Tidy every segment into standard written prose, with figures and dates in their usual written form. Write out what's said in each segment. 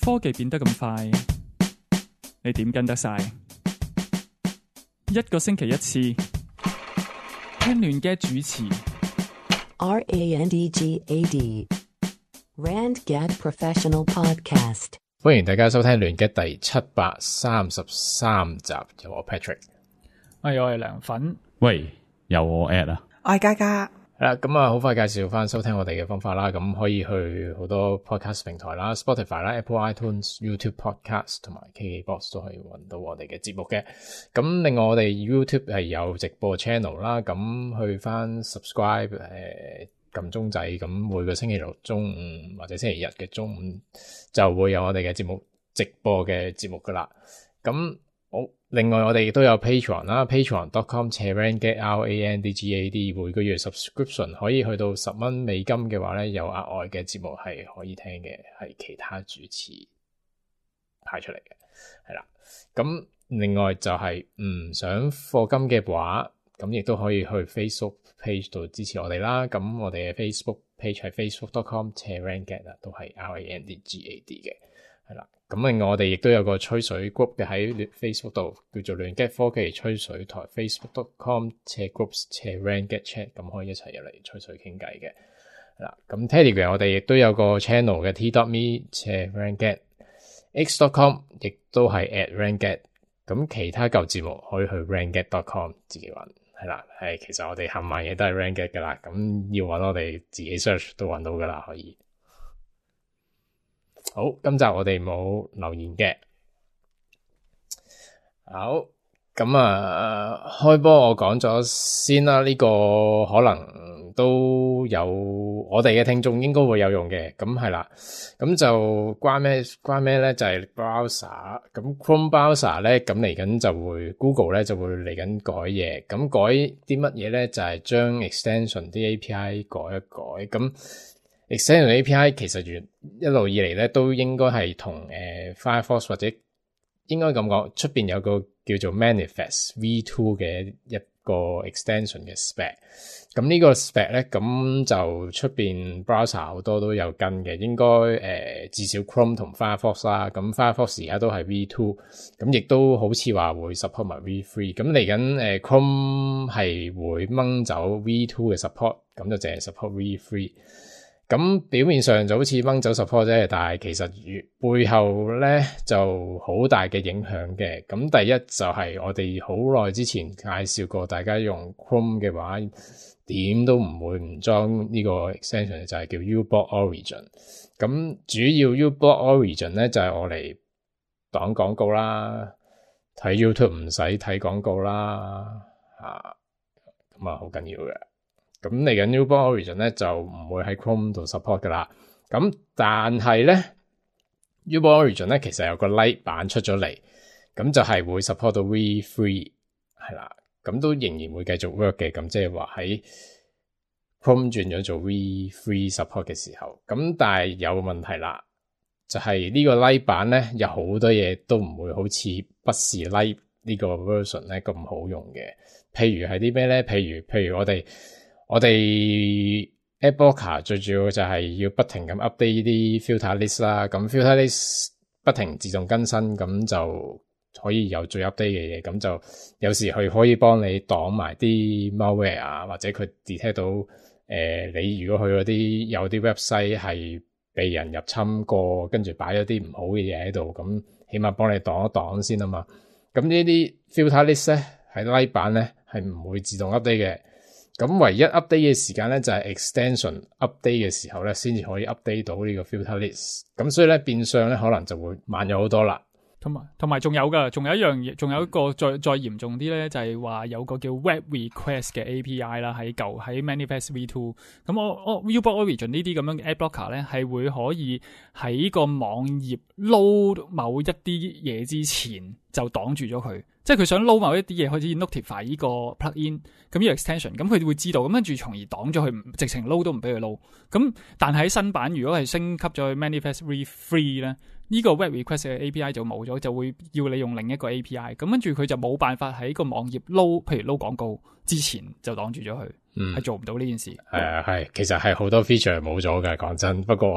科技變得咁快，你點跟得晒？一個星期一次，聽亂嘅主持。RANDGAD RandGad Professional Podcast。歡迎大家收聽亂嘅第733集，有我 Patrick，我係涼粉。喂，有我 at 啊，我係嘉嘉。係啦，咁啊，好快介紹翻收聽我哋嘅方法啦。咁可以去好多 podcast 平台啦 ，Spotify 啦、Apple iTunes、YouTube Podcast 同埋 KKBox 都可以揾到我哋嘅節目嘅。咁另外我哋 YouTube 係有直播 channel 啦，咁去翻 subscribe 撳鐘仔，咁每個星期六中午或者星期日嘅中午就會有我哋嘅節目直播嘅節目噶啦。咁另外我哋亦都有 Patreon 啦 ，patreon.com/randgad RANDGAD 每個月 subscription 可以去到$10美金嘅話咧，有額外嘅節目係可以聽嘅，係其他主持派出嚟嘅，係啦。咁另外就係唔想課金嘅話，咁亦都可以去 Facebook page 度支持我哋啦。咁我哋嘅 Facebook page 係 facebook.com/randgad 都係 RANDGAD 嘅，係啦。咁另外我哋亦都有個吹水 group 嘅喺 Facebook 度，叫做亂 gad 科技吹水台 facebook.com/groups/randgadchat， 咁可以一齊入嚟吹水傾偈嘅。係啦，咁 Telegram 我哋亦都有個 channel 嘅 t.me/randgad x.com 亦都係 @randgad。咁其他舊節目可以去 randgad.com 自己揾。係啦，其實我哋冚唪唥嘢都係 randgad 噶啦，咁要揾我哋自己 search 都揾到噶啦，可以。好，今集我哋冇留言嘅。好，咁開波我講咗先啦，呢個可能都有我哋嘅聽眾應該會有用嘅。咁係啦，咁就關咩咧？就係 browser。咁 Chrome browser 咧，咁嚟緊就會 Google 咧就會嚟緊改嘢。咁改啲乜嘢咧？就係將 extension 啲 API 改一改。咁extension API 其實一路以嚟咧都應該係同Firefox 或者應該咁講，出邊有個叫做 Manifest V2 嘅一個 extension 嘅 spec。咁呢個 spec 咧，咁就出邊 browser 好多都有跟嘅，應該至少 Chrome 同 Firefox 啦。咁 Firefox 而家都係 V2，咁亦都好似話會 support 埋 V3。咁嚟緊Chrome 係會掹走 V2 嘅 support， 咁就淨係 support V3。咁表面上就好似掹走 support 啫，但係其實背後咧就好大嘅影響嘅。咁第一就係我哋好耐之前介紹過，大家用 Chrome 嘅話點都唔會唔裝呢個 extension， 就係叫 uBlock Origin。咁主要 uBlock Origin 咧就係我嚟擋廣告啦，睇 YouTube 唔使睇廣告啦，咁好緊要嘅。咁嚟緊 uBlock Origin 咧就唔會喺 Chrome 度 support 噶啦。咁但係咧 uBlock Origin 咧其實有個 light 版出咗嚟，咁就係會 support 到 V3 係啦。咁都仍然會繼續 work 嘅。咁即係話喺 Chrome 轉咗做 V3 support 嘅時候，咁但係有問題啦，就係呢個 light 版咧有好多嘢都唔會好似不是 light 呢個 version 咧咁好用嘅。譬如係啲咩咧？譬如我哋 AdBlocker 最主要就係要不停咁 update 啲 filter list 啦，咁 filter list 不停自動更新，咁就可以有最 update 嘅嘢，咁就有時佢可以幫你擋埋啲 malware 啊，或者佢 detect 到你如果去嗰啲有啲 website 係被人入侵過，跟住擺咗啲唔好嘅嘢喺度，咁起碼幫你擋一擋先啊嘛。咁呢啲 filter list 咧喺 light 版咧係唔會自動 update 嘅。咁唯一 update 嘅時間咧就係 extension update 嘅時候咧先至可以 update 到呢個 filter list。咁所以咧變相咧可能就會慢咗好多啦。同埋仲有噶，仲有一樣嘢，仲有一個再嚴重啲咧，就係話有個叫 Web Request 嘅 API 啦，喺Manifest V2。咁我 uBlock Origin 呢啲咁樣嘅 AdBlocker 咧，係會可以喺個網頁 load 某一啲嘢之前就擋住咗佢。即係佢想 load 某一啲嘢，可以 notify 呢個 plugin， 咁呢個 extension， 咁佢會知道，咁跟住從而擋咗佢，直情 load 都唔俾佢 load。咁但係喺新版如果係升級咗去 Manifest V3 咧，呢個 web request 嘅 API 就冇咗，就會要你用另一個 API， 咁跟住佢就冇辦法喺個網頁 load， 譬如 load 廣告之前就擋住咗佢，係做唔到呢件事。係，其實係好多 feature 冇咗嘅，講真。不過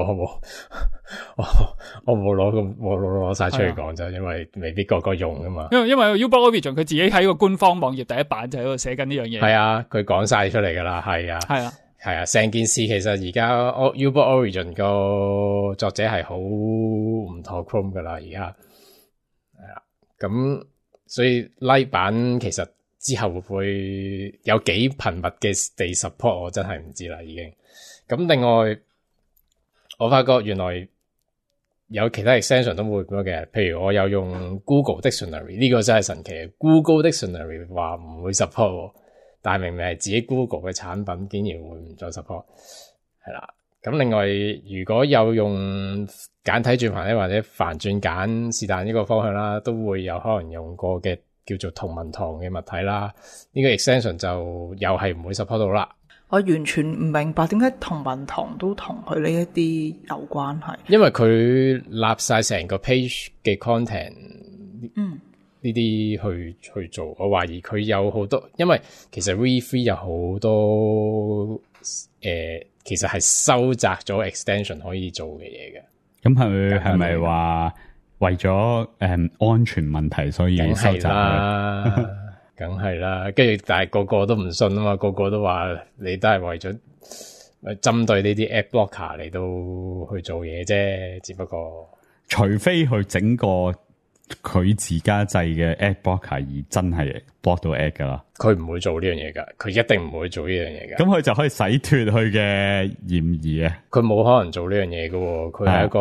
我冇攞晒出嚟講啫，因為未必個個用噶嘛。因為 Uber Origin 佢自己喺個官方網頁第一版就喺度寫緊呢樣嘢。係啊，佢講晒出嚟噶啦，係啊，係啊，成件事其實而家 Uber Origin 個作者係好唔妥 Chrome 噶啦，而家係啦，咁所以 Lite 版其實之後會唔會有幾頻密嘅地 support， 我真係唔知啦，已經。咁另外，我發覺原來有其他 extension 都會咁樣嘅，譬如我有用 Google Dictionary， 呢個真係神奇。Google Dictionary 話唔會 support， 但係明明係自己 Google 嘅產品，竟然會唔再 support， 係啦。咁另外，如果有用簡體轉繁體或者繁轉簡是但呢個方向啦，都會有可能用過嘅叫做同文堂嘅物體啦。呢個 extension 就又係唔會 support 到啦。我完全唔明白點解同文堂都同佢呢一啲有關係。因為佢立晒成個 page 嘅 content， 呢啲去做，我懷疑佢有好多，因為其實 V3 有好多其實係收窄咗 extension 可以做嘅嘢嘅。咁係咪話為咗安全問題所以收窄咧？梗係啦，跟住但係個個都唔信啊嘛，個個都話你都係為咗針對呢啲 app blocker 嚟到去做嘢啫，只不過除非去整個佢自家製嘅 app blocker 而真係 block 到 app 噶啦，佢唔會做呢樣嘢噶，佢一定唔會做呢樣嘢噶。咁佢就可以洗脫佢嘅嫌疑啊！佢冇可能做呢樣嘢噶，佢係一個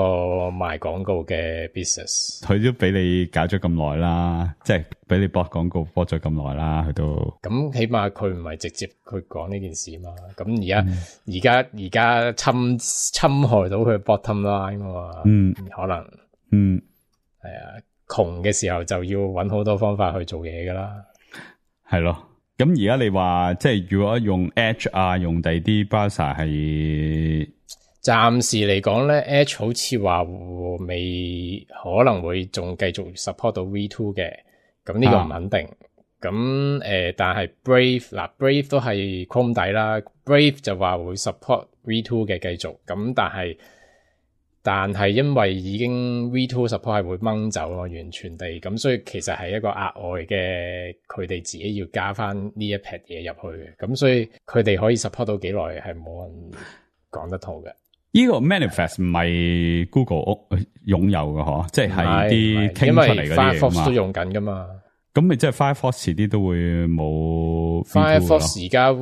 賣廣告嘅 business。佢都俾你搞咗咁耐啦，即係俾你 block 廣告 block 咗咁耐啦，佢都咁起碼佢唔係直接去講呢件事嘛。咁而家侵害到佢 bottom line 啊嘛。可能係啊。窮嘅時候就要揾好多方法去做嘢噶啦，係咯。咁而家你話即係如果用 Edge 啊，用第啲 browser 係暫時嚟講咧 ，Edge 好似話未可能會仲繼續 support 到 V2 嘅，咁呢個唔肯定。咁但係 Brave 都係 Chrome 底啦 ，Brave 就話會 support V2 嘅繼續，咁但係因為已經 V2 support 係會掹走咯，完全地咁，所以其實係一個額外嘅，佢哋自己要加翻呢一撇嘢入去嘅，咁所以佢哋可以 support 到幾耐係冇人講得到嘅。呢個 manifest 唔係 Google 擁有嘅嗬，即係啲傾出嚟嗰啲嘢嘛。因為 Firefox 都用緊噶嘛，咁咪即係 Firefox 遲啲都會冇 Firefox 而家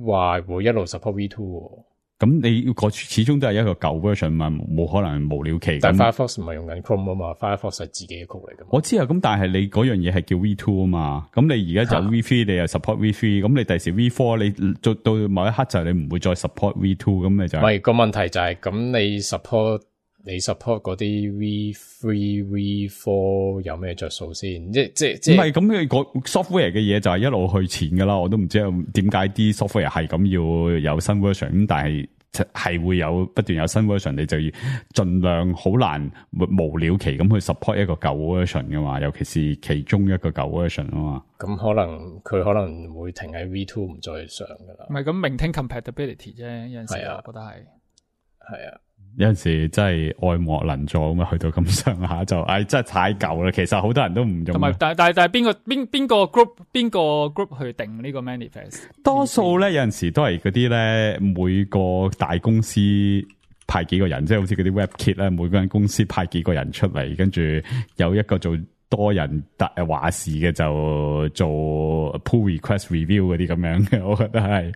話會一路 support V2。咁你個始終都係一個舊 version 嘛，冇可能無了期。但 Firefox 唔係用緊 Chrome 啊嘛 ，Firefox 係自己嘅 code 嚟噶嘛。我知啊，咁但係你嗰樣嘢係叫 V2 啊嘛，咁你而家就 V3，你又 support V3，咁你第時 V4 你做到某一刻就係你唔會再 support V2，咁你就唔係個問題就係咁你 support 嗰啲 V3、V4 有咩着數先？即唔係咁你個 software 嘅嘢就係一路去前噶啦，我都唔知點解啲 software 係咁要有新 version， 咁但係會有不斷有新 version， 你就要盡量好難無了期咁去 support 一個舊 version 噶嘛，尤其是其中一個舊 version 啊嘛。咁佢可能會停喺 V2 唔再上噶啦。唔係咁 maintain compatibility 啫，有陣時我覺得係啊。有陣時真係愛莫能助咁啊，去到咁上下就，真係太舊啦。其實好多人都唔用。同埋，但係邊個 group 去定呢個 manifest？多數咧有陣時都係嗰啲咧，每個大公司派幾個人，即係好似嗰啲 WebKit 咧，每間公司派幾個人出嚟，跟住有一個做多人話事嘅就做 pull request review 嗰啲咁樣嘅，我覺得係。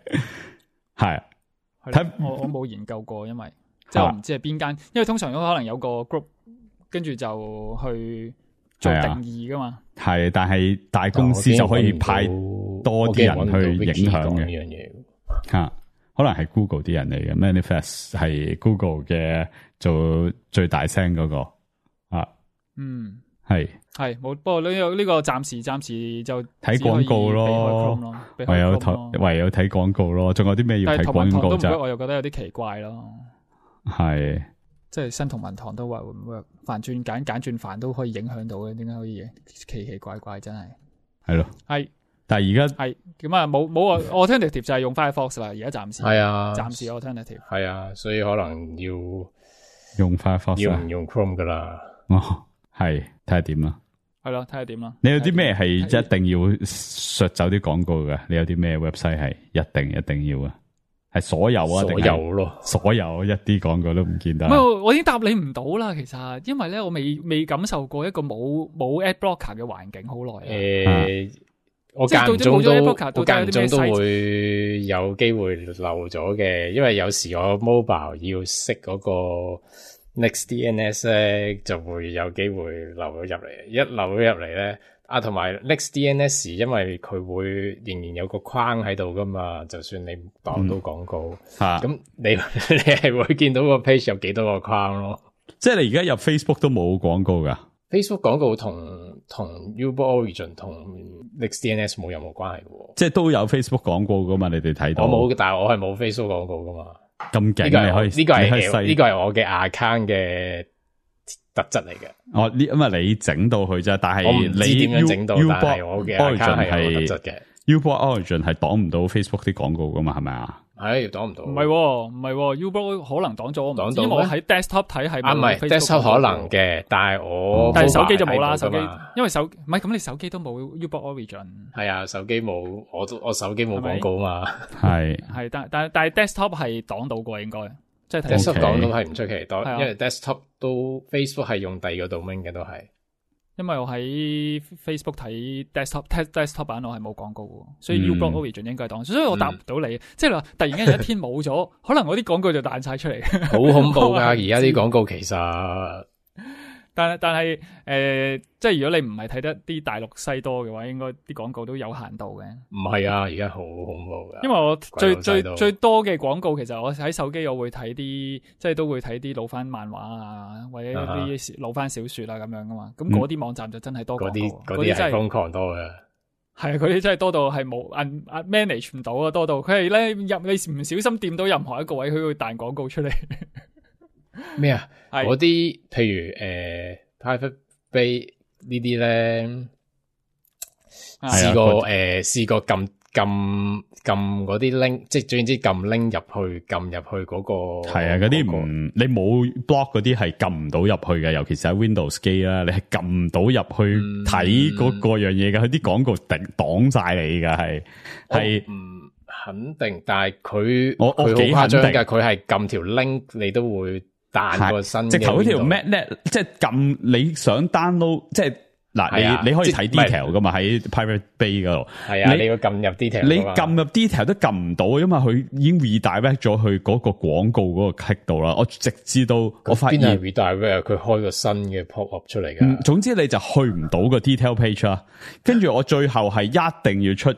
我冇研究過，因為。即係我唔知係邊間，因為通常都可能有個 group， 跟住就去做定義噶嘛。係，但係大公司就可以派多啲人去影響嘅呢樣嘢。可能係 Google 啲人嚟嘅 ，Manifest 係 Google 嘅做最大聲嗰個係冇。不過呢個暫時就睇廣告咯，唯有睇廣告咯。仲有啲咩要睇廣告啫？我又覺得有啲奇怪咯。係，即係新同文堂都話會唔會繁轉簡轉繁都可以影響到嘅？點解可以奇奇怪怪？真係係咯，係。但係而家係咁啊，冇 alternative 就係用 Firefox 啦。而家暫時係啊，暫時 alternative 係啊，所以可能要用 Firefox 要唔用 Chrome 噶啦。哦，係睇下點啦。係咯，睇下點啦。你有啲咩係一定要削走啲廣告嘅？你有啲咩 website 係一定要啊？係所有啊？所有咯，所有一啲廣告都唔見得。唔係，我已經答你唔到啦。其實，因為咧，我未感受過一個冇 ad blocker 嘅環境好耐。我間唔中都會會有機會漏咗嘅，因為有時我 mobile 要識嗰個 NextDNS 咧，就會有機會漏咗入嚟。一漏咗入嚟咧，同埋 NextDNS 因為佢會仍然有個框喺度噶嘛，就算你擋到廣告，咁你係會見到個 page 有幾多個框咯。即係你而家入 Facebook 都冇廣告噶。Facebook 廣告同 Uber Origin 同 NextDNS 冇任何關係嘅，即係都有 Facebook 廣告噶嘛？你哋睇到？我冇，但係我係冇 Facebook 廣告噶嘛。咁勁，你可以呢個係我嘅 account 嘅特質嚟嘅。哦，因為你整到佢啫，但係我唔知點樣整到，但係我嘅 account 係有特質嘅。Uber Origin 係擋唔到 Facebook 啲廣告噶嘛？係咪啊？係擋唔到，唔係 Uber 可能擋咗，因為我喺 desktop 睇係唔係 desktop 可能嘅，但係但係手機就冇啦，手機因為唔係咁，你手機都冇 Uber Origin。係啊，手機冇，我手機冇廣告嘛。係但係 desktop 係擋到過應該，即係 desktop 擋到係唔出奇，因為 desktop 都 Facebook 係用第二個 domain 嘅都係。因為我喺 Facebook 睇 desktop 版，我係冇廣告嘅，所以 Uber Origin 應該係擋，所以我答唔到你。即係話突然間有一天冇咗，可能我啲廣告就彈晒出嚟，好恐怖噶！而家啲廣告其實，但係即係如果你唔係睇得啲大陸西多嘅話，應該啲廣告都有限度嘅。唔係啊，而家好恐怖噶。因為我最多嘅廣告，其實我喺手機我會睇啲，即係都會睇啲老番漫畫啊，或者啲老番小說啊咁樣噶嘛。咁嗰啲網站就真係多廣告，嗰啲係瘋狂多嘅。係啊，嗰啲真係多到係冇manage 唔到啊，多到佢係咧你唔小心掂到任何一個位，佢會彈廣告出嚟。咩啊？嗰啲譬如Private Bay 呢啲咧，試過撳嗰啲 link，即係總之撳 link 入去嗰個。係啊，嗰啲你冇 block 嗰啲係撳唔到入去嘅，尤其是喺 Windows 機啦，你係撳唔到入去睇嗰個樣嘢嘅，佢啲廣告擋晒你㗎，係唔肯定，但係佢好誇張㗎，佢係撳條 link 你都會彈個新嘅。直頭嗰條 Matnet 即係撳你想 download， 即係嗱你可以睇 detail 噶嘛，喺 Pirate Bay 嗰度。係啊，你要撳入 detail。你撳入 detail 都撳唔到，因為佢已經 redirect 咗去嗰個廣告嗰個 click 度啦。我直至到我發現 redirect 佢開個新嘅 pop up 出嚟㗎。總之你就去唔到個 detail page 啦。跟住我最後係一定要出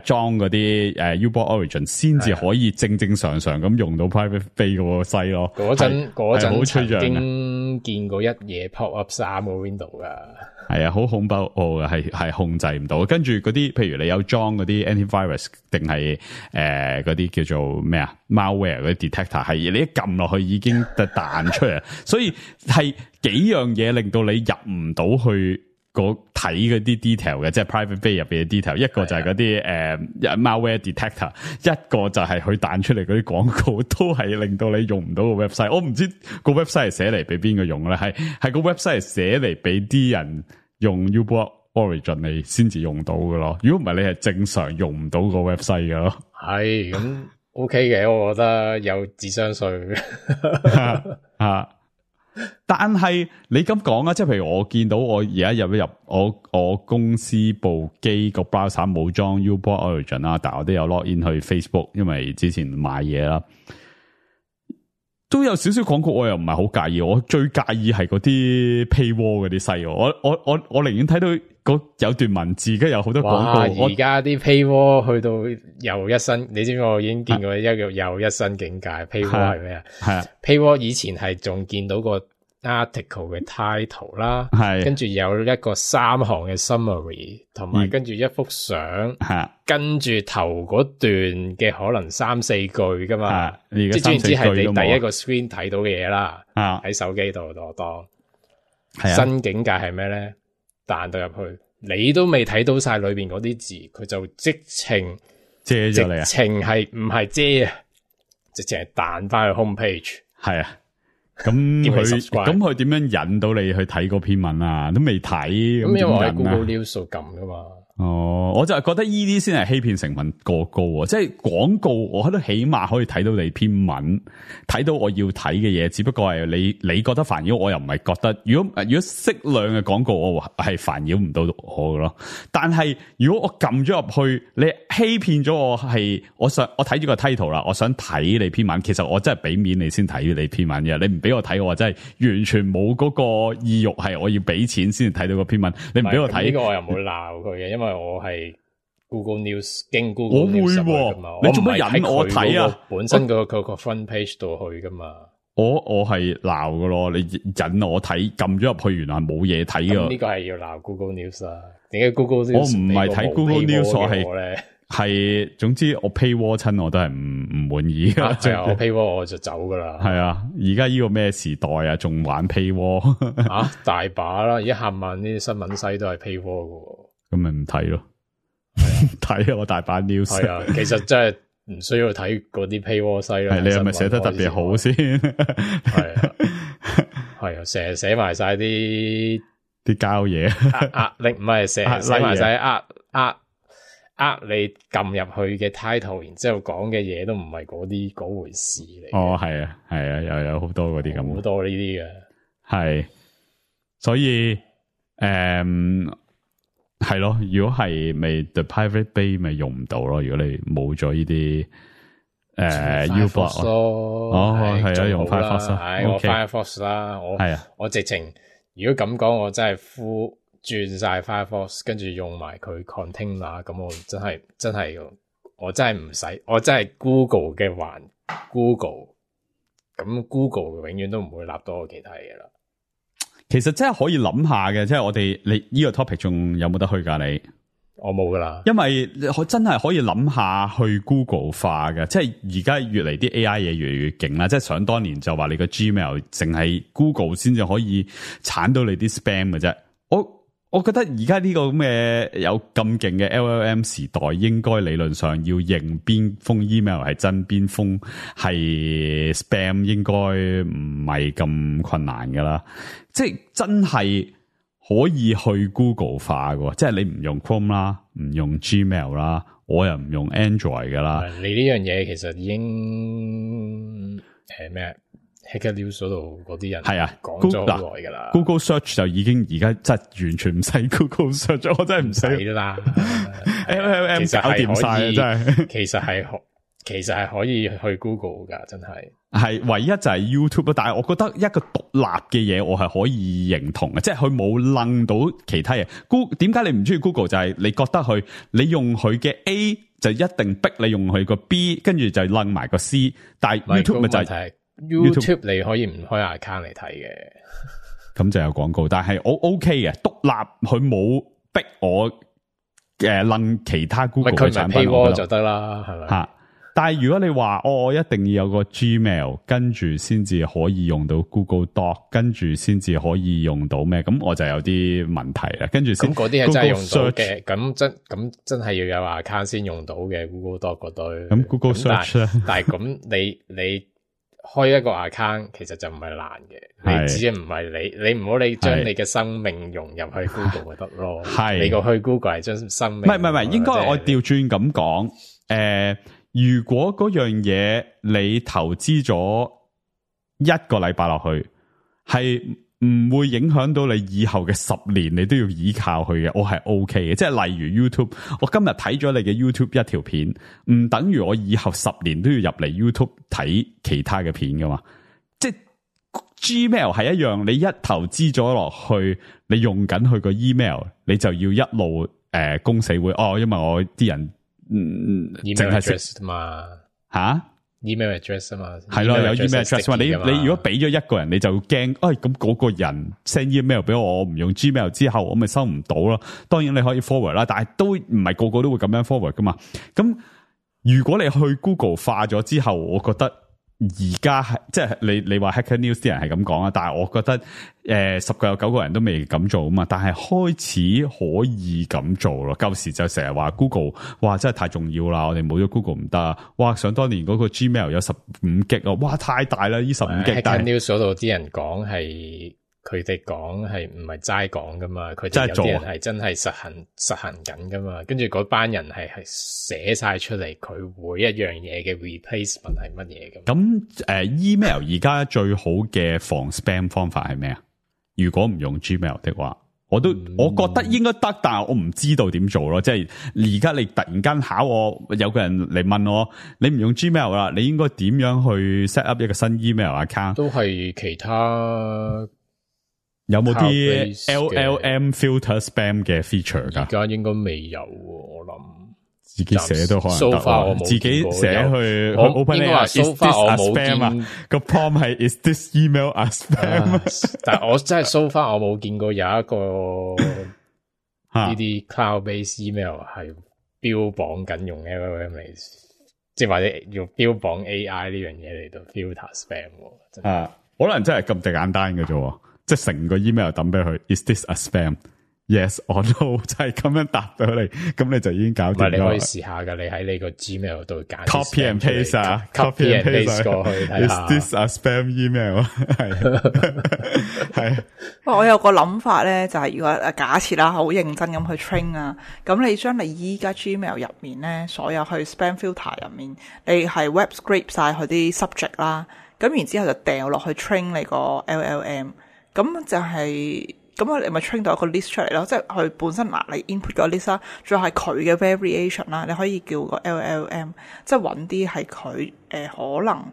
裝嗰啲Uber Origin 先至可以正常咁用到 Private Bay 嗰個西咯。嗰陣曾經見過一嘢 pop up 3個 window 噶。係啊，好恐怖係控制唔到。跟住嗰啲，譬如你有裝嗰啲 antivirus 定係嗰啲叫做咩啊 malware 嗰啲 detector， 係你一撳落去已經彈出嚟，所以係幾樣嘢令到你入唔到去睇嗰啲 detail 嘅，即係 Private Bay 入邊嘅 detail。一個就係嗰啲malware detector， 一個就係佢彈出嚟嗰啲廣告，都係令到你用唔到個 website。我唔知個 website 係寫嚟俾邊個用咧，係個 website 係寫嚟俾啲人用 Uber Origin 你先至用到嘅咯。如果唔係，你係正常用唔到個 website 嘅咯。係咁 OK 嘅，我覺得有智商稅啊。但係你咁講啊，即係譬如我見到我而家入我公司部機個 browser 冇裝 Uber Origin 啦，但係我都有 log in 去 Facebook， 因為之前買嘢啦，都有少少廣告，我又唔係好介意。我最介意係嗰啲 paywall 嗰啲西，我寧願睇到有段文字，跟住有好多廣告。而家啲 paywall 去到又一新，你知唔知我已經見過一個又一新境界。paywall 係咩啊？係啊 ，paywall 以前係仲見到個 article 嘅 title 啦，係跟住有一個3行嘅 summary， 同埋跟住一幅相，跟住頭嗰段嘅可能3-4句噶嘛，即係總之係你第一個 screen 睇到嘅嘢啦，喺手機度當。新境界係咩咧？彈到入去，你都未睇到晒裏邊嗰啲字，佢就直情遮咗你啊！直情係唔係遮啊？直情係彈翻去 home page。係啊。咁叫你佢 subscribe 咁佢點樣引到你去睇嗰篇文啊？都未睇，咁因為我喺點引啊 Google News 度撳噶嘛。哦，我就係覺得呢啲先係欺騙成分過高啊！即係廣告，我覺得起碼可以睇到你篇文，睇到我要睇嘅嘢。只不過係你覺得煩擾，我又唔係覺得。如果適量嘅廣告，我係煩擾唔到我嘅咯。但係如果我撳咗入去，你欺騙咗我係，我睇住個 title 啦，我想睇你篇文。其實我真係俾面你先睇你篇文嘅，你唔俾我睇，我真係完全冇嗰個意欲係我要俾錢先睇到個篇文。你唔俾我睇呢個我又冇鬧佢嘅，因為我係 Google News 經 Google 我會 News 喎㗎嘛，你做乜我唔係引我睇啊？喺佢嗰個本身佢個 front page 度去噶嘛。我係鬧㗎咯，你引我睇，撳咗入去，原來冇嘢睇咁㗎。呢個係要鬧 Google News 啦。點解 Google News 我唔係睇 Google News， 我係咧？係總之我 paywall 親我都係唔滿意㗎。係啊，我 paywall 我就走噶啦。係啊，而家呢個咩時代啊，仲玩 paywall 啊，大把啦，而家冚唪唥啲新聞西都係 paywall 噶。咁咪唔睇咯。睇我大把 news。係啊，其實真係唔需要睇嗰啲 paywall 西啦。係你係咪寫得特別好先？係啊，係啊，成日寫埋晒啲膠嘢壓力，唔係成日寫埋晒你撳入去嘅 title， 然之後講嘅嘢都唔係嗰回事嚟。哦，係啊，係啊，又有好多嗰啲咁，好多呢啲嘅。係，所以係咯，如果係咪 The Pirate Bay 咪用唔到咯？如果你冇咗呢啲Ublog 咯，係啊，用 Firefox 係我 Firefox 啦，我直情如果咁講，我真係轉晒 Firefox， 跟住用埋佢 container， 咁我真係我真係唔使，我真係 Google 嘅環 Google， 咁 Google 永遠都唔會立到我其他嘢啦。其實真係可以諗下嘅，即係我哋你呢個 topic 仲有冇得去㗎？你我冇噶啦，因為真係可以諗下去 Google 化嘅，即係而家越嚟啲 AI 嘢越嚟越勁啦。即係想當年就話你個 Gmail 淨係 Google 先至可以鏟到你啲 spam 嘅啫。我覺得而家呢個咁嘅有咁勁嘅 LLM 時代，應該理論上要認邊封 email 係真，邊封係 spam， 應該唔係咁困難噶啦。即係真係可以去 Google 化嘅，即係你唔用 Chrome 啦，唔用 Gmail 啦，我又唔用 Android 噶啦。你呢樣嘢其實已經咩？Hacker News 嗰度嗰啲人係啊，講咗好耐噶啦。Google Search 就已經而家真係完全唔使 Google Search， 我真係唔使啦。LLM 搞掂晒，真係。其實係可以去 Google 噶，真係。係唯一就係 YouTube， 但係我覺得一個獨立嘅嘢，我係可以認同嘅，即係佢冇楞到其他嘢。點解你唔中意 Google？ 就係你覺得你用佢嘅 A 就一定逼你用佢個 B， 跟住就楞埋個 C。但係 YouTube 咪就係。YouTube 你可以唔開 account 嚟睇嘅，咁就有廣告，但係我 OK 嘅，獨立佢冇逼我楞其他 Google 嘅產品，佢唔係 paywall 就得啦，係咪？吓，但係如果你話我一定要有個 Gmail， 跟住先至可以用到 Google Doc， 跟住先至可以用到咩？咁我就有啲問題啦。跟住先，咁嗰啲係真係用到嘅，咁真係要有 account 先用到嘅 Google Doc 嗰堆。咁 Google Search 咧，但係咁你開一個 account 其實就唔係難嘅，你只係唔係你唔好你將你嘅生命融入去 Google 就得咯。係你個去 Google 係將生命，唔係，應該我調轉咁講。如果嗰樣嘢你投資咗一個禮拜落去，係唔會影響到你以後嘅10年，你都要依靠佢嘅，我係 OK 嘅。即係例如 YouTube， 我今日睇咗你嘅 YouTube 一條片，唔等於我以後10年都要入嚟 YouTube 睇其他嘅片噶嘛。即係 Gmail 係一樣，你一投資咗落去，你用緊佢個 email， 你就要一路公死會因為我啲人淨係 address 嘛吓。email address 啊嘛，係咯，有 email address 嘛？你如果俾咗一個人，你就驚，咁嗰個人 send email 俾我唔用 Gmail 之後，我咪收唔到咯。當然你可以 forward 啦，但係都唔係個個都會咁樣 forward 噶嘛。咁如果你去 Google 化咗之後，我覺得而家係即係你話 Hacker News 啲人係咁講啊，但係我覺得10個有9個人都未咁做啊嘛，但係開始可以咁做咯。舊時就成日話 Google 哇真係太重要啦，我哋冇咗 Google 唔得啊！哇，想當年嗰個 Gmail 有15GB啊，哇太大啦呢15GB。Hacker News 嗰度啲人講係佢哋講係唔係齋講噶嘛，佢哋有啲人係真係實行緊噶嘛，跟住嗰班人係寫晒出嚟，佢每一樣嘢嘅 replacement 係乜嘢咁。咁email 而家最好嘅防 spam 方法係咩啊？如果唔用 Gmail 的話，我覺得應該得，但係我唔知道點做咯。即係而家你突然間考我，有個人嚟問我，你唔用 Gmail 啦，你應該點樣去 set up 一個新 email account？都係其他。有冇啲 LLM filter spam 嘅 feature 㗎？而家應該未有喎，我諗自己寫都可能得。So far 我冇自己寫去 open 應該話 so far 我冇見啊。個 prompt 係 is this email a spam？但係我真係 so far 我冇見過有一個呢啲 cloud based email 係標榜緊用 LLM 嚟，即係或者要標榜 AI 呢樣嘢嚟到 filter spam。啊，可能真係咁簡單嘅啫。即係成個 email 抌俾佢 ，is this a spam？Yes or no， 就係咁樣答到你，咁你就已經搞掂咗。唔係，你可以試下噶，你喺你個 Gmail 度揀 copy and paste 啊 ，copy and paste 過去睇下。Is this a spam email？ 係。我有個諗法咧，就係如果假設啦，好認真咁去 train 啊，咁你將你依家 Gmail 入面咧，所有去 spam filter 入面，你係 web scrape 晒佢啲 subject 啦，咁然之後就掉落去 train 你個 LLM。咁就係咁，你咪 train 到一個 list 出嚟咯，即係佢本身你 input 個 list 啦，仲有係佢嘅 variation 啦，你可以叫個 LLM， 即係揾啲係佢可能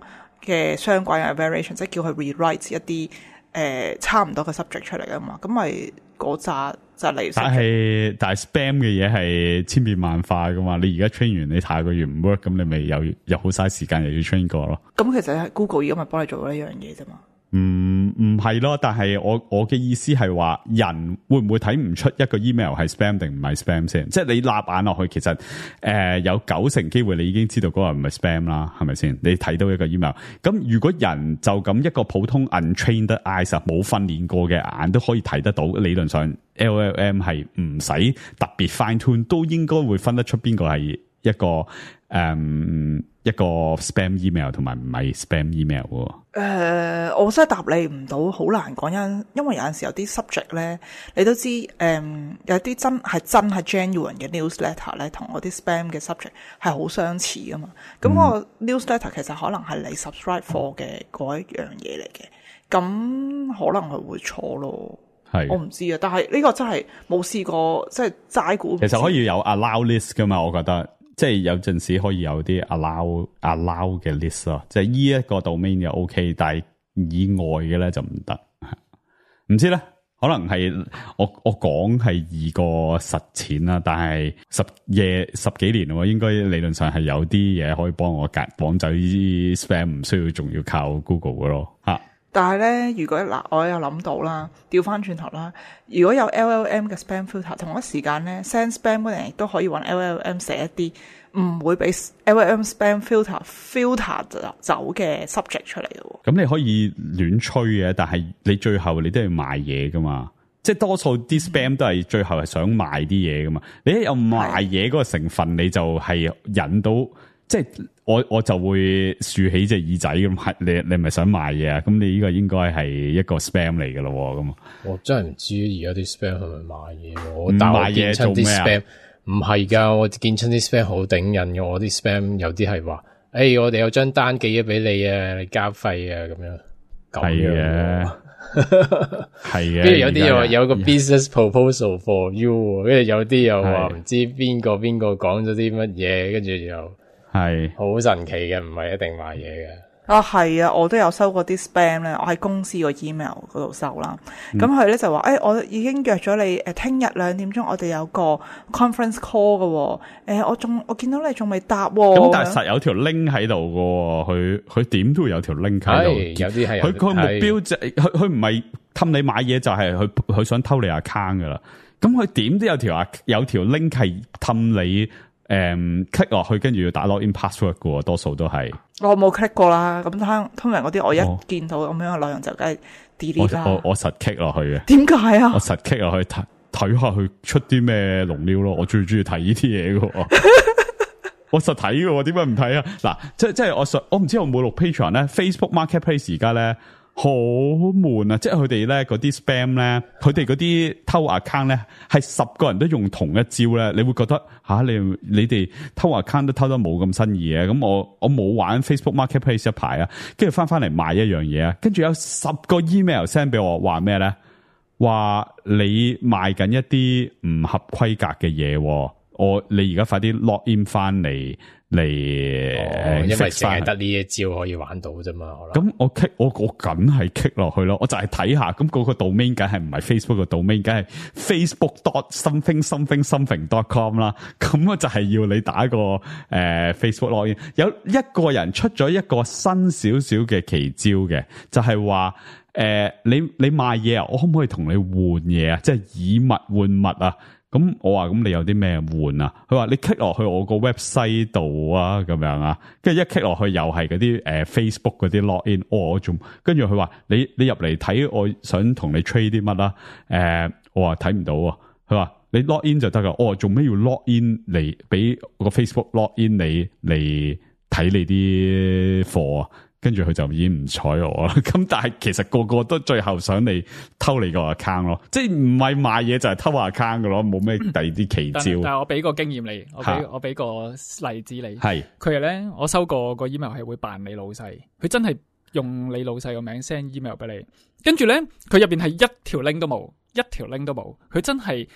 嘅相關嘅 variation， 即係叫佢 rewrite 一啲差唔多嘅 subject 出嚟啊嘛，咁咪嗰扎就嚟。但係 spam 嘅嘢係千變萬化噶嘛，你而家 train 完你下個月唔 work， 咁你咪又好嘥時間又要 train 過咯。咁其實係 Google 而家咪幫你做呢樣嘢啫嘛。唔係咯，但係我嘅意思係話，人會唔會睇唔出一個 email 係 spam 定唔係 spam 先？即係你立眼落去，其實有90%機會你已經知道嗰個唔係 spam 啦，係咪先？你睇到一個 email， 咁如果人就咁一個普通 untrained eyes 冇訓練過嘅眼都可以睇得到，理論上 LLM 係唔使特別 fine tune 都應該會分得出邊個係一個spam email 同埋唔係 spam email 喎。我真係答你唔到，好難講，因為有陣時有啲 subject 咧，你都知有啲真係 genuine 嘅 newsletter 咧，同嗰啲 spam 嘅 subject 係好相似噶嘛。咁個 newsletter 其實可能係你 subscribe for 嘅嗰一樣嘢嚟嘅，咁可能係會錯咯。係我唔知啊，但係呢個真係冇試過，即係齋估。其實可以有 allow list 噶嘛，我覺得。即係有陣時可以有啲 allow 嘅 list 咯，即係呢一個 domain 就 OK， 但係以外嘅咧就唔得。唔知咧，可能係我講係易過實踐啦，但係十幾年喎，應該理論上係有啲嘢可以幫我綁走啲 spam， 唔需要仲要靠 Google 嘅咯嚇。但係咧，如果我有諗到啦，調翻轉頭啦，如果有 LLM 嘅 spam filter， 同一時間咧 send spam 嗰人亦都可以揾 LLM 寫一啲唔會俾 LLM spam filter 走嘅 subject 出嚟嘅喎。咁你可以亂吹嘅，但係你最後你都要賣嘢噶嘛，即係多數啲 spam 都係最後係想賣啲嘢噶嘛。你一有賣嘢嗰個成分，你就係引到。即係我就會豎起隻耳仔咁，你咪想賣嘢啊？咁你呢個應該係一個 spam 嚟嘅咯，咁。我真係唔知而家啲 spam 係咪賣嘢？我賣嘢做咩啊？唔係噶，我見親啲 spam 好頂癮嘅。我啲 spam 有啲係話，我哋有張單寄咗俾你啊，你交費啊，咁樣。係嘅，係嘅。跟住有啲又話有個 business proposal for you， 跟住有啲又話唔知邊個講咗啲乜嘢，跟住又。係好神奇嘅，唔係一定賣嘢嘅。啊，係啊，我都有收過啲 spam 咧，我喺公司個 email 嗰度收啦。咁佢咧就話，我已經約咗你，聽日2點鐘我哋有個 conference call 嘅。我見到你仲未答。咁但係實有條 link 喺度嘅，佢點都會有條 link 喺度。有啲係佢目標就佢唔係氹你買嘢，就係佢想偷你 account 噶啦。咁佢點都有條 link 係氹你。click 落去，跟住要打 login password 嘅，多數都係。我冇 click 過啦。咁通常嗰啲我一見到咁樣嘅內容就梗係 delete 啦。我實 click 落去嘅。點解啊？我實 click 落去睇下佢出啲咩龍料咯。我最中意睇呢啲嘢嘅。我實睇嘅，點解唔睇啊？嗱，即係我唔知我冇錄 Patreon 咧 ，Facebook Marketplace 而家咧好悶啊！即係佢哋咧嗰啲 spam 咧，佢哋嗰啲偷 account 咧，係10個人都用同一招咧，你會覺得你哋偷 account 都偷得冇咁新意嘅。咁我冇玩 Facebook Marketplace 一排啊，跟住翻嚟賣一樣嘢啊，跟住有10個 email send 俾我，話咩咧？話你賣緊一啲唔合規格嘅嘢。你而家快啲 log in 翻嚟，因為淨係得呢一招可以玩到啫嘛。咁我梗係 click 落去咯，我就係睇下，咁嗰個 domain 梗係唔係 Facebook 嘅 domain， 梗係 facebook.something.com 啦。咁我就係要你打個Facebook log in。有一個人出咗一個新少少嘅奇招嘅，就係話你賣嘢啊，我可唔可以同你換嘢啊？即係以物換物啊？咁我話咁你有啲咩換啊？佢話你 click 落去我個 website 度啊，咁樣啊，跟住一 click 落去又係嗰啲Facebook 嗰啲 login，我仲跟住佢話你入嚟睇，我想同你 trade 啲乜啦？我話睇唔到啊。佢話你 login 就得噶。我話做咩要 login 嚟俾個 Facebook login 你嚟睇你啲貨啊？跟住佢就已經唔睬我啦。咁但係其實個個都最後想你偷你個 account 咯，即係唔係賣嘢就係偷 account 噶咯，冇咩第二啲奇招。但係我俾個經驗你，我俾個例子你。係佢係咧，我收過個 email 係會扮你老細，佢真係用你老細個名 send email 俾你，跟住咧佢入邊係一條 link 都冇，佢真係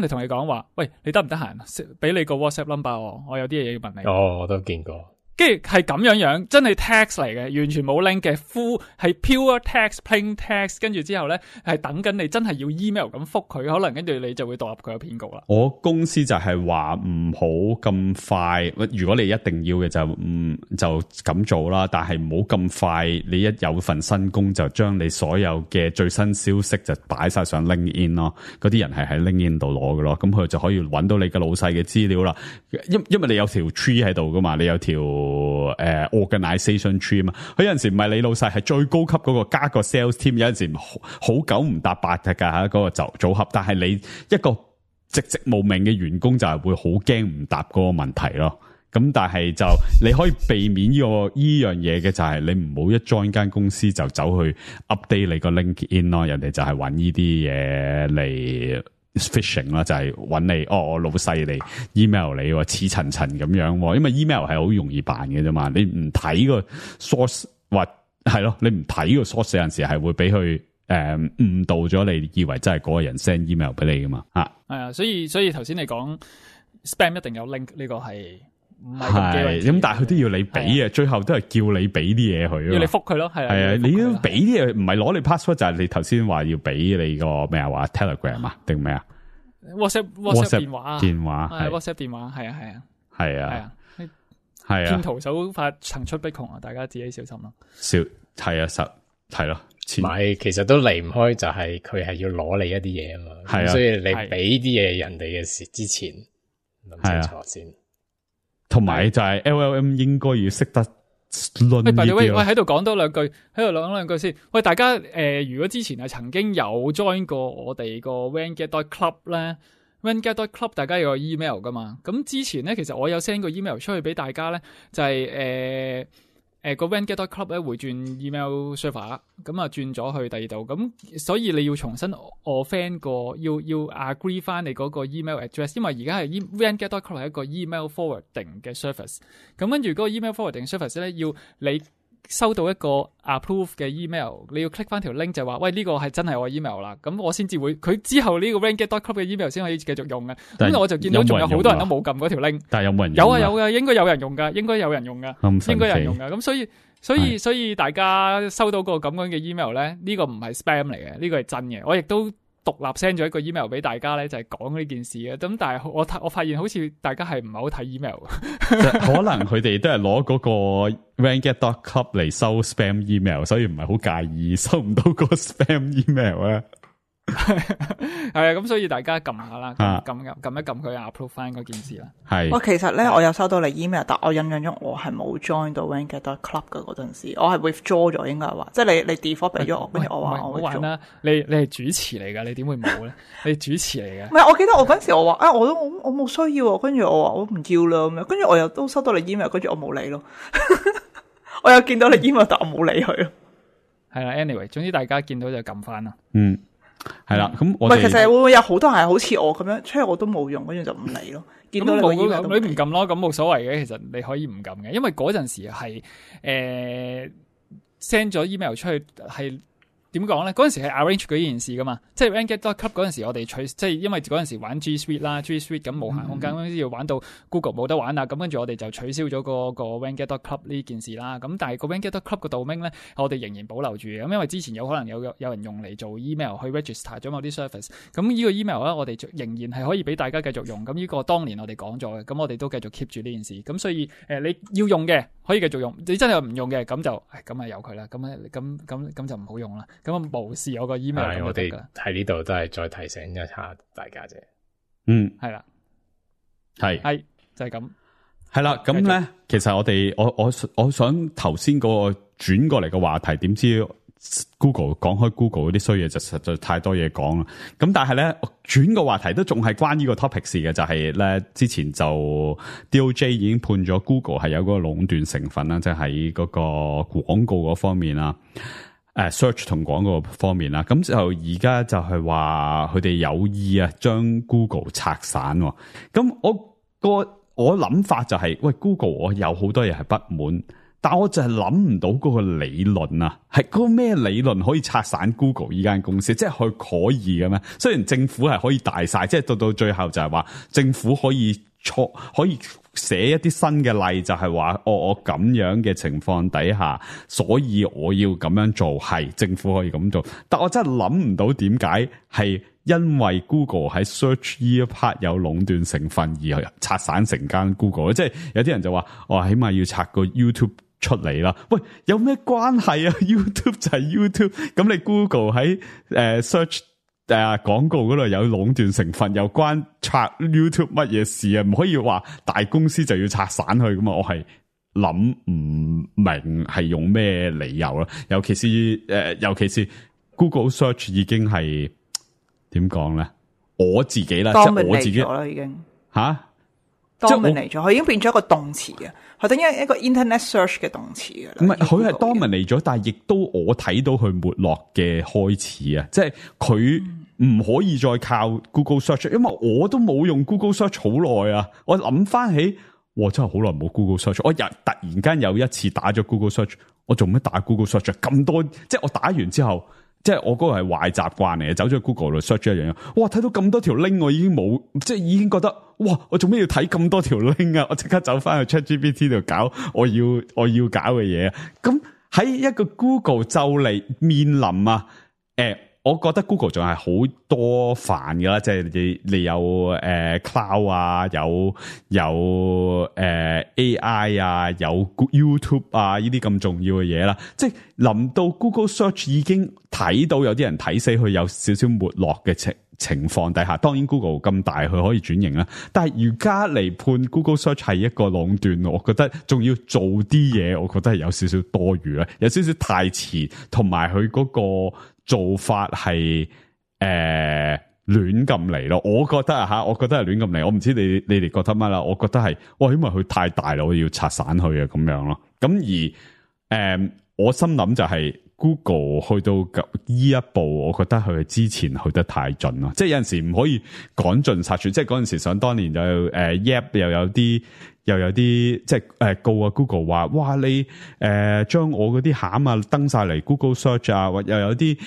同你講話，喂，你得唔得閒？俾你個 WhatsApp number 我有啲嘢要問你。我都見過。跟住係咁樣，真係 text 嚟嘅，完全冇 link 嘅 full 係 pure text plain text， 跟住之後咧係等緊你真係要 email 咁覆佢，可能跟住你就會墮入佢嘅騙局啦。我公司就係話唔好咁快，如果你一定要嘅就咁做啦，但係唔好咁快，你一有份新工就將你所有嘅最新消息就擺晒上 LinkedIn 咯，嗰啲人係喺 LinkedIn 度攞嘅咯，咁佢就可以揾到你嘅老細嘅資料啦。因為你有條 tree 喺度噶嘛，你有條organization tree 嘛，佢有陣時唔係你老細，係最高級嗰個加個 sales team， 有陣時好九唔搭八嘅吓，嗰個組合，但係你一個籍無名嘅員工就係會好驚唔答嗰個問題咯。咁但係就你可以避免呢樣嘢嘅，就係你唔好一 join 間公司就走去 update 你個 LinkedIn 咯，人哋就係揾呢啲嘢嚟phishing 啦，就係揾你我老細嚟 email 你似層層咁樣，因為 email 係好容易辦嘅啫嘛，你唔睇個 source 或係咯，你唔睇個 source 有陣時係會俾佢誤導咗你，以為真係嗰個人 send email 俾你噶嘛。係啊，所以頭先你講 spam 一定有 link 呢個係唔係咁，但係佢都要你俾嘅，最後都係叫你俾啲嘢佢，要你覆佢咯。係啊，你要俾啲嘢，唔係攞你 password， 就係你頭先話要俾你個咩啊？話 Telegram 啊定咩啊 ？WhatsApp 電話啊，WhatsApp 電話係啊，騙徒手法層出不窮啊，大家自己小心咯。係咯，唔係，其實都離唔開，就係佢係要攞你一啲嘢啊嘛。係啊，所以你俾啲嘢人哋嘅事之前諗清楚先。同埋就係 LLM 應該要識得論呢啲。喂，喺度講多兩句先。喂，大家如果之前係曾經有 join 過我哋個 Vanguard.club 咧 ，Vanguard.club 大家有個 email 噶嘛？咁之前咧，其實我有 send 個 email 出去俾大家咧，就係個 Vanguard.club 咧會轉 email server， 咁啊轉咗去第二度，咁所以你要重新offend要 agree 翻你嗰個 email address， 因為而家係 Vanguard.club 係一個 email forwarding 嘅 service， 咁跟住嗰個 email forwarding service 咧要你收到一個 approve 嘅 email， 你要 click 翻條 link 就話喂呢個係真係我 email 啦，咁我先至會佢之後呢個 Vanguard.club 嘅 email 先可以繼續用嘅。咁我就見到仲有好多人都冇撳嗰條 link， 但係有冇人用？有啊，應該有人用噶，應該有人用噶。咁所以大家收到個咁樣嘅 email 咧，呢個唔係 spam 嚟嘅，呢個係真嘅。我亦都獨立 send 咗一個 email 俾大家咧，就係講呢件事嘅。咁但係我發現好似大家係唔係好睇 email， 可能佢哋都係攞嗰個 Vanguard.club 嚟收 spam email， 所以唔係好介意收唔到個 spam email 啊。係啊，咁所以大家撳下啦，啊撳一撳佢 approve 翻嗰件事啦。係我其實咧，我有收到你 email，但我印象中我係冇 join 到 Ranket.club 嘅嗰陣時，我係 withdraw 咗，應該係話，即係你 default 俾咗我，跟住我話我唔好玩 withdraw。啦，你係主持嚟噶，你點會冇咧？你主持嚟嘅唔。係，我記得我嗰陣時我話我冇需要，跟住我話我唔要啦咁樣，跟住我又都收到你 email，跟住我冇理咯。我有見到你 email，但我冇理佢咯。係啦 ，anyway，總之大家見到就撳翻啦。係啦，咁唔我哋係，其實會唔會有好多人係好似我咁樣，所以我都冇用，跟住就唔理咯。見到你個咁 email 都你唔撳咯，咁冇所謂嘅。其實你可以唔撳嘅，因為嗰陣時係send 咗 email 出去係。點講咧？嗰陣時係 arrange 嗰件事噶嘛，即係 Ranket.club 嗰陣時，我哋即係因為嗰陣時玩 G Suite 啦，G Suite 咁無限空間，要玩到 Google 冇得玩啦，咁跟住我哋就取消咗個 Ranket.club 呢件事啦。咁但係個 Ranket.club 個 domain 咧，我哋仍然保留住嘅。咁因為之前有可能有人用嚟做 email 去 register 咗某啲 service， 咁呢個 email 咧，我哋仍然係可以俾大家繼續用。咁呢個當年我哋講咗嘅，咁我哋都繼續 keep 住呢件事。咁所以你要用嘅可以繼續用，你真係唔用嘅咁就咁由佢啦。咁就唔好用啦。咁啊無視我個 email 咁我哋就得㗎啦。喺呢度都係再提醒一下大家啫。係啦，係就係咁。係啦，咁咧，其實我想頭先嗰個轉過嚟嘅話題，點知 Google 講開 Google 嗰啲衰嘢就實在太多嘢講啦。咁但係咧，轉個話題都仲係關呢個 topic 事嘅，就係咧之前就 DOJ 已經判咗 Google 係有嗰個壟斷成分啦，即係喺嗰個廣告嗰方面啦。search 同廣告方面啦，咁就而家就係話佢哋有意啊，將 Google 拆散。咁我諗法就係，喂 Google 我有好多嘢係不滿，但我就係諗唔到嗰個理論啊，係嗰個咩理論可以拆散 Google 呢間公司？即係佢可以嘅咩？雖然政府係可以大晒，即係到最後就係話政府可以寫一啲新嘅例，就係話我咁樣嘅情況底下，所以我要咁樣做，係政府可以咁做。但我真係諗唔到點解係因為 Google 喺 search 呢一 part 有壟斷成分而拆散成間 Google。即係有啲人就話我起碼要拆個 YouTube 出嚟啦。喂，有咩關係啊？ YouTube 就係 YouTube， 咁你 Google 喺search廣告嗰度有壟斷成分，又關拆 YouTube 乜嘢事啊？唔可以話大公司就要拆散佢噶嘛？我係諗唔明係用咩理由啦。尤其是 Google Search 已經係點講咧？我自己啦，即係我自己啦，已經吓，dominate 咗，佢已經變咗一個動詞嘅，佢等於一個 Internet Search 嘅動詞嘅啦。唔係，佢係 dominate咗，但係亦都我睇到佢沒落嘅開始啊！即係佢唔可以再靠 Google Search，因為我都冇用 Google Search 好耐啊！我諗翻起，哇，真係好耐冇 Google Search。我突然間有一次打咗 Google Search，我做咩打 Google Search 咁多？即係我打完之後，即係我嗰個係壞習慣嚟嘅，走咗去 Google 度 search 一樣嘢。哇，睇到咁多條 link，我已經冇，即係已經覺得，哇，我做咩要睇咁多條 link 啊？我即刻走翻去 ChatGPT 度搞我要搞嘅嘢。咁喺一個 Google 就嚟面臨啊，我覺得 Google 仲係好多煩噶啦，即係你有cloud 啊，有AI 啊，有 YouTube 啊，呢啲咁重要嘅嘢啦。即係臨到 Google Search 已經睇到有啲人睇死佢有少少沒落嘅情況底下，當然 Google 咁大佢可以轉型啦。但係而家嚟判 Google Search 係一個壟斷，我覺得仲要做啲嘢，我覺得係有少少多餘啦，有少少太遲，同埋佢嗰個做法係亂咁嚟咯，我覺得我覺得係亂咁嚟，我唔知你哋覺得乜啦，我覺得係，哇，因為佢太大啦，我要拆散佢啊，咁樣咯。咁而我心諗就係 Google 去到呢一步，我覺得佢之前去得太盡咯，即係有陣時唔可以趕盡殺絕，即係嗰陣時想當年就Yap 又有啲即係告啊 Google 話，哇，你將我嗰啲餡啊登晒嚟 Google Search 啊，或又有啲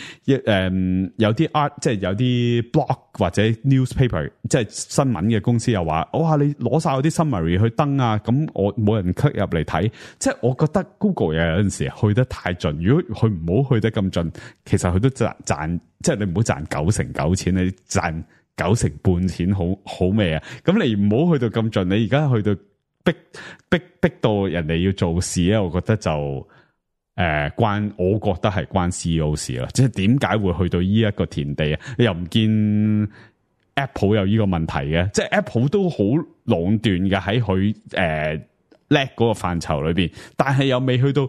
有啲 art 即係有啲 blog 或者 newspaper 即係新聞嘅公司又話，哇，你攞晒我啲 summary 去登啊，咁我冇人 click 入嚟睇，即係我覺得 Google 又有陣時去得太盡，如果佢唔好去得咁盡，其實佢都賺，即係你唔好賺99%錢，你賺90%半錢好咩啊？咁你唔好去到咁盡，你而家去到逼到人哋要做事咧，我覺得就我覺得係關 CEO 事啦，即係點解會去到呢一個田地啊？你又唔見 Apple 有呢個問題嘅，即係 Apple 都好壟斷嘅喺佢叻嗰個範疇裏邊，但係又未去到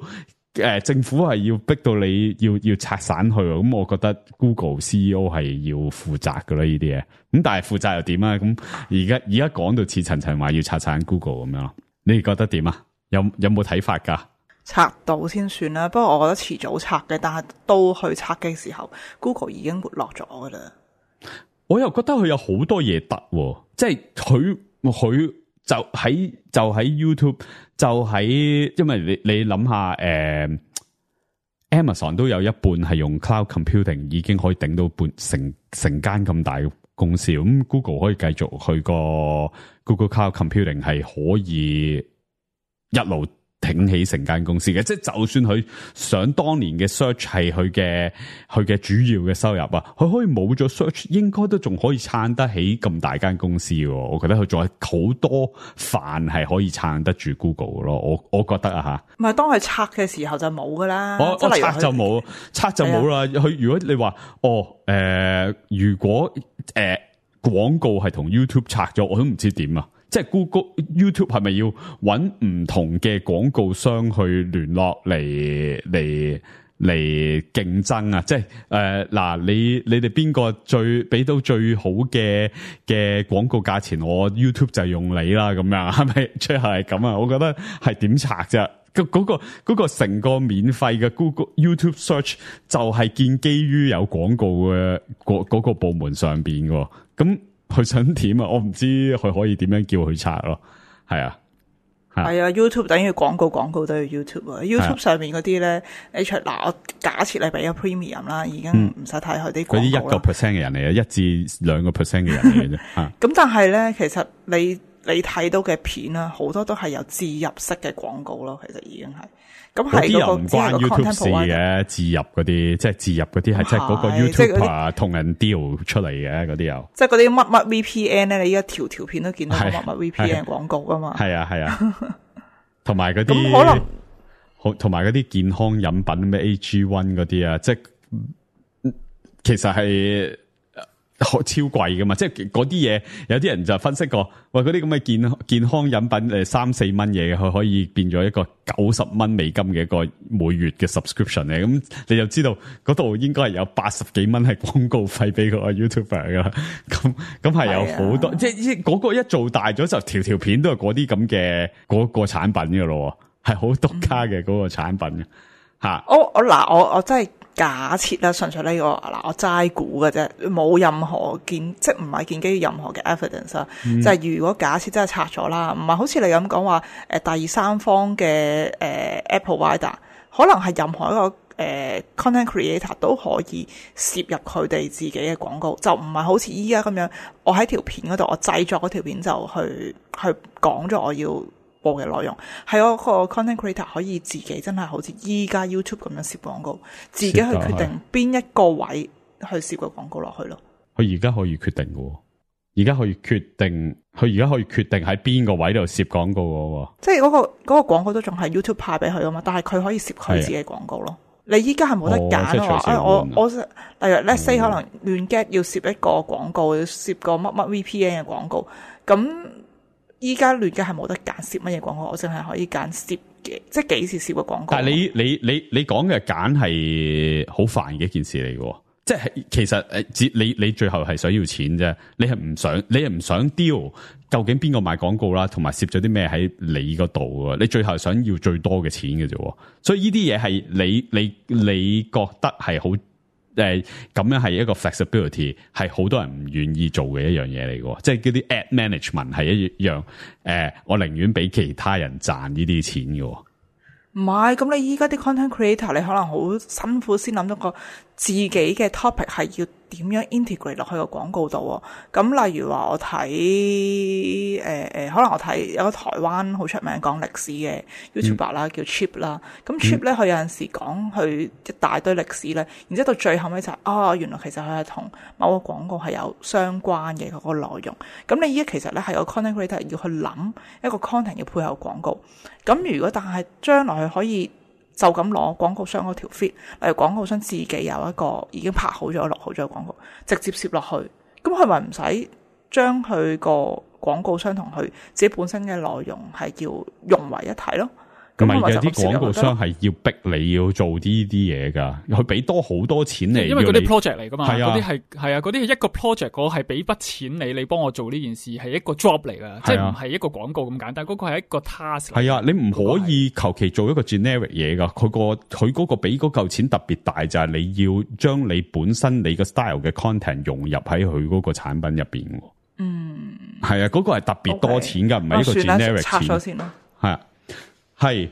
政府係要逼到你要拆散佢，咁我覺得 Google CEO 係要負責噶啦呢啲嘢，咁但係負責又點啊？咁而家講到似層層話要拆散 Google 咁樣，你哋覺得點啊？有冇睇法噶？拆到先算啦，不過我覺得遲早拆嘅，但係到去拆嘅時候 ，Google 已經沒落咗噶啦。我又覺得佢有好多嘢得，即係佢就喺 YouTube， 就喺，因為你諗下Amazon 都有一半係用 Cloud Computing， 已經可以頂到成間咁大嘅公司，咁 Google 可以繼續去個 Google Cloud Computing 係可以一路挺起成間公司嘅，即係就算佢想當年嘅 search 係佢嘅主要嘅收入啊，佢可以冇咗 search， 應該都仲可以撐得起咁大間公司喎。我覺得佢仲有好多飯係可以撐得住 Google 咯。我覺得啊吓，唔係當佢拆嘅時候就冇噶啦。我拆就冇啦。佢如果你話如果廣告係同 YouTube 拆咗，我都唔知點啊。即係 YouTube 係咪要揾唔同嘅廣告商去聯絡嚟競爭啊？即係嗱，你哋邊個最俾到最好嘅廣告價錢，我 YouTube 就用你啦，咁樣係咪？最後係咁啊？我覺得係點拆啫？嗰個成個免費嘅 Google YouTube Search 就係建基於有廣告嘅嗰個部門上邊嘅，咁。佢想點啊？我唔知佢可以點樣叫佢拆咯。係啊 YouTube 等於廣告都要 YouTube 啊。YouTube 上面嗰啲咧，我假設你俾咗 Premium 啦，已經唔使睇佢啲廣告啦。嗰啲1% 嘅人嚟嘅，1至2% 嘅人嚟嘅啫。咁但係咧，其實你睇到嘅片啦，好多都係有置入式嘅廣告咯。其實已經係。咁係嗰個唔關 YouTube 事嘅，置入嗰啲，即係置入嗰啲係即係嗰個 YouTube 同人 deal 出嚟嘅嗰啲有。即係嗰啲乜 VPN 咧，你依家條片都見到乜 VPN 廣告噶嘛？係啊，同埋嗰啲可能，同埋嗰啲健康飲品咩 AG1 嗰啲啊，即係其實係超貴噶嘛，即係嗰啲嘢，有啲人就分析過，喂，嗰啲咁嘅健康飲品3-4蚊嘢，佢可以變咗一個90蚊美金嘅一個每月嘅 subscription 咧，咁你就知道嗰度應該係有80幾蚊係廣告費俾個 YouTuber 噶，咁係有好多，即係嗰個一做大咗就條片都係嗰啲咁嘅嗰個產品噶咯，係好獨家嘅嗰個產品吓。我真係。假設啦，純粹呢個我齋估嘅啫，冇任何即係唔係建基於任何嘅 evidence 啦。就係如果假設真係拆咗啦，唔係好似你咁講話第三方嘅app provider，可能係任何一個content creator 都可以攝入佢哋自己嘅廣告，就唔係好似依家咁樣，我喺條片嗰度我製作嗰條片就去講咗我要播嘅內容，係嗰個 content creator 可以自己真係好似依家 YouTube 咁樣攝廣告，自己去決定邊一個位去攝個廣告落去咯。佢而家可以決定嘅，而家可以決定喺邊個位度攝廣告嘅，即係嗰個廣告都仲係 YouTube 派俾佢啊嘛，但係佢可以攝佢自己廣告咯。你依家係冇得揀咯，我例如 let's say 可能亂 get 要攝一個廣告，要攝個乜 VPN 嘅廣告，咁。依家亂嘅係冇得揀攝乜嘢廣告，我淨係可以揀攝嘅，即係幾時攝個廣告。但係你講嘅揀係好煩嘅一件事嚟嘅，即係其實你最後係想要錢啫，你係唔想 deal 究竟邊個賣廣告啦，同埋攝咗啲咩喺你嗰度啊？你最後想要最多嘅錢嘅啫，所以呢啲嘢係你覺得係好。咁樣係一個 flexibility， 係好多人唔願意做嘅一樣嘢嚟嘅，即係嗰啲 ad management 係一樣。我寧願俾其他人賺呢啲錢嘅。唔係，咁你依家啲 content creator， 你可能好辛苦先諗到個自己嘅 topic 係要點樣 integrate 落去個廣告度。咁例如話我睇可能我睇有個台灣好出名講歷史嘅 YouTuber 啦，叫 Chip 啦。咁 Chip 咧，佢有陣時講佢一大堆歷史咧，然之後到最後尾就係原來其實佢係同某個廣告係有相關嘅嗰個內容。咁你依家其實咧係個 content creator 要去諗一個 content 要配合廣告。咁如果但係將來佢可以就咁攞廣告商嗰條 feed，例如廣告商自己有一個已經拍好咗、錄好咗嘅廣告，直接攝落去，咁佢咪唔使將佢個廣告商同佢自己本身嘅內容係叫融為一體咯。唔係嘅，啲廣告商係要逼你要做呢啲嘢噶，佢俾多好多錢你，因為嗰啲 project 嚟噶嘛，係啊，嗰啲係啊，嗰啲係一個 project， 我係俾筆錢你幫我做呢件事，係一個 job 嚟噶，即係唔係一個廣告咁簡單，嗰個係一個 task。係啊，你唔可以求其做一個 generic 嘢噶，佢嗰個俾嗰嚿錢特別大，就係你要將你本身你個 style 嘅 content 融入喺佢嗰個產品入邊。嗯，係啊，嗰個係特別多錢噶，唔係一個 generic 錢。拆咗先咯。係啊，係。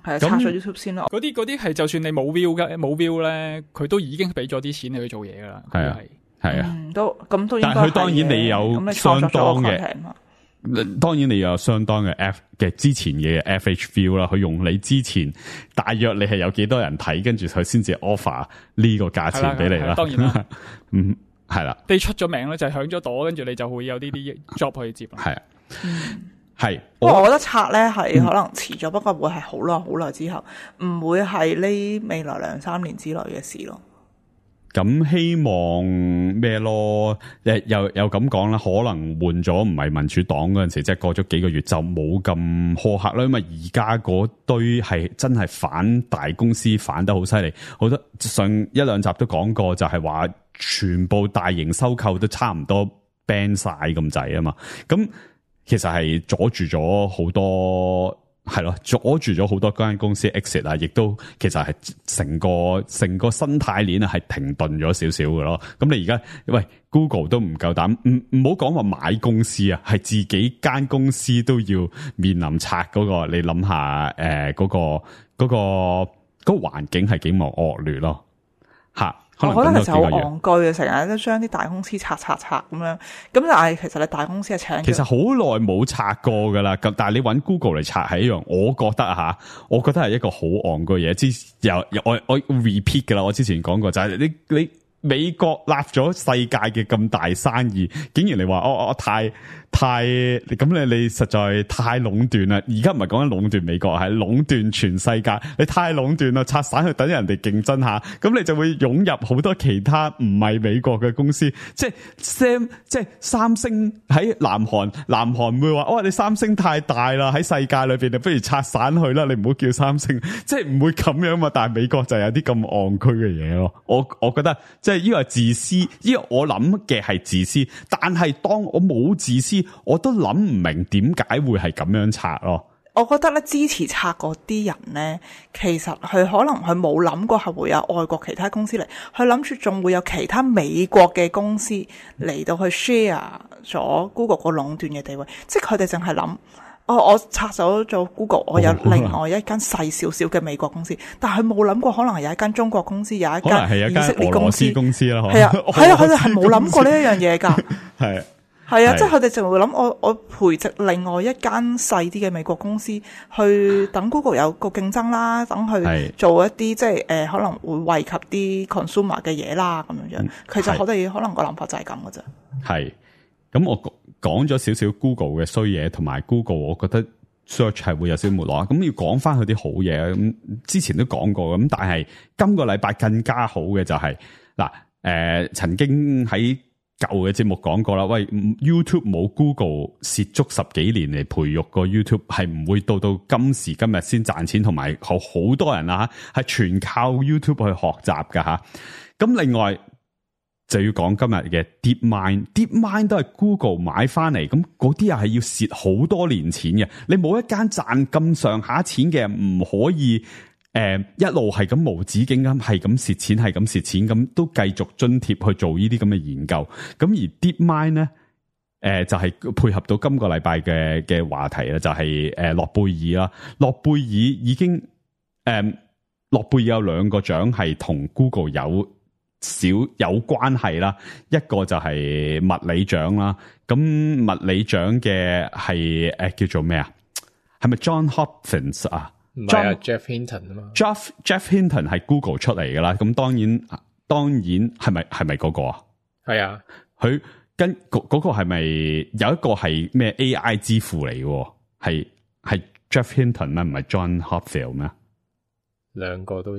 係拆咗 YouTube 先咯。嗰啲係就算你冇 view 咧，佢都已經俾咗啲錢你去做嘢噶啦。係啊，係啊，都應該。但係佢當然你有相當嘅，當然你有相當嘅之前嘅 FH view 啦。佢用你之前大約你係有幾多人睇，跟住佢先至 offer 呢個價錢俾你啦。當然啦，嗯，係啦。你出咗名咧，就係響咗朵，跟住你就會有呢啲 job 去接。係啊。係，不過我覺得拆咧係可能遲咗，不過會係好耐之後，唔會係呢未來2-3年之內嘅事咯。咁希望咩咯？又咁講啦，可能換咗唔係民主黨嗰陣時，即係過咗幾個月就冇咁苛刻啦。因為而家嗰堆係真係反大公司反得好犀利，好多上1-2集都講過，就係話全部大型收購都差唔多 ban 晒咁滯啊嘛。咁其實係阻住咗好多，係咯，阻住咗好多間公司 exit 啊，亦都其實係成個生態鏈啊，係停頓咗少少嘅咯。咁你而家喂 Google 都唔夠膽，唔好講話買公司啊，係自己間公司都要面臨拆嗰個，你諗下嗰個環境係幾咁惡劣咯，吓。我覺得其實好戇居嘅，成日都將啲大公司拆咁樣。咁但係其實你大公司係請，其實好耐冇拆過噶啦。咁但係你揾 Google 嚟拆係一樣，我覺得係一個好戇居嘢。我 repeat 噶啦，我之前講過就係你美國立咗世界嘅咁大生意，竟然你話我太咁你實在太壟斷啦！而家唔係講緊壟斷美國，係壟斷全世界。你太壟斷啦，拆散去等人哋競爭下，咁你就會湧入好多其他唔係美國嘅公司。即係三星喺南韓會話：你三星太大啦，喺世界裏邊，你不如拆散去啦，你唔好叫三星。即係唔會咁樣嘛。但係美國就有啲咁戇居嘅嘢咯。我覺得即係呢個係自私，呢個我諗嘅係自私。但係當我冇自私，我都諗唔明點解會係咁樣拆咯。我覺得咧，支持拆嗰啲人咧，其實佢可能佢冇諗過係會有外國其他公司嚟，佢諗住仲會有其他美國嘅公司嚟到去 share 咗 Google 個壟斷嘅地位，即係佢哋淨係諗，我拆走咗 Google， 我有另外一間細少少嘅美國公司，但係佢冇諗過可能係有一間中國公司，有一間以色列公司啦，係啊，佢哋係冇諗過呢一樣嘢㗎，係啊，即係佢哋就會諗我培植另外一間細啲嘅美國公司，去等 Google 有個競爭啦，等佢做一啲即係可能會惠及啲 consumer 嘅嘢啦，咁樣樣。其實我哋可能個諗法就係咁嘅啫。係，咁我講咗少少 Google 嘅衰嘢，同埋 Google 我覺得 search 係會有少少沒落。咁要講翻佢啲好嘢，咁之前都講過，咁但係今個禮拜更加好嘅就係曾經喺舊嘅節目講過啦，喂 YouTube 冇 Google 蝕足10幾年嚟培育個 YouTube 係唔會到今時今日先賺錢，同埋好多人啊係全靠 YouTube 去學習噶吓。咁另外就要講今日嘅 DeepMind 都係 Google 買翻嚟，咁嗰啲又係要蝕好多年錢嘅。你冇一間賺咁上下錢嘅，唔可以一路係咁無止境咁係咁蝕錢，係咁蝕錢，咁都繼續津貼去做呢啲咁嘅研究。咁而 DeepMind 咧，就係配合到今個禮拜嘅話題啦，就係諾貝爾啦。諾貝爾已經諾貝爾有2個獎係同 Google 有關係啦，一個就係物理獎啦。咁物理獎嘅係叫做咩啊？係咪 John Hopkins 啊？唔係啊 Jeff Hinton 啊嘛。Jeff Hinton 係 Google 出嚟噶啦。咁當然係咪嗰個啊？係啊，佢跟嗰個係咪有一個係咩 AI 之父嚟嘅？係 Jeff Hinton 咩？唔係 John Hopfield 咩？兩個都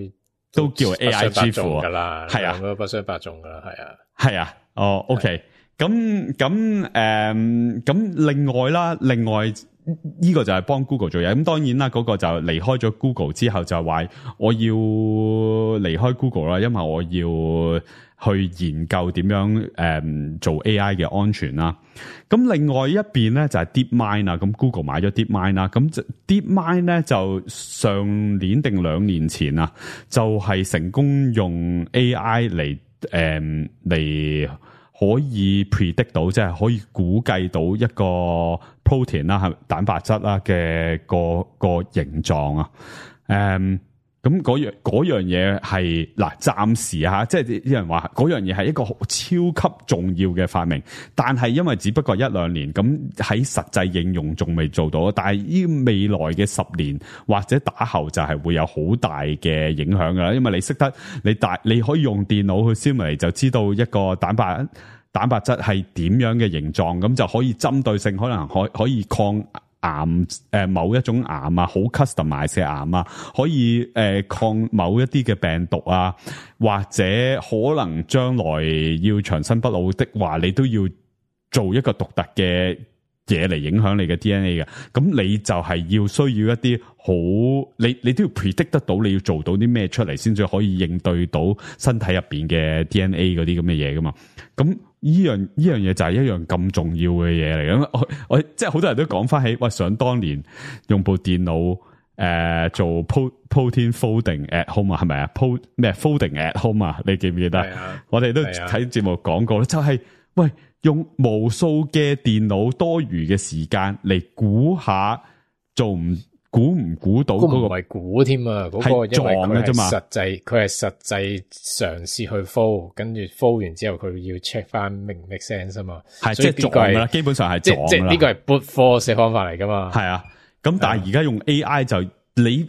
叫 AI 支付噶啦，係啊，兩個都不相伯仲噶啦，係啊，係啊，哦 ，OK，咁另外啦，呢個就係幫 Google 做嘢，咁當然啦，嗰個就離開咗 Google 之後就話我要離開 Google 啦，因為我要去研究點樣做 AI 嘅安全啦。咁另外一邊咧就係 DeepMind 啦，咁 Google 買咗 DeepMind 啦，咁 DeepMind 咧就上年定2年前啊，就係成功用 AI 嚟可以 predict 到，即係可以估計到一個 protein 啦，係蛋白質啦嘅個形狀啊。咁嗰樣嘢係嗱，暫時吓，即係啲人話嗰樣嘢係一個超級重要嘅發明，但係因為只不過1-2年，咁喺實際應用仲未做到，但係呢未來嘅10年或者打後就係會有好大嘅影響噶啦，因為你識得你可以用電腦去 simulate 就知道一個蛋白質係點樣嘅形狀，咁就可以針對性可能可以抗癌某一種癌啊，好 customize 嘅癌啊，可以抗某一啲嘅病毒啊，或者可能將來要長生不老的話，你都要做一個獨特嘅嘢嚟影響你嘅 DNA 嘅，咁你就係要需要一啲好，你都要 predict 得到你要做到啲咩出嚟，先至可以應對到身體入邊嘅 DNA 嗰啲咁嘅嘢噶嘛，咁。呢樣嘢就係一樣咁重要嘅嘢嚟嘅，我即係好多人都講翻起，喂，想當年用部電腦做 protein folding at home 啊，係咪啊 folding at home 啊？你記唔記得？我哋都睇節目講過啦，就係喂用無數嘅電腦多餘嘅時間嚟估下估唔估到嗰個？唔係估添啊，嗰個因為佢係實際嘗試去 fold， 跟住 fold 完之後佢要 check 翻明唔 make sense 啊嘛，係即係撞噶啦，基本上係撞啦。即係呢個係 brute force 嘅方法嚟噶嘛。係啊，咁但係而家用 AI 就你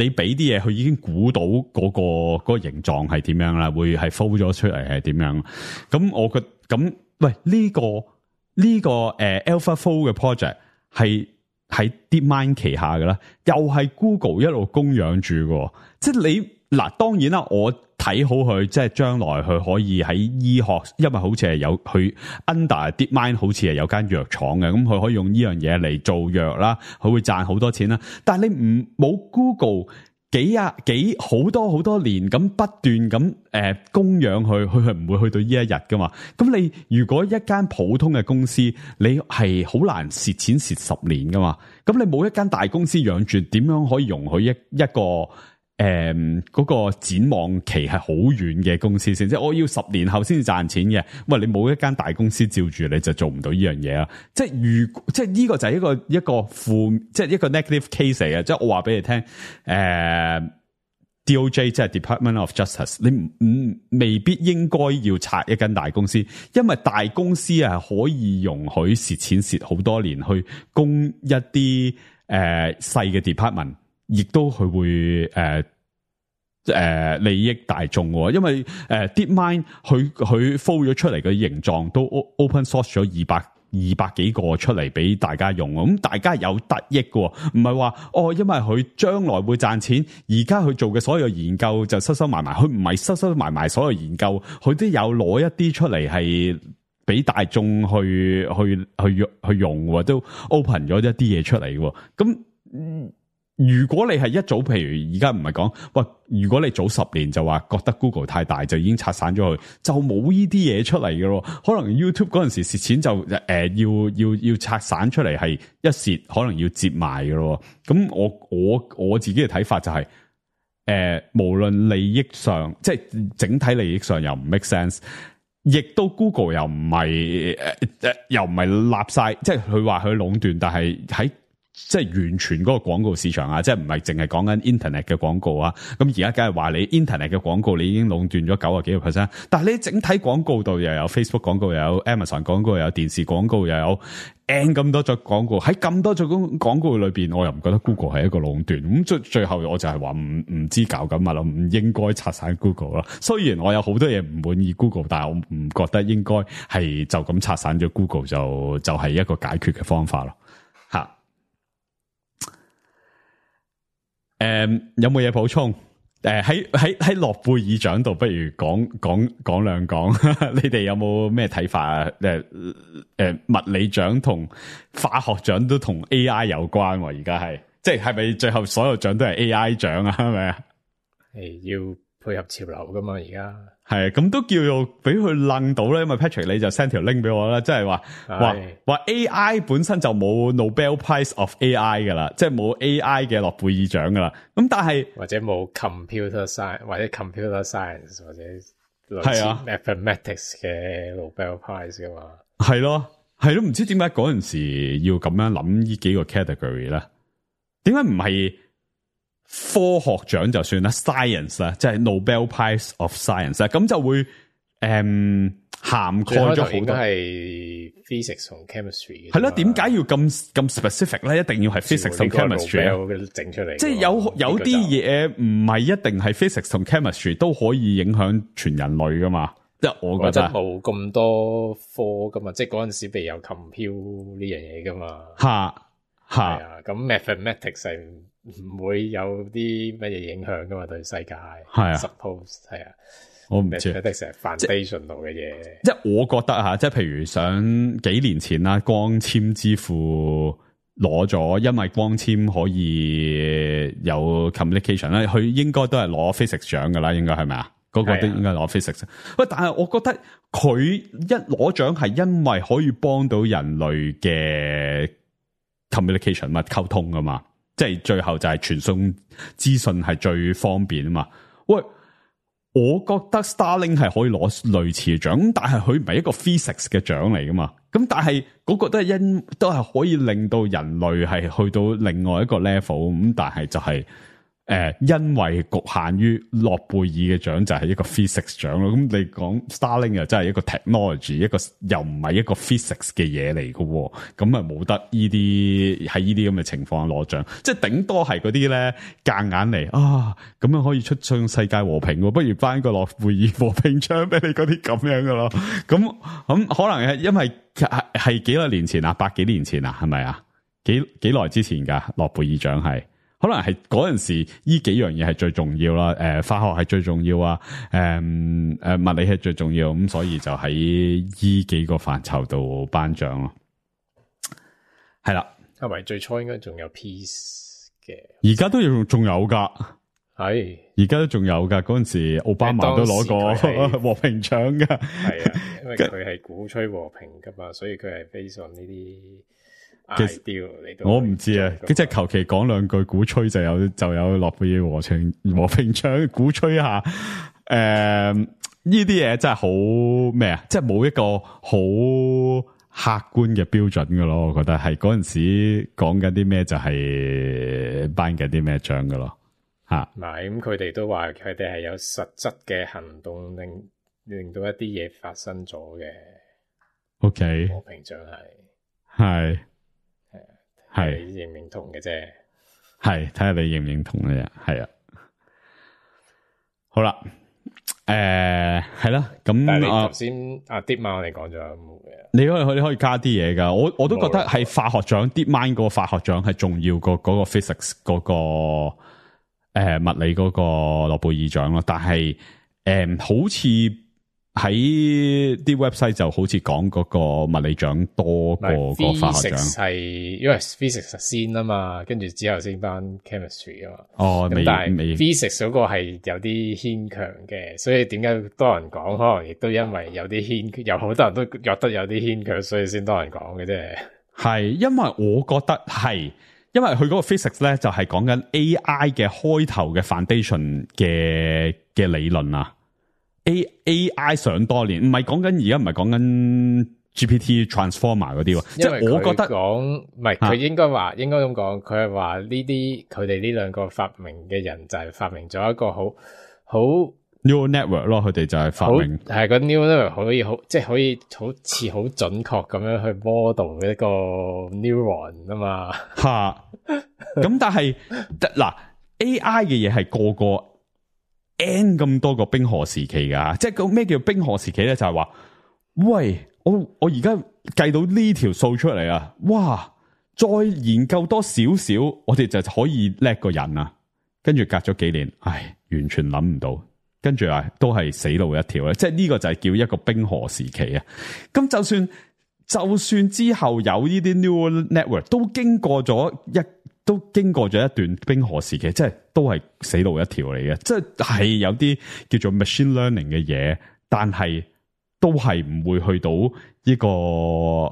俾啲嘢，佢已經估到嗰個形狀係點樣啦，會係 fold 咗出嚟係點樣。咁我覺咁喂呢個AlphaFold 嘅 project 係喺 DeepMind 旗下嘅啦，又係 Google 一路供養住嘅，即係你嗱，當然啦，我睇好佢，即係將來佢可以喺醫學，因為好似係有佢 under DeepMind 好似係有間藥廠嘅，咁佢可以用呢樣嘢嚟做藥啦，佢會賺好多錢啦。但係你冇 Google 好多年咁不斷咁供養佢係唔會去到呢一日噶嘛。咁你如果一間普通嘅公司，你係好難蝕錢蝕10年噶嘛。咁你冇一間大公司養住，點樣可以容許一個嗰個展望期係好遠嘅公司先？即係我要10年後先至賺錢嘅。喂，你冇一間大公司照住，你就做唔到呢樣嘢啦。即係呢個就係一個負，即係一個 negative case 嚟嘅。即係我話俾你聽，DOJ 即係 Department of Justice， 你未必應該要拆一間大公司，因為大公司係可以容許蝕錢蝕好多年去供一啲細嘅 department。亦都佢會利益大眾喎，因為DeepMind 佢 fold 咗出嚟嘅形狀都 open source 咗200幾個出嚟俾大家用，咁大家有得益嘅，唔係話因為佢將來會賺錢，而家佢做嘅所有研究就收埋埋，佢唔係收埋所有研究，佢都有攞一啲出嚟係俾大眾去用，都 open 咗一啲嘢出嚟嘅，咁如果你係一早，譬如而家唔係講，喂，如果你早10年就話覺得 Google 太大，就已經拆散咗佢，就冇呢啲嘢出嚟嘅咯。可能 YouTube 嗰陣時蝕錢就要拆散出嚟，係一蝕可能要接埋嘅咯。咁我自己嘅睇法就係，無論利益上，即係整體利益上又唔 make sense，亦都 Google 又唔係立晒，即係佢話佢壟斷，但係喺即係完全嗰個廣告市場啊，即係唔係淨係講緊 internet 嘅廣告啊。咁而家梗係話你 internet 嘅廣告你已經壟斷咗90幾個%，但係你整體廣告度又有 Facebook 廣告，又有 Amazon 廣告，又有電視廣告，又有 N 咁多種廣告。喺咁多種廣告裏邊，我又唔覺得 Google 係一個壟斷。咁最後我就係話唔知搞緊乜咯，唔應該拆散 Google 咯。雖然我有好多嘢唔滿意 Google， 但係我唔覺得應該係就咁拆散咗 Google 就係一個解決嘅方法咯。吓。有冇嘢補充？喺諾貝爾獎度，不如講兩講，你哋有冇咩睇法啊？物理獎同化學獎都同 AI 有關喎，而家係即係咪最後所有獎都係 AI 獎啊？係咪啊？要配合潮流噶嘛，而家係咁都叫做俾佢愣到咧，因為 Patrick 你就 send 條 link 俾我啦，即係話 AI 本身就冇 Nobel Prize of AI 噶啦，即係冇 AI 嘅諾貝爾獎噶啦。咁但係或者冇 computer science 或者 computer science 或者類似 mathematics 嘅 Nobel Prize 噶嘛？係咯，唔知點解嗰陣時要咁樣諗呢幾個 category 咧？點解唔係科學獎就算啦 ，science 啦，即係 Nobel Prize of Science 啦，咁就會涵蓋咗好多係 physics 同 chemistry 嘅。係咯，點解要咁 specific 咧？一定要係 physics 同 chemistry 整出嚟，即係有啲嘢唔係一定係 physics 同 chemistry 都可以影響全人類噶嘛？即係我覺得冇咁多科噶嘛，即係嗰陣時未有 compute 呢樣嘢噶嘛。係啊，咁 mathematics 係唔會有啲乜嘢影響噶嘛？對世界係啊 ，suppose 係啊，我唔知 mathematics 係 foundation 度嘅嘢。即係我覺得吓，即係譬如想幾年前啦，光纖之父攞咗，因為光纖可以有 communication 咧，佢應該都係攞 physics 獎噶啦，應該係咪啊？嗰個都應該攞 physics。喂，但係我覺得佢一攞獎係因為可以幫到人類嘅 communication 嘛，溝通噶嘛。即係最後就係傳送資訊係最方便啊嘛！喂，我覺得 Starlink 係可以攞類似嘅獎，但係佢唔係一個 physics 嘅獎嚟噶嘛。咁但係嗰個都係可以令到人類係去到另外一個 level 咁，但係就係因為局限於諾貝爾嘅獎就係一個 physics 獎咯。咁你講 Starlink 又真係一個 technology， 一個又唔係一個 physics 嘅嘢嚟嘅，咁啊冇得呢啲喺呢啲咁嘅情況攞獎，即係頂多係嗰啲咧夾硬嚟啊，咁樣可以促進世界和平，不如頒個諾貝爾和平獎俾你嗰啲咁樣嘅咯。咁可能係因為係幾多年前啊，100幾年前啊，係咪啊？幾耐之前噶諾貝爾獎係？可能係嗰陣時，呢幾樣嘢係最重要啦。化學係最重要啊。物理係最重要，咁所以就喺呢幾個範疇度頒獎咯。係啦，係咪最初應該仲有 peace 嘅？而家都仲有噶，係而家都仲有噶。嗰陣時奧巴馬都攞過和平獎噶。係啊，因為佢係鼓吹和平噶嘛，所以佢係 based on 呢啲。我唔知啊，即係求其講兩句鼓吹就有諾貝爾和平獎鼓吹下，呢啲嘢真係好咩啊？即係冇一個好客觀嘅標準噶咯，我覺得係嗰陣時講緊啲咩就係頒緊啲咩獎噶咯，吓。唔係咁，佢哋都話佢哋係有實質嘅行動令到一啲嘢發生咗嘅。OK， 和平獎係。係你認唔認同嘅啫，係睇下你認唔認同嘅啫，係啊。好啦，係啦，咁但係你頭先DeepMind 我哋講咗冇嘅，你可以加啲嘢噶，我都覺得係化學獎 DeepMind 嗰個化學獎係重要過嗰個 physics 嗰個物理嗰個諾貝爾獎咯，但係好似。喺啲 website 就好似講嗰個物理獎多過個化學獎，係因為 physics 先啊嘛，跟住之後先頒 chemistry 啊嘛。哦，但係 physics 嗰個係有啲牽強嘅，所以點解多人講？可能亦都因為有啲有好多人都覺得有啲牽強，所以先多人講嘅啫。係因為我覺得係，因為佢嗰個 physics 咧就係講緊 AI 嘅開頭嘅 foundation 嘅理論啊。AI 上多年，唔係講緊而家唔係講緊 GPT Transformer 嗰啲喎，即係我覺得講唔係佢應該咁講，佢係話呢啲佢哋呢兩個發明嘅人就係發明咗一個好 neural network 咯，佢哋就係發明係個 neural network 可以即係可以好似好準確咁樣去 model 一個 neuron 啊嘛吓，咁但係嗱 AI 嘅嘢係個個。N 咁多個冰河時期噶，即係個咩叫冰河時期咧？就係話，喂，我而家計到呢條數出嚟啊！哇，再研究多少少，我哋就可以叻個人啊！跟住隔咗幾年，完全諗唔到，跟住都係死路一條咧。即係呢個就係叫一個冰河時期啊。咁就算之後有呢啲 neural network 都經過咗一段冰河時期，即係都係死路一條嚟嘅。即係有啲叫做 machine learning 嘅嘢，但係都係唔會去到呢個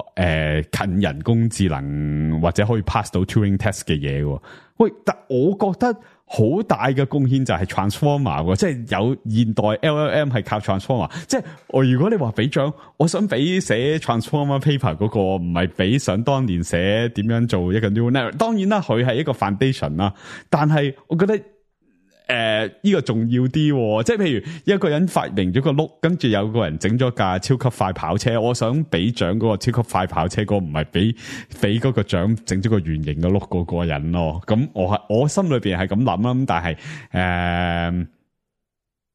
近人工智能或者可以 pass 到 Turing test 嘅嘢喎。喂，但我覺得好大嘅貢獻就係 transformer 喎，即係有現代 LLM 係靠 transformer。即係如果你話俾獎，我想俾寫 transformer paper 嗰個，唔係俾想當年寫點樣做一個 neural network。當然啦，佢係一個 foundation 啦，但係我覺得呢個重要啲喎。即係譬如一個人發明咗個轆，跟住有個人整咗架超級快跑車，我想俾獎嗰個超級快跑車嗰個，唔係俾嗰個獎整咗個圓形嘅轆嗰個人咯。咁我心裏邊係咁諗啦，咁但係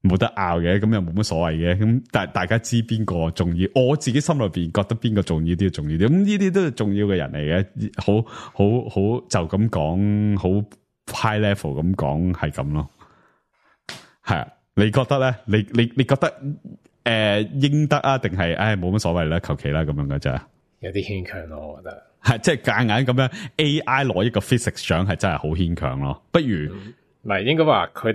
冇得拗嘅，咁又冇乜所謂嘅。咁但係大家知邊個重要，我自己心裏邊覺得邊個重要啲，重要啲。咁呢啲都係重要嘅人嚟嘅，好就咁講，好 high level 咁講係咁咯。係啊，你覺得咧？你覺得應得啊？定係冇乜所謂啦，求其啦咁樣嘅啫。有啲牽強咯，我覺得係即係夾硬咁樣 AI 攞一個 physics 獎係真係好牽強咯。不如唔係應該話佢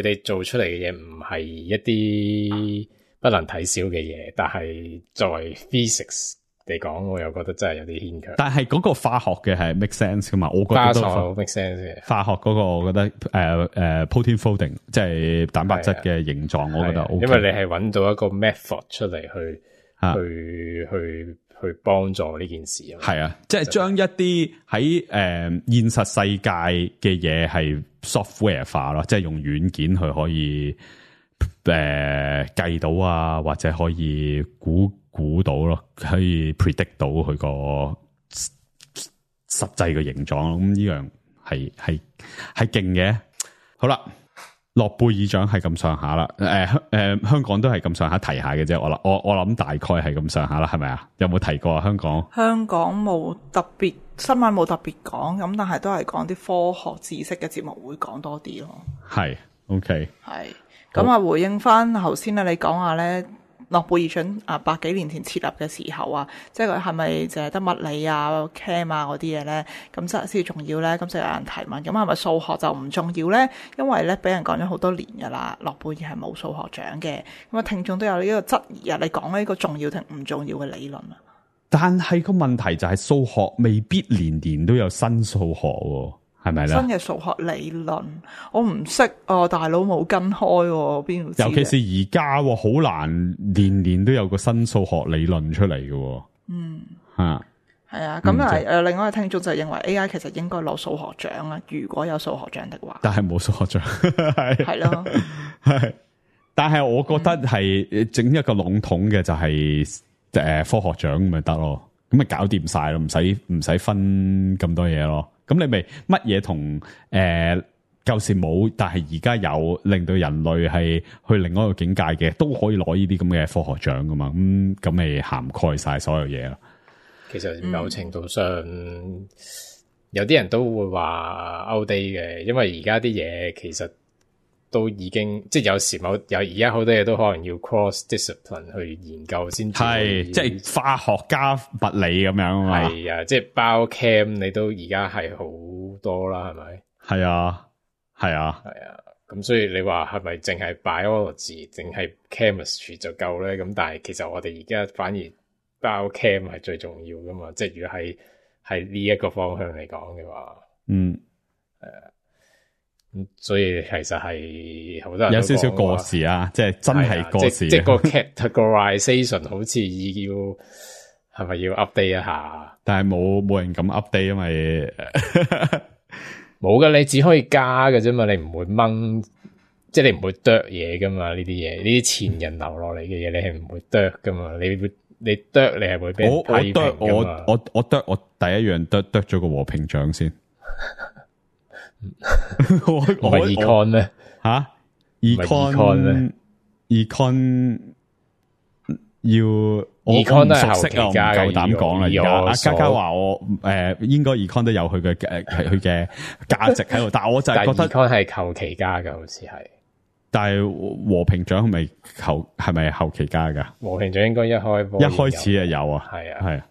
哋做出嚟嘅嘢唔係一啲不能睇小嘅嘢，但係作為 physics 嚟講，我又覺得真係有啲牽強。但係嗰個化學嘅係 make sense 噶嘛？我覺得都 make sense 嘅。化學嗰個我覺得protein folding 即係蛋白質嘅形狀，我覺得 OK。因為你係揾到一個 method 出嚟去幫助呢件事。係啊，即係將一啲喺現實世界嘅嘢係 software 化咯，即係用軟件去可以計到啊，或者可以估到咯，可以 predict 到佢個實際嘅形狀。咁呢樣係勁嘅。好啦，諾貝爾獎係咁上下啦。香港都係咁上下提下嘅啫。我諗大概係咁上下啦，係咪啊？有冇提過啊？香港冇特別新聞冇特別講，咁但係都係講啲科學知識嘅節目會講多啲咯。係 OK 係咁啊，回應翻頭先咧，你講下咧。諾貝爾獎百幾年前設立嘅時候啊，即係佢係咪淨係得物理啊、chem 啊嗰啲嘢咧？咁真係先重要咧？咁就有人提問，咁係咪數學就唔重要咧？因為咧俾人講咗好多年噶啦，諾貝爾係冇數學獎嘅。咁啊，聽眾都有呢個質疑啊，你講呢個重要定唔重要嘅理論啊？但係個問題就係數學未必年年都有新數學喎。係咪咧？新嘅數學理論我唔識啊，大佬冇跟開邊度知？尤其是而家好難年年都有個新數學理論出嚟嘅。係啊，咁另外一個聽眾就認為 AI 其實應該攞數學獎啊，如果有數學獎的話。但係冇數學獎，係咯，係。但係我覺得係整一個籠統嘅就係科學獎咪得咯，咁咪搞掂晒咯，唔使分咁多嘢咯。咁你咪乜嘢同舊時冇，但係而家有，令到人類係去另外一個境界嘅，都可以攞呢啲咁嘅科學獎噶嘛？咁咪涵蓋晒所有嘢咯。其實某程度上，有啲人都會話 outdate 嘅，因為而家啲嘢其實都已經即係有時而家好多嘢都可能要 cross discipline 去研究先係，即係化學加物理咁樣啊嘛。係啊，即係包 chem 你都而家係好多啦，係咪？係啊，係啊，係啊。咁所以你話係咪淨係 biology 淨係 chemistry 就夠咧？咁但係其實我哋而家反而包 chem 係最重要噶嘛。即係如果係呢一個方向嚟講嘅話，所以其實係好多人都有少少過時啊，即係真係過時。即係個 categorization 好似係咪要 update 一下？但係冇人咁 update，因為冇噶，你只可以加嘅啫嘛，你唔會掹，即係你唔會剁嘢噶嘛。呢啲嘢，呢啲前人留落嚟嘅嘢，你係唔會剁噶嘛。你剁，你係會俾人批評噶嘛。我剁，我第一樣剁咗個和平獎先。我 econ 咧吓 econ 我 Econ 唔都係熟悉啊，我唔後期加嘅夠膽講啦。而家阿嘉嘉話我應該 Econ 都有佢嘅佢嘅價值喺度，但係我就係覺得 Econ 係後期加嘅，好似係。但係和平獎係咪後期加㗎？和平獎應該一開始就有啊，係啊，係啊，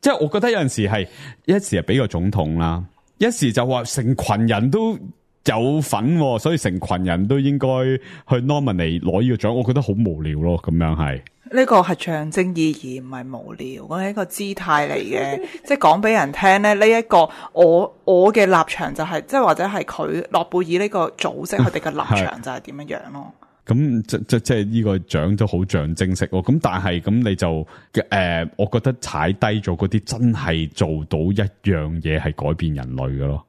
即係我覺得有陣時係一時係俾個總統啦，一時就話成群人都有份，所以成群人都應該去 nominate 攞呢個獎，我覺得好無聊咯，咁樣係。呢個係象徵意義，唔係無聊，我係一個姿態嚟嘅，即係講俾人聽咧。呢一個我嘅立場就係，即係或者係佢諾貝爾呢個組織佢哋嘅立場就係點樣樣咯。咁即係呢個獎都好象徵式喎。咁但係咁你就我覺得踩低咗嗰啲真係做到一樣嘢係改變人類嘅咯。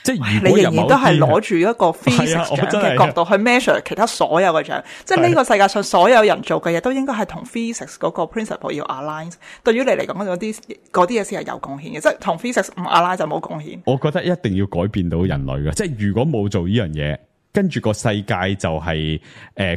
即係如果你仍然都係攞住一個 physics 獎嘅角度去 measure 其他所有嘅獎，即係呢個世界上所有人做嘅嘢都應該係同 physics 嗰個 principle 要 align。對於你嚟講嗰啲嘢先係有貢獻嘅，即係同 physics 唔 align 就冇貢獻。我覺得一定要改變到人類嘅，即係如果冇做呢樣嘢，跟住個世界就係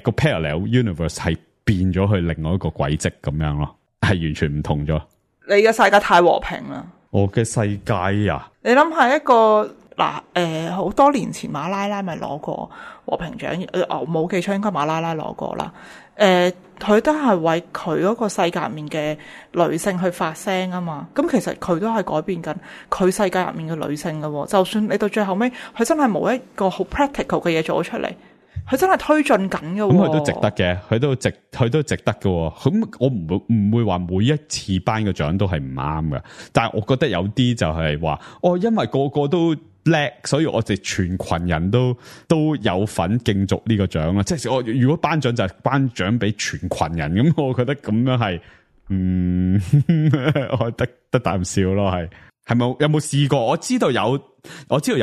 個 parallel universe 係變咗去另外一個軌跡咁樣咯，係完全唔同咗。你嘅世界太和平啦！我嘅世界啊，你諗下一個。嗱，好多年前馬拉拉咪攞過和平獎，我冇記錯應該馬拉拉攞過啦。佢都係為佢嗰個世界入面嘅女性去發聲啊嘛。咁其實佢都係改變緊佢世界入面嘅女性噶喎。就算你到最後尾，佢真係冇一個好 practical 嘅嘢做咗出嚟，佢真係推進緊嘅。咁佢都值得嘅，佢都值得嘅。咁我唔會話每一次頒嘅獎都係唔啱嘅，但係我覺得有啲就係話，因為個個都叻，所以我哋全群人都有份競逐呢個獎啦。即係我如果頒獎就係頒獎俾全群人，咁我覺得咁樣係，我得啖笑咯。係咪有冇試過？我知道有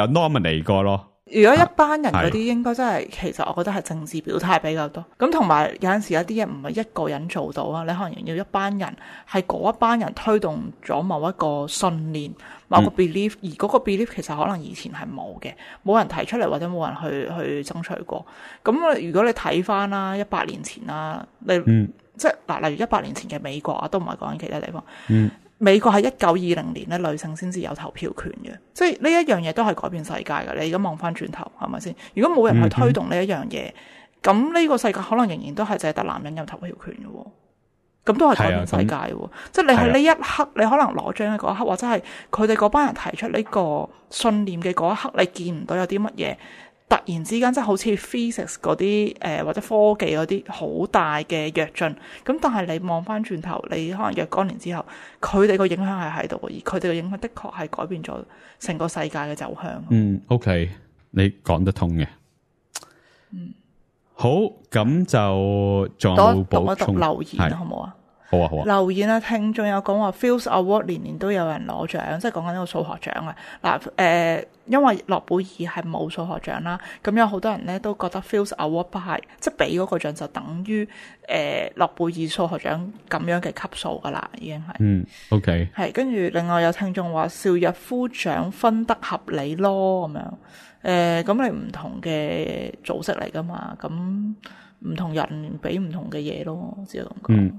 nominate 過咯。如果一班人嗰啲應該真係，其實我覺得係政治表態比較多。咁同埋有陣時有啲嘢唔係一個人做到啊，你可能要一班人，係嗰一班人推動咗某一個信念、某個 belief，而嗰個 belief 其實可能以前係冇嘅，冇人提出嚟或者冇人去爭取過。咁如果你睇翻啦，100年前啦，即係嗱，例如100年前嘅美國啊，都唔係講緊其他地方。美國喺1920年咧，女性先至有投票權嘅，即係呢一樣嘢都係改變世界嘅。你而家望翻轉頭，係咪先？如果冇人去推動呢一樣嘢，咁呢個世界可能仍然都係淨係得男人有投票權嘅，咁都係改變世界嘅。即係你喺呢一刻，你可能攞獎嘅嗰一刻，或者係佢哋嗰班人提出呢個信念嘅嗰一刻，你見唔到有啲乜嘢突然之間，即係好似 physics 嗰啲或者科技嗰啲好大嘅躍進，咁但係你望翻轉頭，你可能若干年之後，佢哋個影響係喺度，而佢哋嘅影響的確係改變咗成個世界嘅走向。OK， 你講得通嘅。好，咁就仲有冇補充？讀一讀留言好唔好啊？好啊，好啊。留言啊，聽眾有講話 Fields Award 年年都有人攞獎，即係講緊呢個數學獎啊。嗱，因為諾貝爾係冇數學獎啦，咁有好多人咧都覺得 Fields Award 不係，即係俾嗰個獎就等於諾貝爾數學獎咁樣嘅級數噶啦，已經係。OK。係，跟住另外有聽眾話邵逸夫獎分得合理咯，咁樣。咁你唔同嘅組織嚟噶嘛，咁唔同人俾唔同嘅嘢咯，只係咁講。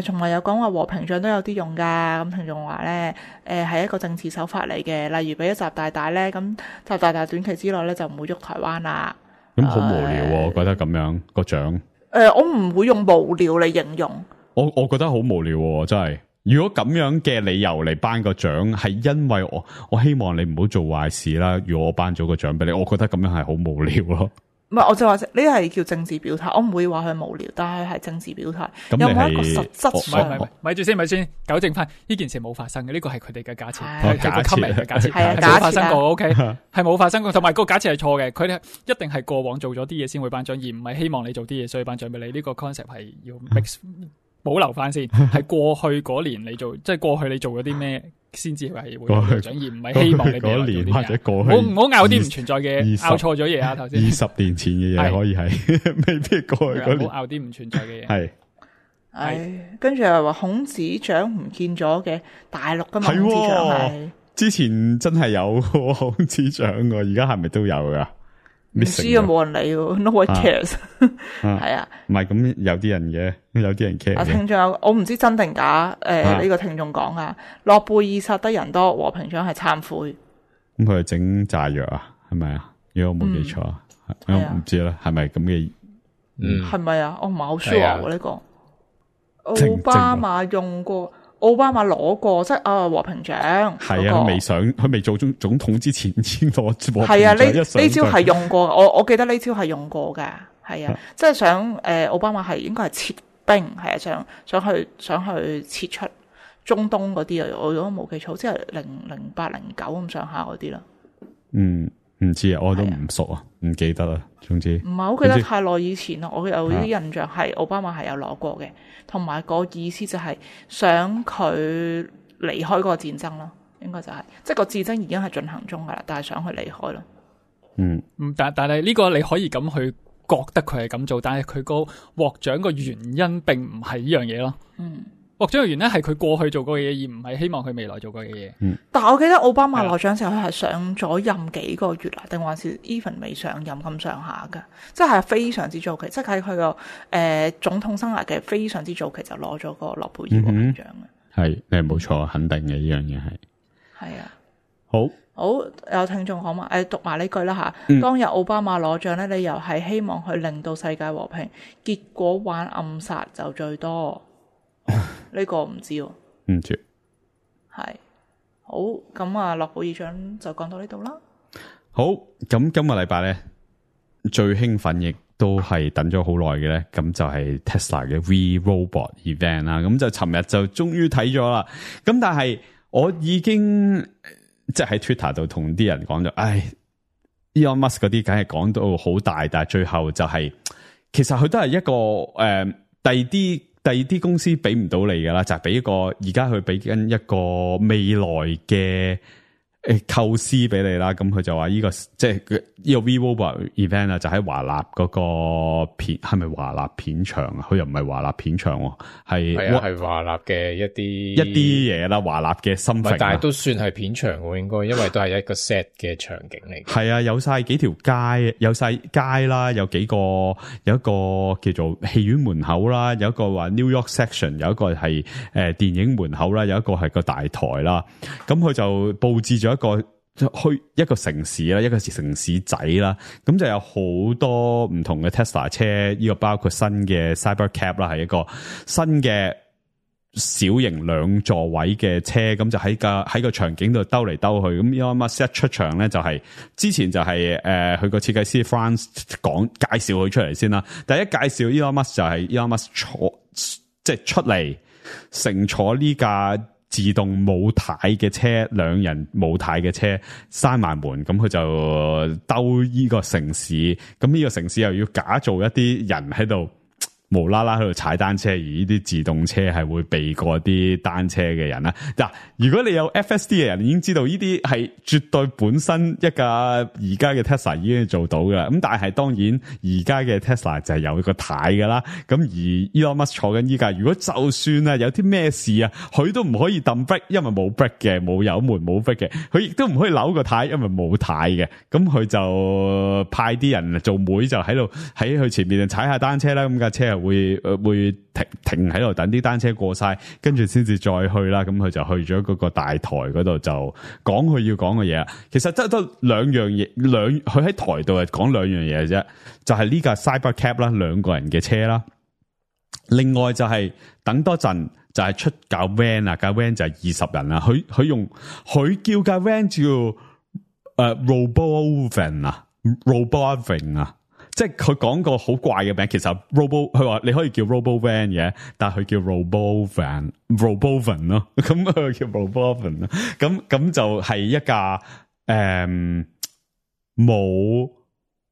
同埋有講話和平獎都有啲用㗎，咁聽眾話咧，係一個政治手法嚟嘅，例如俾咗習大大咧，咁習大大短期之內咧就唔會喐台灣啦。咁好無聊喎，我覺得咁樣個獎。我唔會用無聊嚟形容。我覺得好無聊喎，真係。如果咁樣嘅理由嚟頒個獎，係因為我希望你唔好做壞事啦。如果我頒咗個獎俾你，我覺得咁樣係好無聊咯。唔係，我就話呢係叫政治表態，我唔會話佢無聊，但係政治表態。有冇一個實質上？咪住先，糾正翻呢件事冇發生嘅，呢個係佢哋嘅假設，係個 comment 嘅假設，係冇發生過。OK， 係冇發生過，同埋個假設係錯嘅。佢哋一定係過往做咗啲嘢先會頒獎，而唔係希望你做啲嘢所以頒獎俾你。呢個 concept 係要 mix 保留翻先，係過去嗰年你做，即係過去你做咗啲咩先至係會頒獎，而唔係希望你俾我做啲咩。或者過去，唔好拗啲唔存在嘅，拗錯咗嘢啊！頭先20年前嘅嘢可以係未必過去嗰年，唔好拗啲唔存在嘅嘢。係跟住又話孔子獎唔見咗嘅，大陸噶嘛？孔子獎係之前真係有孔子獎噶，而家係咪都有噶？唔知啊，冇人理喎 ，no one cares。係啊，唔係咁有啲人嘅，有啲人 care 嘅。聽眾我唔知真定假，呢個聽眾講啊，諾貝爾殺得人多，和平獎係懺悔。咁佢係整炸藥啊？係咪啊？如果我冇記錯，我唔知啦，係咪咁嘅？係咪啊？我唔係好 sure 喎呢個。奧巴馬用過。奧巴馬攞過即係和平獎，係啊，佢未做總統之前先攞和平獎。係啊，呢招係用過，我記得呢招係用過嘅，係啊，即係想奧巴馬係應該係撤兵，係啊，想去撤出中東嗰啲啊，我如果冇記錯，即係08、09咁上下嗰啲啦。唔知啊，我都唔熟啊，唔記得啦。總之唔係好記得太耐以前啦，我有啲印象係奧巴馬係有攞過嘅，同埋個意思就係想佢離開嗰個戰爭咯，應該就係、即係個戰爭已經係進行中噶啦，但係想佢離開咯。但係呢個你可以咁去覺得佢係咁做，但係佢個獲獎個原因並唔係呢樣嘢咯。獲獎嘅原因係佢過去做過嘅嘢，而唔係希望佢未來做過嘅嘢。但係我記得奧巴馬攞獎時候，佢係上咗任幾個月啦，定還是 even 未上任咁上下噶？即係非常之早期，即係喺佢個總統生涯嘅非常之早期就攞咗個諾貝爾和平獎嘅。係，你係冇錯，肯定嘅呢樣嘢係。係啊，好有聽眾講嘛？讀埋呢句啦吓。當日奧巴馬攞獎咧，理由係希望佢令到世界和平，結果玩暗殺就最多。呢個唔知喎，唔知係好咁啊！諾貝爾獎就講到呢度啦。好，咁今個禮拜咧最興奮亦都係等咗好耐嘅咧，咁就係 Tesla 嘅 We Robot Event 啦。咁就尋日就終於睇咗啦。咁但係我已經即係喺 Twitter 度同啲人講咗，Elon Musk 嗰啲梗係講到好大，但係最後就係、其實佢都係一個第二啲公司俾唔到你噶啦，就係俾一個而家佢俾緊一個未來嘅構思俾你啦。咁佢就話呢個即係呢個 VivoBot event 啊，就喺華納嗰個片，係咪華納片場啊？佢又唔係華納片場喎，係華納嘅一啲嘢啦，華納嘅心情，但係都算係片場喎，應該，因為都係一個 set 嘅場景嚟。係啊，有晒幾條街，有晒街啦，有一個叫做戲院門口啦，有一個話 New York section， 有一個係電影門口啦，有一個係個大台啦。咁佢就佈置咗去一個城市啦，一個城市仔啦，咁就有好多唔同嘅 Tesla 車，呢個包括新嘅 Cybercab 啦，係一個新嘅小型2座位嘅車，咁就喺個場景度兜嚟兜去。咁 Elon Musk 一出場咧，就係之前就係佢個設計師 Franz 介紹佢出嚟先啦。第一介紹 Elon Musk 就係 Elon Musk 即係出嚟乘坐呢架自動冇軚嘅車，2人冇軚嘅車，閂埋門，咁佢就兜呢個城市，咁呢個城市又要假造一啲人喺度無啦啦喺度踩單車，而呢啲自動車係會避過啲單車嘅人啦。嗱，如果你有 FSD 嘅人已經知道呢啲係絕對本身一架而家嘅 Tesla 已經做到噶啦。咁但係當然而家嘅 Tesla 就係有個軚噶啦。咁而 Elon Musk 坐緊依架，如果就算啊有啲咩事啊，佢都唔可以揼 brake，因為冇 brake 嘅，冇油門冇 brake 嘅，佢亦都唔可以扭個軚，因為冇軚嘅。咁佢就派啲人做妹，就喺度喺佢前面踩下單車啦。咁架車會停喺度等啲單車過晒，跟住先至再去啦。咁佢就去咗嗰個大台嗰度，就講佢要講嘅嘢。其實得兩樣嘢，佢喺台度係講兩樣嘢啫，就係呢架 Cybercab 啦，2個人嘅車啦。另外就係等多陣就係出架 van 啊，架 van 就係20人啦。佢叫架 van 叫Robovan 啊 ，Robovan 啊。即係佢講個好怪嘅名，其實 佢話你可以叫 Robovan 嘅，但係佢叫 Robovan 咯，咁佢叫 Robovan 咯，咁就係一架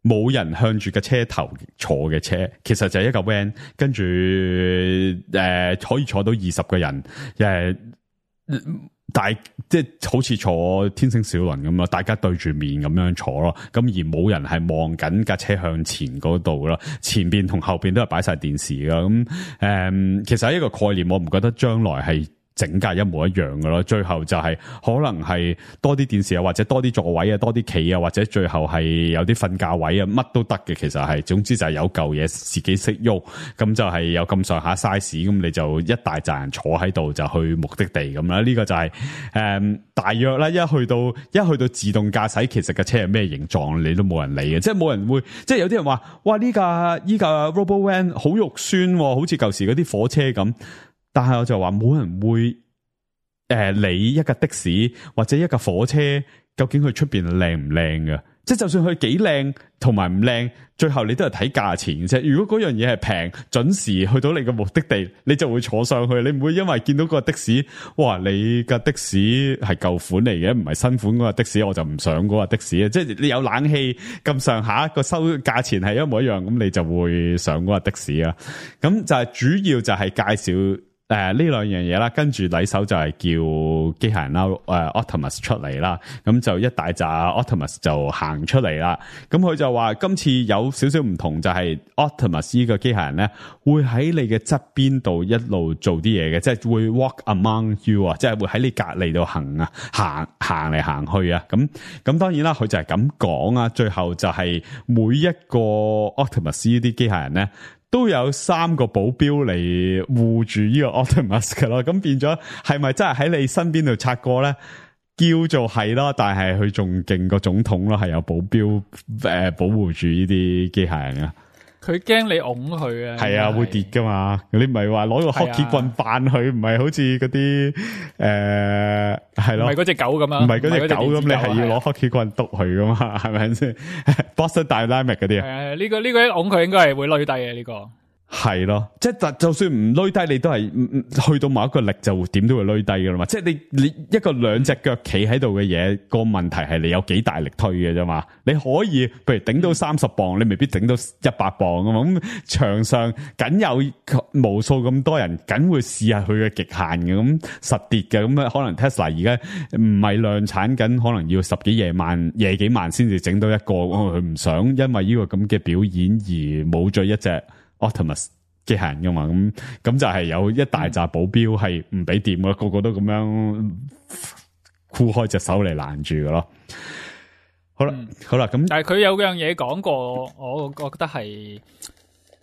冇人向住個車頭坐嘅車，其實就係一架 van， 跟住可以坐到20個人，但係即係好似坐天星小輪咁咯，大家對住面咁樣坐咯，咁而冇人係望緊架車向前嗰度咯，前邊同後邊都係擺晒電視噶，咁其實係一個概念，我唔覺得將來係整架一模一樣嘅咯，最後就係可能係多啲電視啊，或者多啲座位啊，多啲企啊，或者最後係有啲瞓覺位啊，乜都得嘅。其實係總之就係有嚿嘢自己識喐，咁就係有咁上下 size， 咁你就一大扎人坐喺度就去目的地咁啦。呢個就係大約啦。一去到自動駕駛，其實架車係咩形狀你都冇人理嘅，即係冇人會，即係有啲人話哇呢架 RoboVan 好肉酸，好似舊時嗰啲火車咁。但係我就話冇人會理一架的士或者一架火車究竟佢出邊靚唔靚嘅，即係就算佢幾靚同埋唔靚，最後你都係睇價錢嘅啫。如果嗰樣嘢係平，準時去到你嘅目的地，你就會坐上去，你唔會因為見到個的士，哇你架的士係舊款嚟嘅，唔係新款嗰個的士，我就唔上嗰個的士啊！即係你有冷氣咁上下個收價錢係一模一樣，咁你就會上嗰個的士啊。咁就係主要就係介紹。呢兩樣嘢啦，跟住禮手就係叫機械人啦，Optimus 出嚟啦，咁就一大扎 Optimus 就行出嚟啦。咁佢就話今次有少少唔同，就係 Optimus 呢個機械人咧，會喺你嘅側邊度一路做啲嘢嘅，即係會 walk among you 啊，即係會喺你隔離度行嚟行去啊。咁當然啦，佢就係咁講啊。最後就係每一個 Optimus 呢啲機械人咧，都有3個保鏢嚟護住呢個 Optimus 㗎咯，咁變咗係咪真係喺你身邊度擦過咧？叫做係咯，但係佢仲勁過總統咯，係有保鏢保護住呢啲機械人啊。佢驚你拱佢啊，係啊，會跌噶嘛。你唔係話攞個 hockey 棍扮佢，唔係好似嗰啲係咯，唔係嗰隻狗咁啊，唔係嗰隻狗咁，你係要攞 hockey 棍督佢噶嘛，係咪先？Boston Dynamics 嗰啲啊，呢個一拱佢應該係會累低嘅呢個。係咯，即係就算唔累低，你都係去到某一個力就點都會累低噶啦嘛。即係你一個兩隻腳企喺度嘅嘢，個問題係你有幾大力推嘅啫嘛。你可以譬如頂到30磅，你未必頂到100磅啊嘛。咁場上梗有無數咁多人，梗會試下佢嘅極限嘅，咁實跌嘅。咁啊，可能 Tesla 而家唔係量產緊，可能要10幾夜幾萬先至整到一個。佢唔想因為呢個咁嘅表演而冇咗一隻Optimus 機械人噶嘛，咁就係有一大紮保鏢係唔俾掂噶，個個都咁樣箍開隻手嚟攔住噶咯。好啦，好啦，咁但係佢有樣嘢講過，我覺得係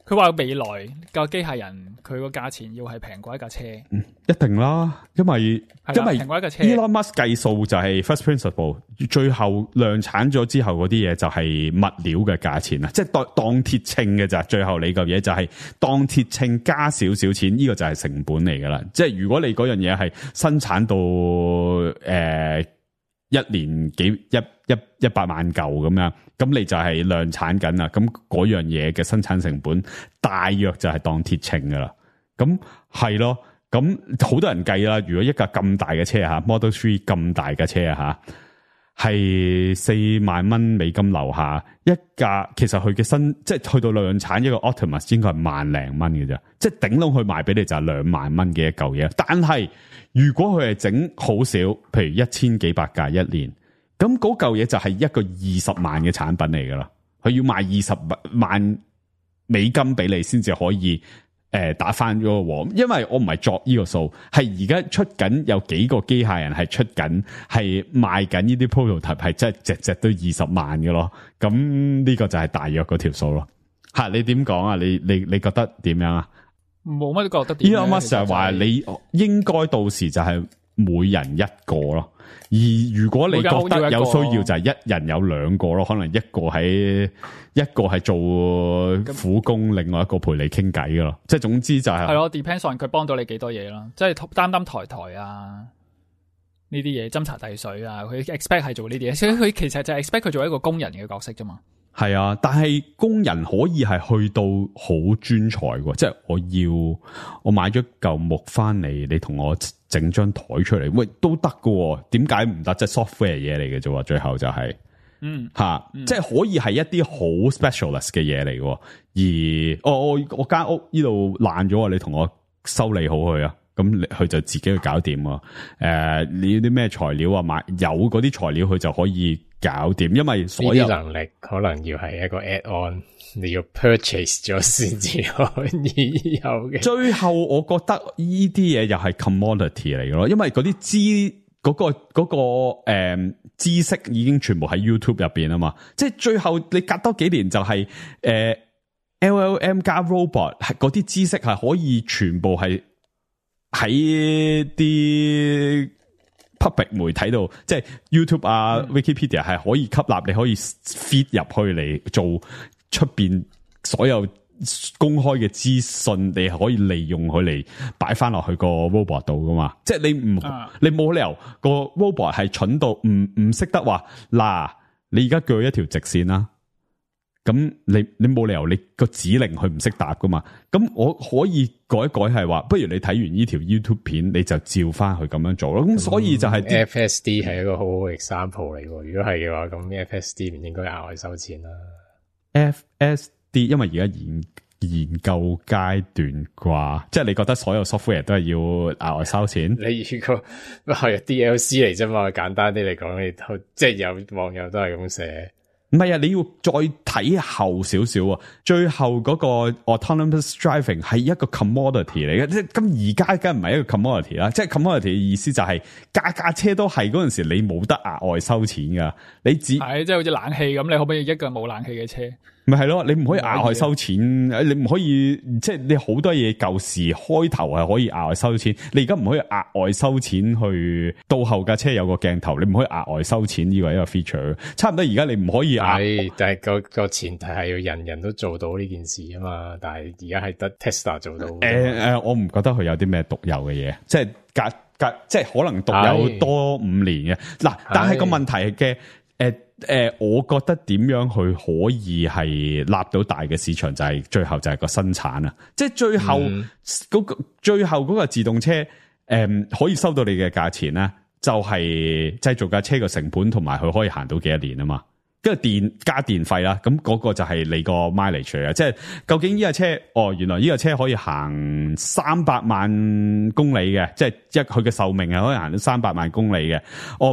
佢話未來個機械人佢個價錢要係平過一架車，一定啦，因為平過一架車。Elon Musk 計數就係 first principle， 最後量產咗之後嗰啲嘢就係物料嘅價錢啊，即係當鐵稱嘅咋。最後你嚿嘢就係當鐵稱加少少錢，呢個就係成本嚟噶啦。即係如果你嗰樣嘢係生產到1年100萬嚿咁樣，咁你就係量產緊啦。咁嗰樣嘢嘅生產成本大約就係當鐵稱噶啦。咁係咯，咁好多人計啦。如果一架咁大嘅車吓 Model 3咁大嘅車吓，係4萬蚊美金樓下一架，其實佢嘅即係去到量產一個 Optimus 應該係萬零蚊嘅啫，即係頂籠去賣俾你就係2萬蚊嘅一嚿嘢。但係如果佢係整好少，譬如1000幾百架一年，咁嗰嚿嘢就係一個20萬嘅產品嚟噶啦。佢要賣20萬美金俾你先至可以打翻嗰個鑊，因為我唔係作呢個數，係而家出緊有幾個機械人係出緊，係賣緊呢啲 prototype， 係真係隻都20萬嘅咯。咁呢個就係大約嗰條數咯。吓，你點講啊？你覺得點樣啊？冇乜覺得點。Elon Musk就係話你應該到時就係每人一個咯。而如果你覺得有需要，就係一人有2個咯，可能一個係做苦工，另外一個陪你傾偈噶咯。即係總之就係咯 ，depends on 佢幫到你幾多嘢咯。即係擔抬啊，呢啲嘢斟茶遞水啊，佢 expect 係做呢啲嘢，所以佢其實就係 expect 佢做一個工人嘅角色啫嘛。係啊，但係工人可以係去到好專才喎，即係我買咗嚿木翻嚟，你同我整張台出嚟，喂都得㗎，點解唔得？即係 software 嘢嚟嘅啫，最後就係即係可以係一啲好 specialist 嘅嘢嚟嘅。而我間屋呢度爛咗，你同我修理好佢啊，咁佢就自己去搞掂啊。你要啲咩材料啊？買有嗰啲材料，佢就可以搞掂，因為所有呢啲能力可能要係一個 add-on， 你要 purchase 咗先至可以有嘅。最後我覺得呢啲嘢又係 commodity 嚟嘅咯，因為嗰啲知識已經全部喺 YouTube 入邊啊嘛，即係最後你隔多幾年就係LLM 加 robot 係嗰啲知識係可以全部係喺啲 public 媒體度，即係 YouTube 啊、Wikipedia 係可以吸納，你可以 feed 入去嚟做出邊所有公開嘅資訊，你係可以利用佢嚟擺翻落去個 robot 度噶嘛？即係你冇理由個 robot 係蠢到唔識得話嗱，你而家鋸一條直線啦。咁你冇理由你個指令佢唔識答噶嘛？咁我可以改一改係話，不如你睇完呢條 YouTube 片，你就照翻去咁樣做咯。咁所以就係 FSD 係一個好好 example 嚟喎。如果係嘅話，咁 FSD 唔應該額外收錢啦。FSD 因為而家研究階段啩，即係你覺得所有 software 都係要額外收錢？你如果係 DLC 嚟啫嘛，簡單啲嚟講，你即係有網友都係咁寫。唔係啊，你要再睇後少少啊。最後嗰個 autonomous driving 係一個 commodity 嚟嘅，即係咁而家梗唔係一個 commodity 啦。即係 commodity 嘅意思就係架車都係嗰陣時你冇得額外收錢噶，你只係即係好似冷氣咁，你可唔可以一個冇冷氣嘅車？咪係咯，你唔可以額外收錢，你唔可以即係你好多嘢舊時開頭係可以額外收錢，你而家唔可以額外收錢去到後架車有個鏡頭，你唔可以額外收錢，呢個係一個 feature。差唔多而家你唔可以係，但係個前提係要人人都做到呢件事啊嘛。但係而家係得 Tesla 做到。我唔覺得佢有啲咩獨有嘅嘢，即係即係可能獨有多5年嘅嗱，但係個問題嘅。我覺得點樣去可以係立到大嘅市場，就係最後就係個生產啊！即係最後嗰個自動車可以收到你嘅價錢咧，就係製造架車嘅成本同埋佢可以行到幾多年啊嘛。跟住加電費啦，咁嗰個就係你個 mileage 嚟嘅，即係究竟呢架車，原來呢架車可以行300萬公里嘅，即係佢嘅壽命係可以行到300萬公里嘅。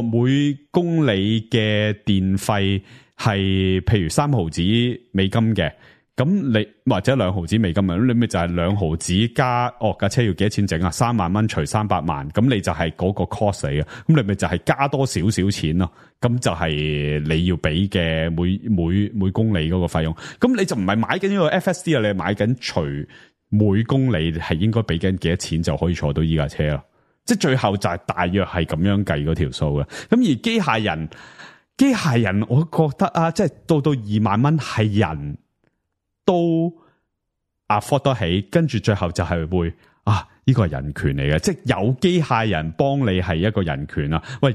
每公里嘅電費係譬如3毫子美金嘅。咁你或者2毫子美金啊，咁你咪就係2毫子加架車要幾多錢整啊？3萬蚊除300萬，咁你就係嗰個 cost 嚟嘅，咁你咪就係加多少少錢咯。咁就係你要俾嘅每公里嗰個費用。咁你就唔係買緊呢個 FSD 啊，你係買緊除每公里係應該俾緊幾多錢就可以坐到依架車咯。即係最後就係大約係咁樣計嗰條數嘅。咁而機械人，我覺得啊，即係到2萬蚊係人都 afford 得起，跟住最後就係會呢個係人權嚟嘅，即係有機械人幫你係一個人權啊！喂，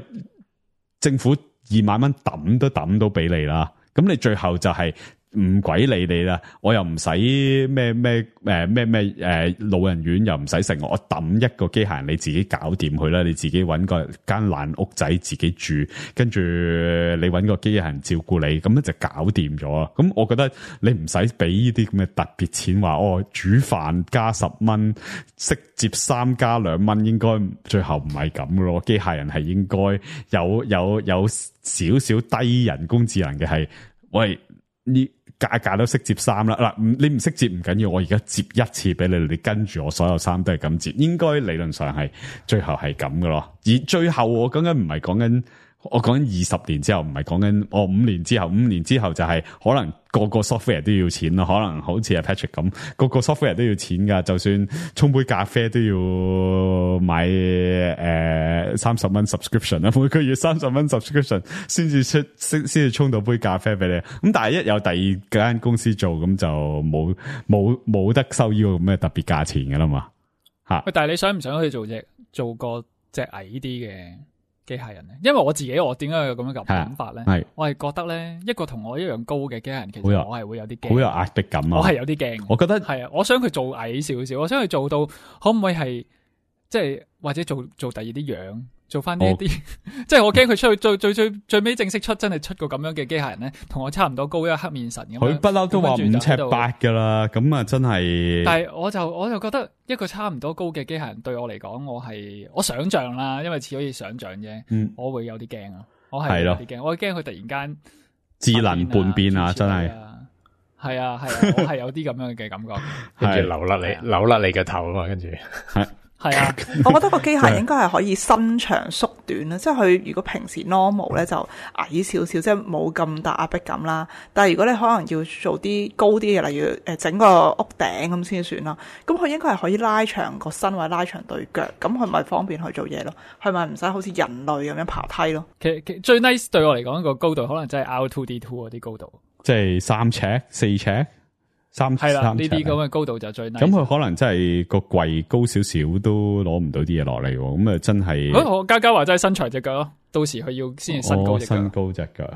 政府2萬蚊抌都抌到俾你啦，咁你最後就係唔鬼理你啦，我又唔使咩老人院又唔使成，我抌一個機械人你自己搞掂佢啦，你自己搵個間爛屋仔自己住，跟住你搵個機械人照顧你，咁樣就搞掂咗啊！咁我覺得你唔使俾呢啲咁嘅特別錢，話煮飯加10蚊，識接3加2蚊，應該最後唔係咁咯。機械人係應該有少少低人工智能嘅係，喂呢？價都識接衫啦，嗱，你唔識接唔緊要，我而家接一次俾你，你跟住我所有衫都係咁接，應該理論上係最後係咁噶咯。而最後我講緊唔係講緊，我講緊20年之後，唔係講緊5年之後，5年之後就係可能個 software 都要錢咯，可能好似阿 Patrick 咁，個 software 都要錢噶，就算沖杯咖啡都要買30蚊 subscription 啦，每個月30蚊 subscription 先至沖到杯咖啡俾你。咁但係一有第二間公司做，咁就冇得收呢個咁嘅特別價錢噶啦嘛吓。但係你想唔想去做個隻矮啲嘅機械人咧？因為我自己我點解有咁樣嘅諗法咧？我係覺得咧，一個同我一樣高嘅機械人，其實我係會有啲驚，好有壓迫感啊！我係有啲驚，我覺得係啊，我想佢做矮少少，我想佢做到可唔可以係即係或者做第二啲樣，做翻呢一啲，即係我驚佢出去最尾正式出真係出個咁樣嘅機械人咧，同我差唔多高，一個黑面神咁樣。佢不嬲都話5尺8噶啦，咁啊真係。但係我就覺得一個差唔多高嘅機械人對我嚟講，我想象啦，因為似可以想象啫，我會有啲驚啊。我係有啲驚，我驚佢突然間智能叛變啊！真係係啊，我係有啲咁樣嘅感覺，跟住扭甩你個頭啊嘛，跟住係啊，我覺得個機械人應該係可以伸長縮短啦，即係佢如果平時 normal 咧就矮少少，即係冇咁大壓迫感啦。但係如果你可能要做啲高啲嘅，例如整個屋頂咁先算啦。咁佢應該係可以拉長個身或者拉長對腳，咁佢咪方便去做嘢咯？佢咪唔使好似人類咁樣爬梯咯？其實最 nice 對我嚟講個高度可能真係 R2D2 嗰啲高度，即係3尺、4尺。係啦，呢3尺啲咁嘅高度就最 nice。咁佢可能真係個櫃高少少都攞唔到啲嘢落嚟喎，咁啊真係。我嘉嘉話真係伸長隻腳咯，到時佢要先伸高隻腳。伸高隻腳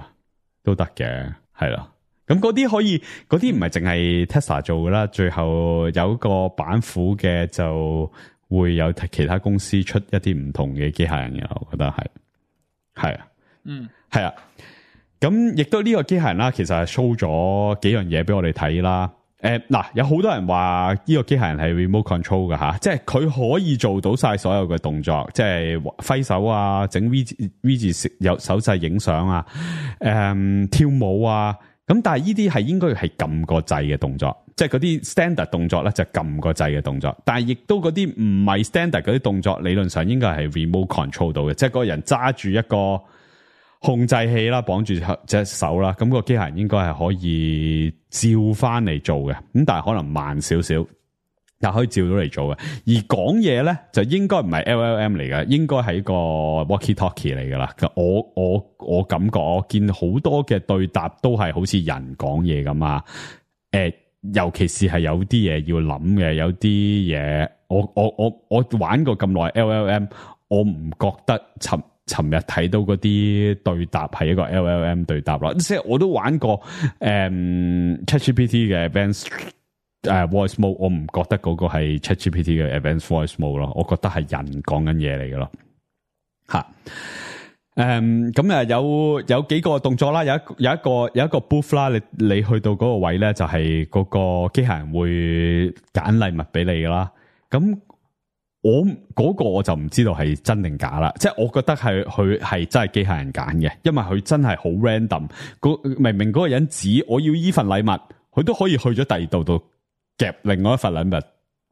都得嘅，係啦。咁嗰啲可以，嗰啲唔係淨係 Tesla 做噶啦，最後有個板斧嘅就會有其他公司出一啲唔同嘅機械人嘅，我覺得係啊，係啊。咁亦都呢個機械人啦，其實係 show 咗幾樣嘢俾我哋睇啦。嗱，有好多人話呢個機械人係 remote control 㗎吓，即係佢可以做到晒所有嘅動作，即係揮手啊，整 V 字有手勢影相啊，跳舞啊，咁但係呢啲係應該係撳個掣嘅動作，即係嗰啲 standard 動作咧就撳個掣嘅動作，但係亦都嗰啲唔係 standard 嗰啲動作，理論上應該係 remote control 到嘅，即係嗰個人揸住一個控制器啦，綁住隻手啦，咁個機械人應該係可以照翻嚟做嘅，咁但係可能慢少少，但可以照到嚟做嘅。而講嘢咧就應該唔係 LLM 嚟嘅，應該係一個 walkie-talkie 嚟噶啦。我感覺我見好多嘅對答都係好似人講嘢咁啊。尤其是係有啲嘢要諗嘅，有啲嘢我玩過咁耐 LLM， 我唔覺得尋日睇到嗰啲對答係一個 LLM 對答啦，即係我都玩過ChatGPT 嘅 Advanced Voice Mode， 我唔覺得嗰個係 ChatGPT 嘅 Advanced Voice Mode 咯，我覺得係人講緊嘢嚟嘅咯。吓，咁啊有幾個動作啦，有一個 booth 啦，你去到嗰個位咧，就係嗰個機械人會揀禮物俾你噶啦，咁。我嗰個我就唔知道係真定假啦，即係我覺得佢係真係機械人揀嘅，因為佢真係好 random。明明嗰個人指我要依份禮物，佢都可以去咗第二度夾另外一份禮物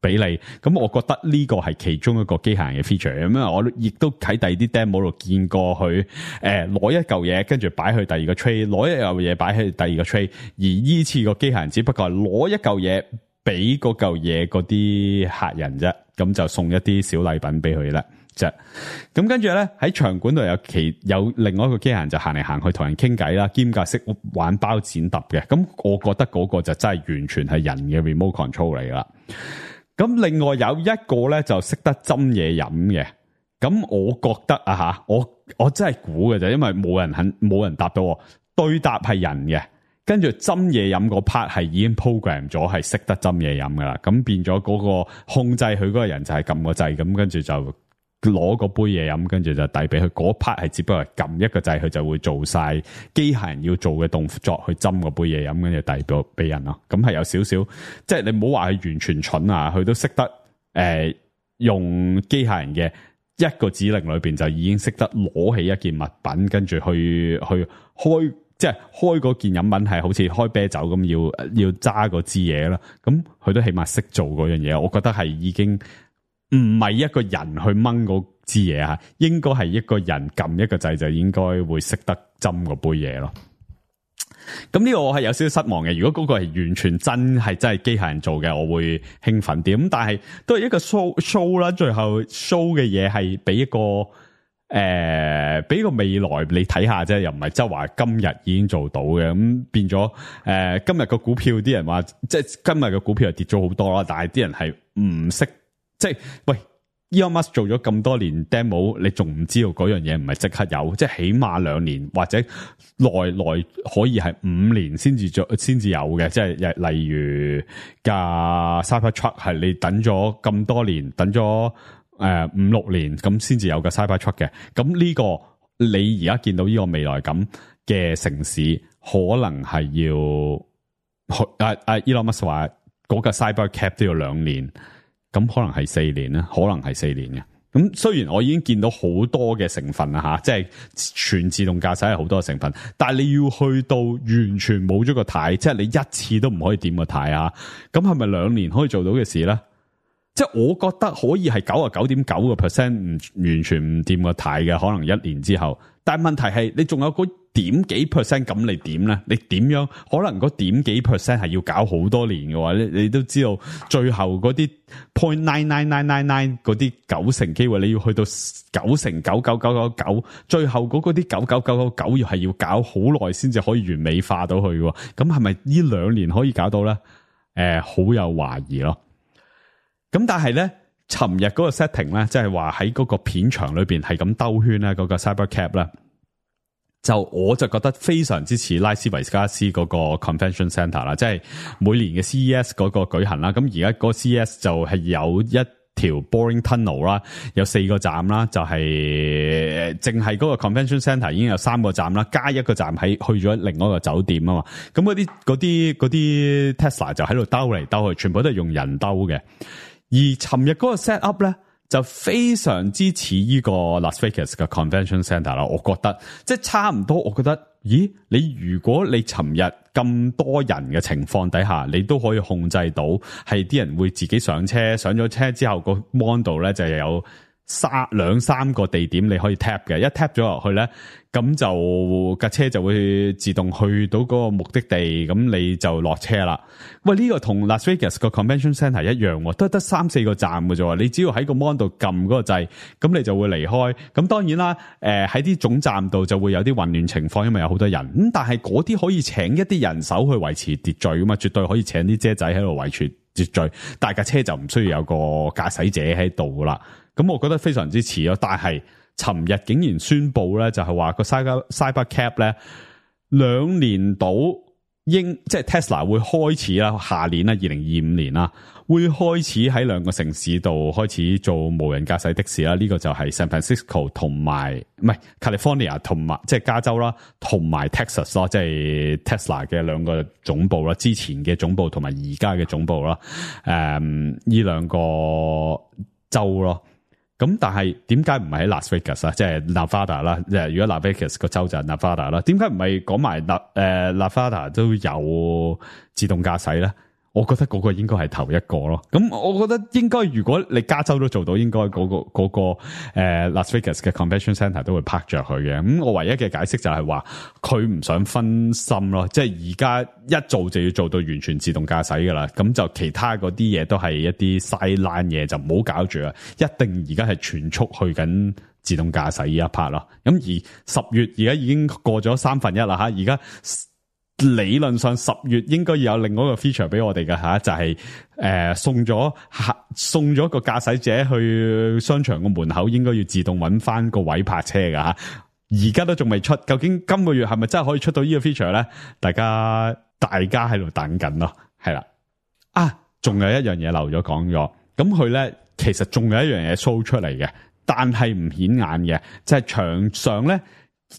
俾你。咁我覺得呢個係其中一個機械人嘅 feature。咁我亦都喺第二啲 demo 度見過佢攞一嚿嘢，跟住擺去第二個 tray， 攞一嚿嘢擺去第二個 tray。而依次個機械人只不過係攞一嚿嘢俾嗰嚿嘢嗰啲客人啫。咁就送一啲小禮品俾佢啦，啫。咁跟住咧喺場館度有另外一個機械人就行嚟行去同人傾偈啦，兼夾識玩包剪揼嘅。咁我覺得嗰個就真係完全係人嘅 remote control 嚟啦。咁另外有一個咧就識得斟嘢飲嘅。咁我覺得啊吓，我真係估嘅啫，因為冇人答到我。對答係人嘅。跟住斟嘢飲嗰 part 係已經 program 咗係識得斟嘢飲噶啦，咁變咗嗰個控制佢嗰個人就係撳個掣，咁跟住就攞個杯嘢飲，跟住就遞俾佢。嗰 part 係只不過係撳一個掣，佢就會做晒機械人要做嘅動作去斟個杯嘢飲，跟住遞俾人咯。咁係有少少，即係你唔好話佢完全蠢啊，佢都識得用機械人嘅一個指令裏邊就已經識得攞起一件物品，跟住去開。即係開嗰件飲品係好似開啤酒咁，要揸嗰支嘢啦。咁佢都起碼識做嗰樣嘢，我覺得係已經唔係一個人去掹嗰支嘢啊，應該係一個人撳一個掣就應該會識得斟嗰杯嘢咯。咁呢個我係有少少失望嘅。如果嗰個係完全真係機械人做嘅，我會興奮啲。咁但係都係一個 show 啦，最後 show 嘅嘢係俾一個。俾個未來你睇下啫，又唔係即係話今日已經做到嘅，咁變咗今日個股票啲人話，即係今日個股票係跌咗好多啦，但係啲人係唔識，即係喂 Elon Musk 做咗咁多年 demo， 你仲唔知道嗰樣嘢唔係即刻有，即係起碼2年或者內可以係5年先至有嘅，即係例如架 Cybertruck 係你等咗咁多年，等咗5-6年咁先至有個 Cybertruck 嘅。咁呢個你而家見到呢個未來咁嘅城市，可能係要Elon Musk 話嗰個 Cybercab 都要2年，咁可能係4年啦，可能係4年嘅。咁雖然我已經見到好多嘅成分啦吓，即係全自動駕駛係好多嘅成分，但係你要去到完全冇咗個軚，即係你一次都唔可以掂個軚啊！咁係咪2年可以做到嘅事咧？即係我覺得可以係99.9% 唔完全唔掂個軚嘅，可能1年之後。但係問題係你仲有嗰點幾 percent 咁你點咧？你點樣可能嗰點幾 percent 係要搞好多年嘅話，你都知道最後嗰啲 0.99999嗰啲90%機會，你要去到9999999，最後嗰啲999999要係要搞好耐先至可以完美化到去嘅。咁係咪呢2年可以搞到咧？好有懷疑咯。咁但係咧，尋日嗰個 setting 咧，即係話喺嗰個片場裏邊係咁兜圈咧，嗰個 Cybercab 咧，我就覺得非常之似拉斯維加斯嗰個 Convention Centre 啦，即係每年嘅 CES 嗰個舉行啦。咁而家嗰個 CES 就係有一條 boring tunnel 啦，有4個站啦，就係淨係嗰個 Convention Centre 已經有3個站啦，加一個站去咗另外一個酒店啊嘛。咁嗰啲 Tesla 就喺度兜嚟兜去，全部都係用人兜嘅。而尋日嗰個 set up 咧，就非常之似呢個 Las Vegas 嘅 Convention Centre 啦。我覺得即係差唔多。我覺得，咦？如果你尋日咁多人嘅情況底下，你都可以控制到係啲人會自己上車，上咗車之後個 mon 度咧就有2、3個地點你可以 tap 嘅，一 tap 咗落去咧，咁就架車就會自動去到嗰個目的地，咁你就落車啦。喂，呢個同 Las Vegas 個 Convention Centre 一樣，都得3-4個站嘅啫。你只要喺個 mon 度撳嗰個掣，咁你就會離開。咁當然啦，喺啲總站度就會有啲混亂情況，因為有好多人。咁但係嗰啲可以請一啲人手去維持秩序噶嘛，絕對可以請啲姐仔喺度維持秩序。但係架車就唔需要有個駕駛者喺度噶啦。咁我覺得非常之似咯，但係尋日竟然宣布咧，就係話個 Cybercab 咧2年到即係 Tesla 會開始啦，下年啦2025年啦，會開始喺2個城市度開始做無人駕駛的士啦。呢個就係 San Francisco 同埋唔係 California 同埋即係加州啦，同埋 Texas 咯，即係 Tesla 嘅2個總部啦，之前嘅總部同埋而家嘅總部啦。呢2個州咯。咁但係點解唔係喺 Las Vegas 啊？即係 Nevada 啦，如果 Las Vegas 個州就係 Nevada 啦，點解唔係講埋Nevada 都有自動駕駛咧？我覺得嗰個應該係頭一個咯。咁我覺得應該如果你加州都做到，應該嗰個Las Vegas 嘅 Convention Centre 都會拍着佢嘅。咁我唯一嘅解釋就係話佢唔想分心咯，即係而家一做就要做到完全自動駕駛噶啦。咁就其他嗰啲嘢都係一啲 sideline 嘢，就唔好搞住啊！一定而家係全速去緊自動駕駛呢一 part 咯。咁而10月而家已經過咗1/3啦吓，而家理論上10月應該要有另外一個 feature 俾我哋嘅吓，就係送咗個駕駛者去商場個門口，應該要自動揾翻個位泊車㗎吓。而家都仲未出，究竟今個月係咪真係可以出到呢個 feature 咧？大家喺度等緊咯，係啦。仲有一樣嘢漏咗講咗，咁佢咧其實仲有一樣嘢 show 出嚟嘅，但係唔顯眼嘅，就係牆上咧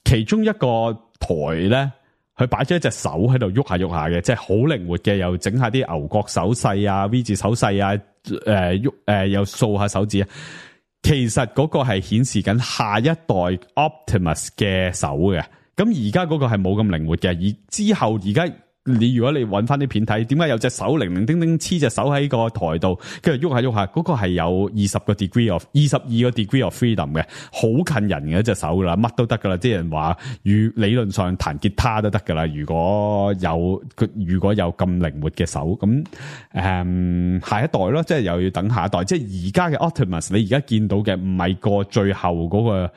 其中一個台咧。佢擺咗一隻手喺度喐下喐下嘅，即係好靈活嘅，又整下啲牛角手勢啊、V 字手勢啊，又掃下手指啊。其實嗰個係顯示緊下一代 Optimus 嘅手嘅，咁而家嗰個係冇咁靈活嘅，而之後而家。如果你揾翻啲片睇，點解有隻手零零丁丁黐隻手喺個台度，跟住喐下喐下，嗰個係有22個 degree of freedom 嘅，好近人嘅一隻手噶啦，乜都得噶啦。啲人話，理論上彈吉他都得噶啦。如果有咁靈活嘅手，咁下一代咯，即係又要等下一代。即係而家嘅 Optimus，你而家見到嘅唔係個最後嗰個。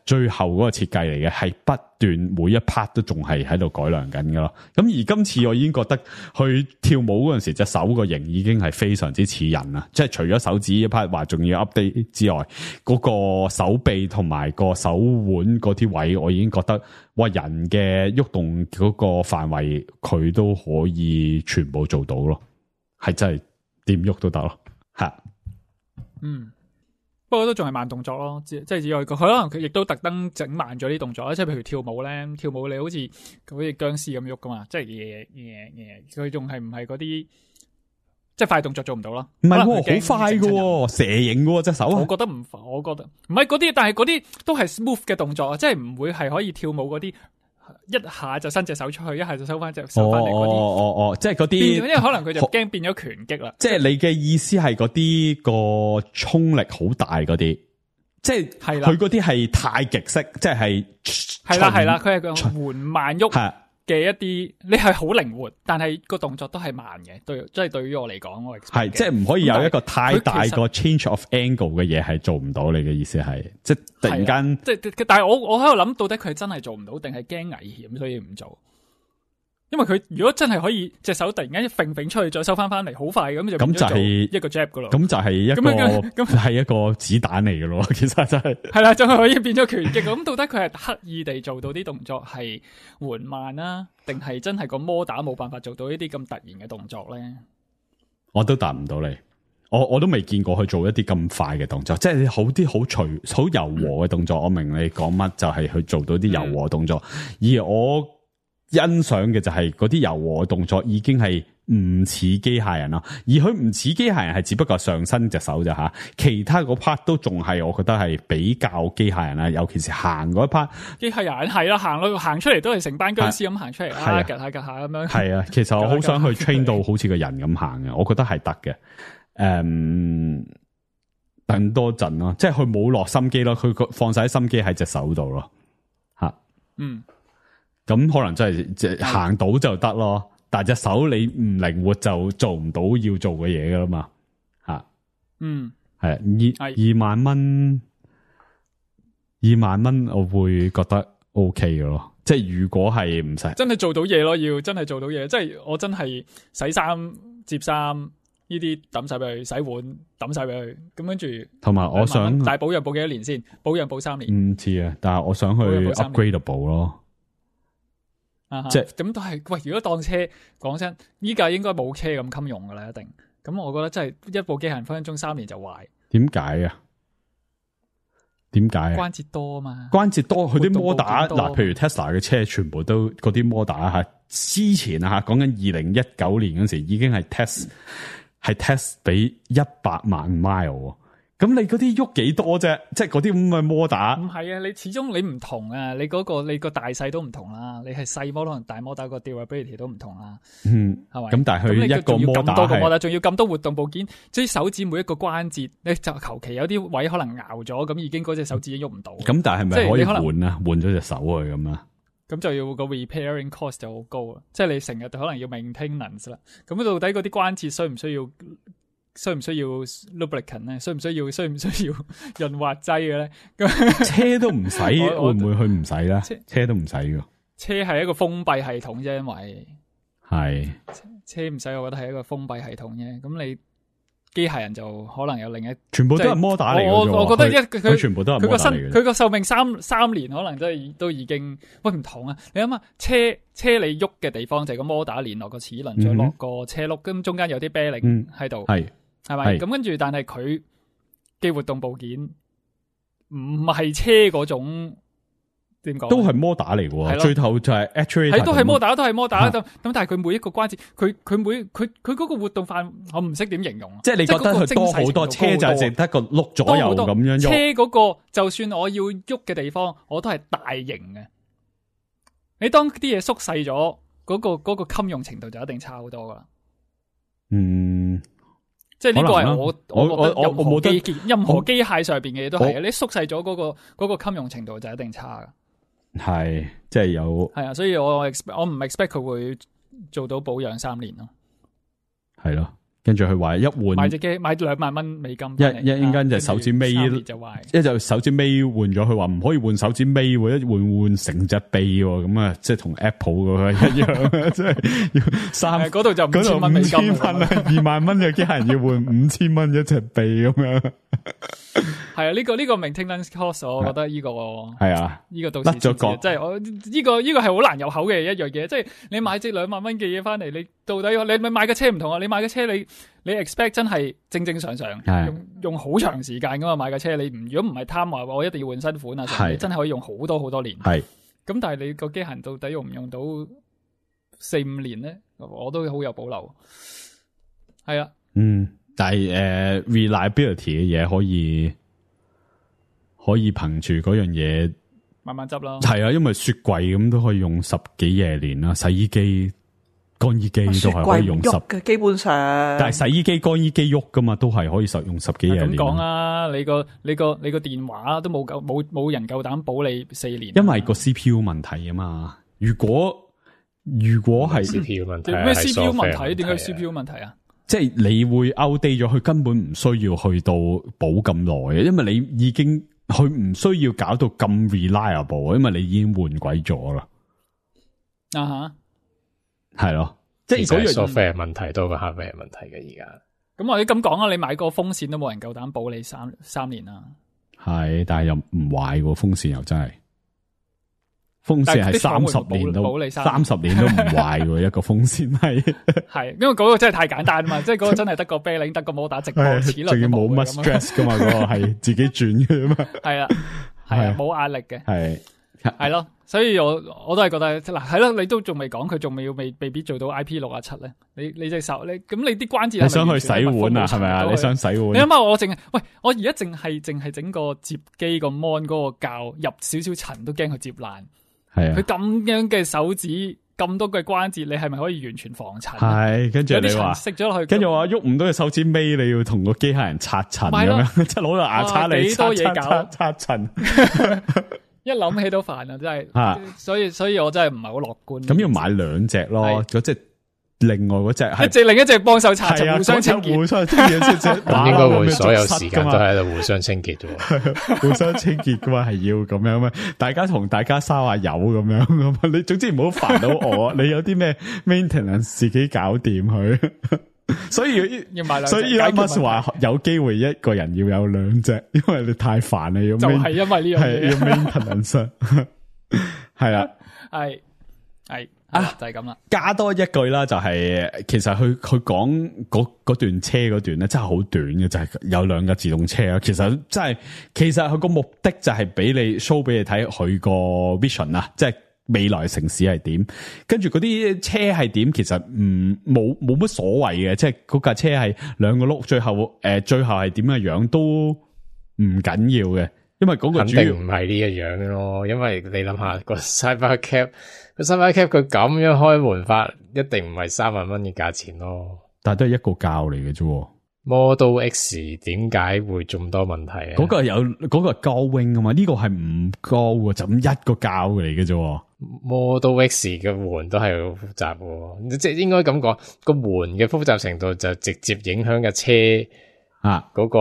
最後嗰個設計嚟嘅，係不斷每一 part 都仲係喺度改良緊噶咯。咁而今次我已經覺得佢跳舞嗰陣時，隻手個型已經係非常之似人啦。即係除咗手指一 part 話仲要 update 之外，嗰個手臂同埋個手腕嗰啲位，我已經覺得哇，人嘅喐動嗰個範圍佢都可以全部做到咯，係真係點喐都得咯，吓，不過都仲係慢動作咯，即係只可以佢可能佢亦都特登整慢咗啲動作啦，即係譬如跳舞咧，跳舞你好似僵屍咁喐噶嘛，即係佢仲係唔係嗰啲即係快動作做唔到啦。唔係可能佢驚喎，好快嘅整親人喎，蛇形嘅喎隻手。我覺得唔快，我覺得唔係嗰啲，但係嗰啲都係 smooth 嘅動作啊，即係唔會係可以跳舞嗰啲，一下就伸隻手出去，一下就收翻隻手翻嚟嗰啲。即係嗰變咗，因啲，為可能佢就驚變咗拳擊啦。即係你嘅意思係嗰啲個衝力好大嗰啲，即係係啦佢嗰啲係太極式，即係係啦，佢係個緩慢喐係嘅一啲，你係好靈活，但係個動作都係慢嘅。即係對於我嚟講，我係即係唔可以有一個太大咁但係個 change of angle 嘅嘢係做唔到。你嘅意思係即係突然間即係，但係我喺度諗，到底佢係真係做唔到，定係驚危險所以唔做？因為佢如果真係可以隻手突然間一揈出去，再收翻嚟，好快咁就變咗做一個 jab 噶咯。咁就係一個係一個子彈嚟嘅咯。其實就係啦，就係可以變咗拳擊。咁到底佢係刻意地做到啲動作係緩慢啦，定係真係個摩打冇辦法做到呢啲咁突然嘅動作咧？我都答唔到你。我都未見過佢做一啲咁快嘅動作，即係好啲好柔和嘅動作。我明你講乜，就係去做到啲柔和動作，而我欣賞嘅就係嗰啲柔和動作已經係唔似機械人啦，而佢唔似機械人係只不過上身隻手咋吓，其他嗰 part 都仲係我覺得係比較機械人啦，尤其是行嗰一 part。機械人係啦，行出嚟都係成班僵屍咁行出嚟，係趌下咁樣。係啊，其實我好想去 train 到好似個人咁行嘅，我覺得係得嘅。等多陣咯，即係佢冇落心機咯，佢放晒心機喺隻手度咯，吓。咁可能真係即係行到就得咯，但係隻手你唔靈活就做唔到要做嘅嘢噶啦嘛，吓。係2萬蚊，2萬蚊我會覺得 OK 嘅咯，即係如果係唔使真係做到嘢咯，要真係做到嘢，即係我真係洗衫、摺衫呢啲抌晒俾佢，洗碗抌晒俾佢，咁跟住同埋我想，但係保養保幾多年先？保養保3年，唔知啊，但係我想去 upgradable 咯。即係咁都係喂，如果當車講真，依家應該冇車咁襟用噶啦，一定。咁我覺得真係一部機械人分分鐘3年就壞。點解啊？點解啊？關節多啊嘛，關節多，佢啲摩打嗱，譬如 Tesla 嘅車，全部都嗰啲摩打吓，之前啊吓，講緊2019年嗰時已經係 test 俾100萬 mile。咁你嗰啲喐幾多啫？即係嗰啲咁嘅摩打，唔係啊！你始終你唔同啊！你個大細都唔同啦。你係細摩同大摩打個 durability 都唔同啦。係咪？咁但係佢一個摩打咁多個摩打，仲要咁多活動部件，即係手指每一個關節，你就求其有啲位可能拗咗，咁已經嗰隻手指已經喐唔到。咁但係咪可以換啊？換咗隻手去咁啊？咁就要個 repairing cost 就好高啦。即係你成日可能要 maintenance 啦。咁到底嗰啲關節需唔需要 lubricant 咧？需唔需要潤滑劑嘅咧？車都唔使，會唔會去唔使咧？車都唔使嘅。車係一個封閉系統啫，因為係車唔使，我覺得係一個封閉系統啫。咁你機械人就可能有另一，全部都係摩打嚟嘅。我覺得佢全部都係摩打嚟嘅。佢個壽命三年，可能都已經喂唔同啊！你諗下，車你喐嘅地方就係個摩打連落個齒輪，再落個車轆，咁中間有啲啤令喺度。係咪？咁跟住，但係佢嘅活動部件唔係車嗰種，點講？都係摩打嚟嘅，最後就係 actuator 都係摩打，都係摩打。咁但係佢每一個關節，佢嗰個活動範，我唔識點形容。即係你覺得佢多好多，車就係淨得個碌左右咁樣喐。車嗰個就算我要喐嘅地方，我都係大型嘅。你當啲嘢縮細咗，嗰個襟用程度就一定差好多噶啦。即係呢個係我覺得任何機械上邊嘅嘢都係，你縮細咗嗰個襟用程度就一定差噶。係，即係有。係啊，所以我唔 expect 佢會做到保養3年咯。係咯。跟住佢話一換買隻機買2萬蚊美金，一間就手指尾就壞，一就手指尾換咗，佢話唔可以換手指尾，一換成隻臂咁啊，即係同 Apple 嗰一樣，即係要3嗰度就5000蚊美金，2萬蚊嘅機械人要換5000蚊一隻臂咁樣。係啊，呢個 maintenance cost， 我覺得呢個係啊，呢個到時即係我呢個係好難入口嘅一樣嘢，即係你買隻2萬蚊嘅嘢翻嚟，你到底你咪買嘅車唔同啊？你買嘅車你 expect 真係正常用好長時間噶嘛？買嘅車你如果唔係貪話我一定要換新款啊，你真係可以用好多年。係咁，但係你個機械人到底用唔用到4-5年咧？我都好有保留。係啊。但係reliability 嘅嘢可以憑住嗰樣嘢慢慢執咯。係啊，因為雪櫃咁都可以用10幾廿年啦，洗衣機、乾衣機都係可以用雪櫃唔喐嘅，基本上。但係洗衣機、乾衣機喐噶嘛，都係可以用10幾廿年。咁講啊，你個電話都冇人夠膽保你4年。因為個 CPU 問題啊嘛。如果係 CPU 問題，咩 CPU 問題？點解 CPU 問題啊？即係你會 outdate 咗，佢根本唔需要去到補咁耐嘅，因為你已經佢唔需要搞到咁 reliable，因為你已經換鬼咗啦。啊哈，係咯，即係嗰樣 software 問題多過 hardware 問題嘅而家。咁或者咁講啊，你買個風扇都冇人夠膽保你三年啦。係，但係又唔壞喎，風扇又真係。風扇係30年都30年都唔壞喎，一個風扇係。係，因為嗰個真係太簡單啊嘛，即係嗰個真係得個啤鈴，得個摩打直播，齒輪仲要冇乜 stress 噶嘛，嗰個係自己轉嘅嘛。係啊，係啊，冇壓力嘅。係咯，所以我都係覺得嗱，係咯，你都仲未講，佢仲未必做到 IP67咧。你隻手，咁你啲關節，你想去洗碗啊？係咪啊？你想洗碗？你諗下，我而家淨係整個摺機個 mon 嗰個膠入少少塵都驚佢摺爛。係啊，佢咁樣嘅手指，咁多嘅關節，你係咪可以完全防塵？係，跟住你話食咗落去，跟住話喐唔到隻手指尾，你要同個機械人刷塵咁樣，即係攞個牙刷嚟幾多嘢搞刷塵。一諗起都煩啊，真係，所以我真係唔係好樂觀。咁要買2隻咯，嗰隻另外嗰隻係另一隻幫手刷塵，互相清潔，咁應該會所有時間都喺度互相清潔啫。互相清潔嘅話係要咁樣咩？大家同大家燒下油咁樣，你總之唔好煩到我。你有啲咩 maintenance 自己搞掂佢。所以要買2隻，所以 Musk 話有機會一個人要有2隻，因為你太煩啦，要就係因為呢樣嘢，要 maintenance 係啦，係就係咁啦。加多一句啦，就係其實佢講嗰段車嗰段咧，真係好短嘅，就係有2架自動車啊。其實佢個目的就係俾你 show 俾你睇佢個 vision 啊，即係未來城市係點，跟住嗰啲車係點，其實冇乜所謂嘅，即係嗰架車係2個轆，最後係點嘅樣都唔緊要嘅，因為嗰個主要肯定唔係呢個樣咯，因為你諗下個 Cybercab 佢咁樣開門法，一定唔係3萬蚊嘅價錢咯。但係都係一個價嚟嘅啫。Model X 點解會咁多問題啊？嗰個係高 wing 啊嘛，呢個係唔高嘅，就咁一個膠嚟嘅啫。Model X 嘅門都係好複雜嘅，即係應該咁講，個門嘅複雜程度就直接影響嘅車嗰個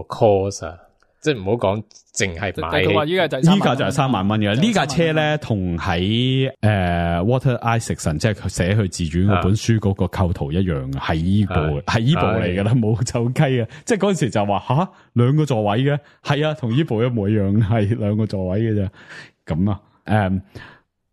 cost 啊。即係唔好講，淨係買。佢話依家就係3萬蚊嘅。呢架車咧，同喺Walter Isaacson 即係佢寫佢自傳嗰本書嗰個構圖一樣嘅，係依部嚟噶啦，冇走雞嘅。即係嗰陣時就話2個座位嘅，係啊，同依部一模一樣，係2個座位嘅啫。咁啊，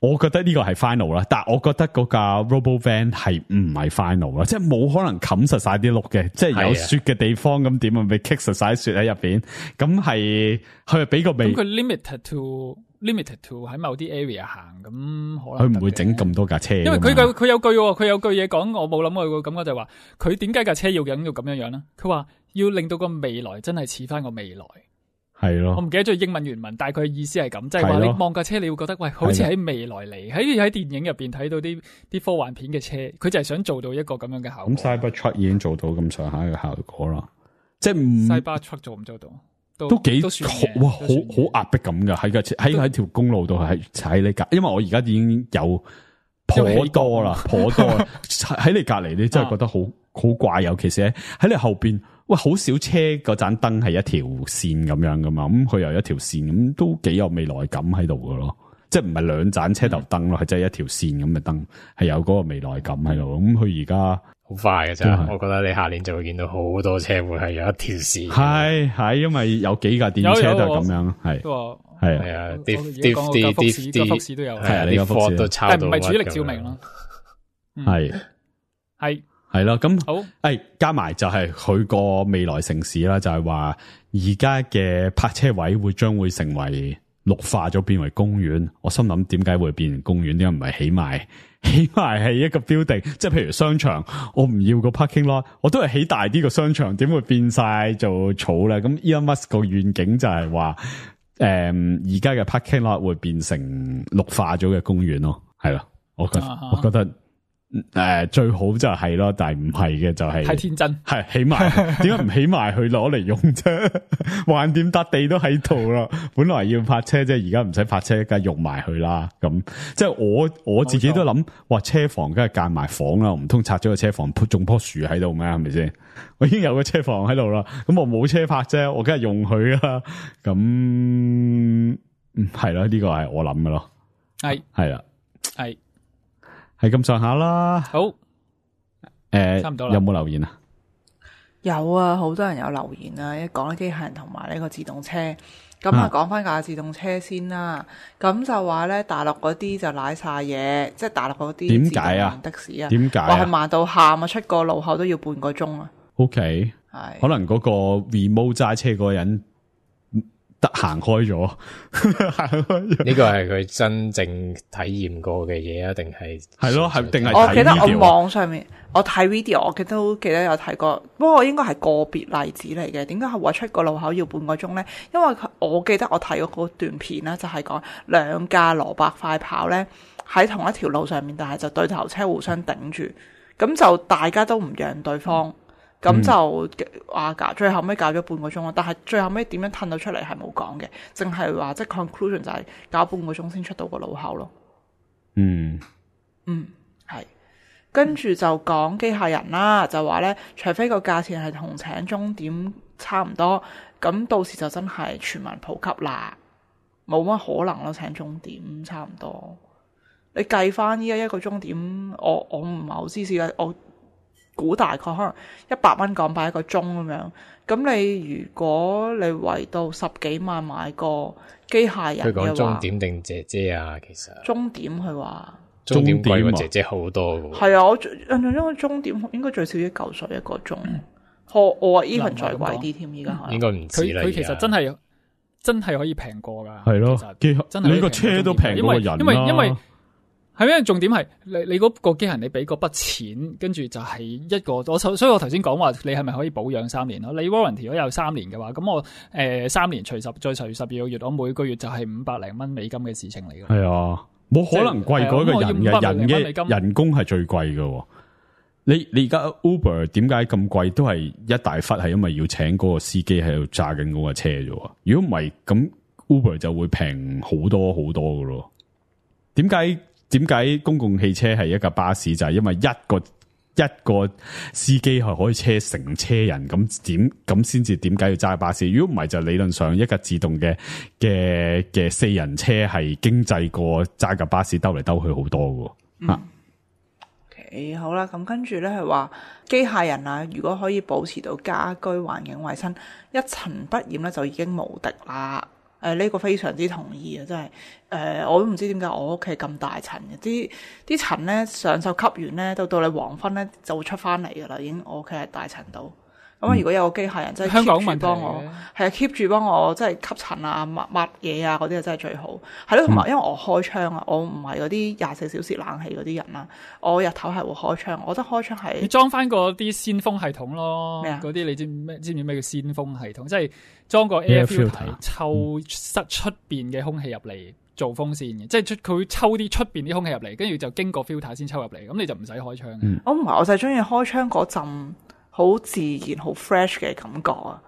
我覺得呢個係 final 啦，但係我覺得嗰架 Robovan 係唔係 final 啦，即係冇可能冚實晒啲轆嘅，即係有雪嘅地方咁點啊，咪棘實晒雪喺入邊，咁係佢係俾個味。咁佢 limited to 喺某啲 area 行，咁可能佢唔會整咁多架車，因為佢有句嘢講，我冇諗過個感覺就係話，佢點解架車要咁樣咧？佢話要令到個未來真係似翻個未來。係咯，我唔記得咗英文原文，大概意思係咁，即係話你望架車，你會覺得喂，好似喺未來嚟，喺電影入邊睇到啲科幻片嘅車，佢就係想做到一個咁樣嘅效果。咁 Cybertruck 已經做到咁上下嘅效果啦，即係Cybertruck 做唔做到？都幾哇，好壓迫咁噶，喺條公路度係踩你隔，因為我而家已經有頗多啦，喺你隔籬，你真係覺得好怪，尤其是喺你後邊。喂，好少車嗰盞燈係一條線咁樣噶嘛，咁佢又一條線，咁都幾有未來感喺度噶咯，即係唔係2盞車頭燈咯，係真係一條線咁嘅燈，係有嗰個未來感喺度。咁佢而家好快嘅啫，我覺得你下年就會見到好多車會係有一條線。係，因為有幾架電車都係咁樣，係啊，啲福士都有，係啊，啲貨都抄到，但唔係主力照明咯，係。係咯，咁好，加埋就係佢個未來城市啦，就係話而家嘅泊車位將會成為綠化咗變為公園。我心諗點解會變成公園？點解唔係起埋係一個 building？即係譬如商場，我唔要個 parking lot，我都係起大啲個商場，點會變晒做草咧？咁 Elon Musk 個願景就係話，而家嘅 parking lot 會變成綠化咗嘅公園咯，係咯，我覺得。最好就係咯，但係唔係嘅就係太天真，係起埋，點解唔起埋去攞嚟用啫？橫掂笪地都喺度啦，本來要泊車啫，而家唔使泊車，梗係用埋去啦。咁即係我自己都諗，哇，車房梗係間埋房啦，唔通拆咗個車房種棵樹喺度咩？係咪先？我已經有個車房喺度啦，咁我冇車泊啫，我梗係用佢啦。咁係咯，呢個係我諗嘅咯。係啦，係咁上下啦。好，差唔多啦。有冇留言啊？有啊，好多人有留言啊！一講機械人同埋呢個自動車，咁啊講翻架自動車先啦。咁就話咧，大陸嗰啲就瀨晒嘢，即係大陸嗰啲點解啊？的士啊，點解話係慢到喊啊！出個路口都要半個鐘啊。OK，係可能嗰個 remote 揸車嗰個人得行開咗，呢個係佢真正體驗過嘅嘢啊？定係咯？係定係？我記得我網上面我睇 video，我都記得有睇過，不過應該係個別例子嚟嘅。點解係話出個路口要半個鐘咧？因為我記得我睇過嗰段片啦，就係講兩架蘿蔔快跑咧喺同一條路上面，但係就對頭車互相頂住，咁就大家都唔讓對方。咁就話最後尾搞咗半個鐘咯，但係最後尾點樣褪到出嚟係冇講嘅，淨係話即係 conclusion 就係搞半個鐘先出到個路口咯。係。跟住就講機械人啦，就話咧，除非個價錢係同請鐘點差唔多，咁到時就真係全民普及啦，冇乜可能咯，請鐘點差唔多。你計翻依家一個鐘點，我唔係好知嘅，我估大概可能100蚊港幣一個鐘咁樣，咁你如果你為到10幾萬買個機械人嘅話，佢講鐘點定姐姐啊？其實鐘點佢話鐘點貴過姐姐好多嘅。係啊，我印象中個鐘點應該最少1嚿水一個鐘，我話 even 再貴啲添，而家應該唔止啦。佢其實真係可以平過噶，係咯，真係你個車都平過人啦。因為係咩？重點係你嗰個機械人，你俾嗰筆錢，跟住就係一個所以我頭先講話，你係咪可以保養3年咯？你 warranty 如果有3年嘅話，咁我3年除10再除12個月，我每個月就係500零蚊美金嘅事情嚟嘅。係啊，冇可能貴過一個人嘅，人嘅人工係最貴嘅。你而家 Uber 點解咁貴？都係一大忽係因為要請嗰個司機喺度揸緊嗰個車啫。如果唔係，咁 Uber 就會平好多好多嘅咯。點解公共汽車係一架巴士？就係因為一個司機係可以車成車人，咁先至點解要揸巴士？如果唔係，就理論上一架自動嘅4人車係經濟過揸架巴士兜嚟兜去好多嘅。OK， 好啦，咁跟住咧係話機械人啊，如果可以保持到家居環境衛生一塵不染咧，就已經無敵啦。呢個非常之同意啊！真係我都唔知點解我屋企咁大塵嘅，啲塵咧上晝吸完咧，到你黃昏咧就會出翻嚟噶啦，已經我屋企係大塵到。咁如果有個機械人真係 keep 住幫我，係啊 keep 住幫我，即係吸塵啊、抹嘢啊嗰啲啊，真係最好。係咯，同埋因為我開窗啊，我唔係嗰啲24小時冷氣嗰啲人啦，我日頭係會開窗。我覺得開窗係你裝翻嗰啲鮮風系統咯，咩啊？嗰啲你知唔知咩叫鮮風系統？即係裝個 air filter 抽塞出邊嘅空氣入嚟做風扇嘅，即係佢抽啲出邊啲空氣入嚟，跟住就經過 filter 先抽入嚟，咁你就唔使開窗。我唔係，我就係中意開窗嗰陣好自然、好 fresh 嘅感覺啊！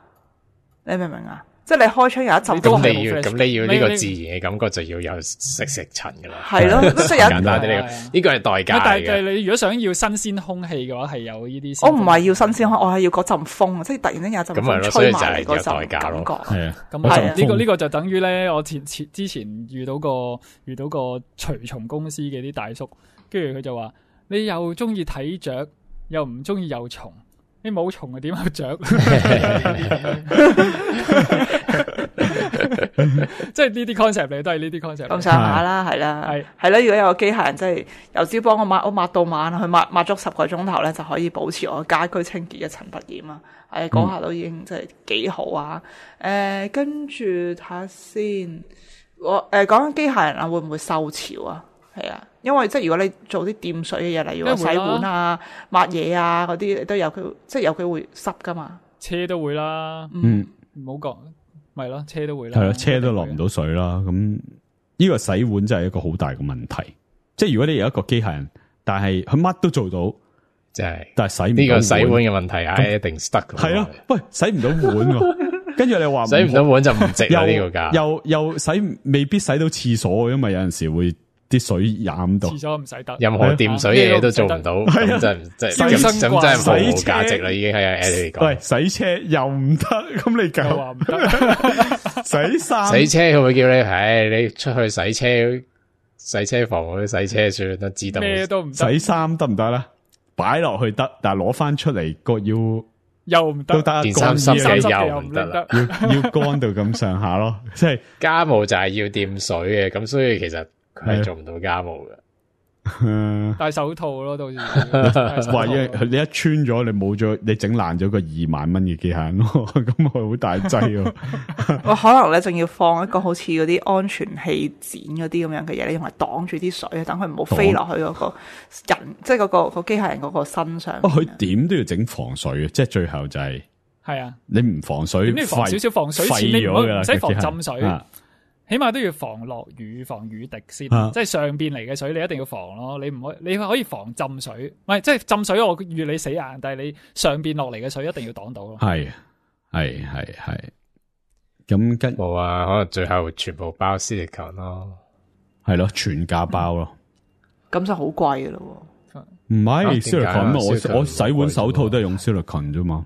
你明唔明啊？即係你開窗有一陣都係咁你要呢個自然嘅感覺，就要有食塵噶啦。係咯，即係有簡單啲呢個係代價嚟嘅。但係你如果想要新鮮空氣嘅話，係有呢啲。我唔係要新鮮空氣，我係要嗰陣風，即係突然間有陣風吹埋嚟嗰陣感覺。係啊，咁係呢個就等於咧，我之前遇到個除蟲公司嘅啲大叔，跟住佢就話：你又中意睇雀，又唔中意有蟲。你冇蟲啊？點有雀？即係呢啲 concept 嚟，都係呢啲 concept。咁上下啦，係啦，係啦。如果有個機械人，即係由朝幫我抹到晚，去抹足10個鐘頭咧，就可以保持我家居清潔一塵不染啊！嗰下都已經即係幾好啊！跟住睇下先，我講緊機械人啊，會唔會受潮啊？係啊，因為即係如果你做啲掂水嘅嘢，例如話洗碗啊、抹嘢啊嗰啲，都有佢即係有機會濕噶嘛。車都會啦，唔好講，咪咯，車都會啦，係咯，車都落唔到水啦。咁呢個洗碗真係一個好大嘅問題。即係如果你有一個機械人，但係佢乜都做到，即係，但係洗唔到呢個洗碗嘅問題，一定 stuck。係咯，喂，洗唔到碗喎，跟住你話洗唔到碗就唔值啦呢個價。又洗未必洗到廁所，因為有陣時會啲水染到。廁所唔使得，任何掂水嘅嘢都做唔到，咁真係咁真係毫無價值啦，已經係啊 Eddie 嚟講。喂，洗車又唔得，咁你又話唔得，洗衫洗車佢會叫你，你出去洗車房嗰啲洗車算啦，自動咩都唔得。洗衫得唔得啦？擺落去得，但係攞翻出嚟個要又唔得，都得，件衫濕嘅又唔得啦，要乾到咁上下咯。即係家務就係要掂水嘅，咁所以其實佢係做唔到家務嘅。戴手套咯，到時話你一穿咗，你冇咗，你整爛咗個2萬蚊嘅機械人咯，咁佢好大劑喎。我可能咧，仲要放一個好似嗰啲安全氣墊嗰啲咁樣嘅嘢，你用嚟擋住啲水，等佢唔好飛落去嗰個人，即係嗰個機械人嗰個身上。佢點都要整防水嘅，即係最後就係啊，你唔防水，你防少少防水前，你唔使防浸水。起碼都要防落雨、防雨滴先，即係上邊嚟嘅水你一定要防咯。你可以防浸水，唔係即係浸水我預你死硬，但係你上邊落嚟嘅水一定要擋到咯。係，咁跟冇啊，可能最後全部包 silicone 咯，係咯，全價包咯，咁就好貴噶咯。唔係 silicone，我洗碗手套都係用 silicone 啫嘛。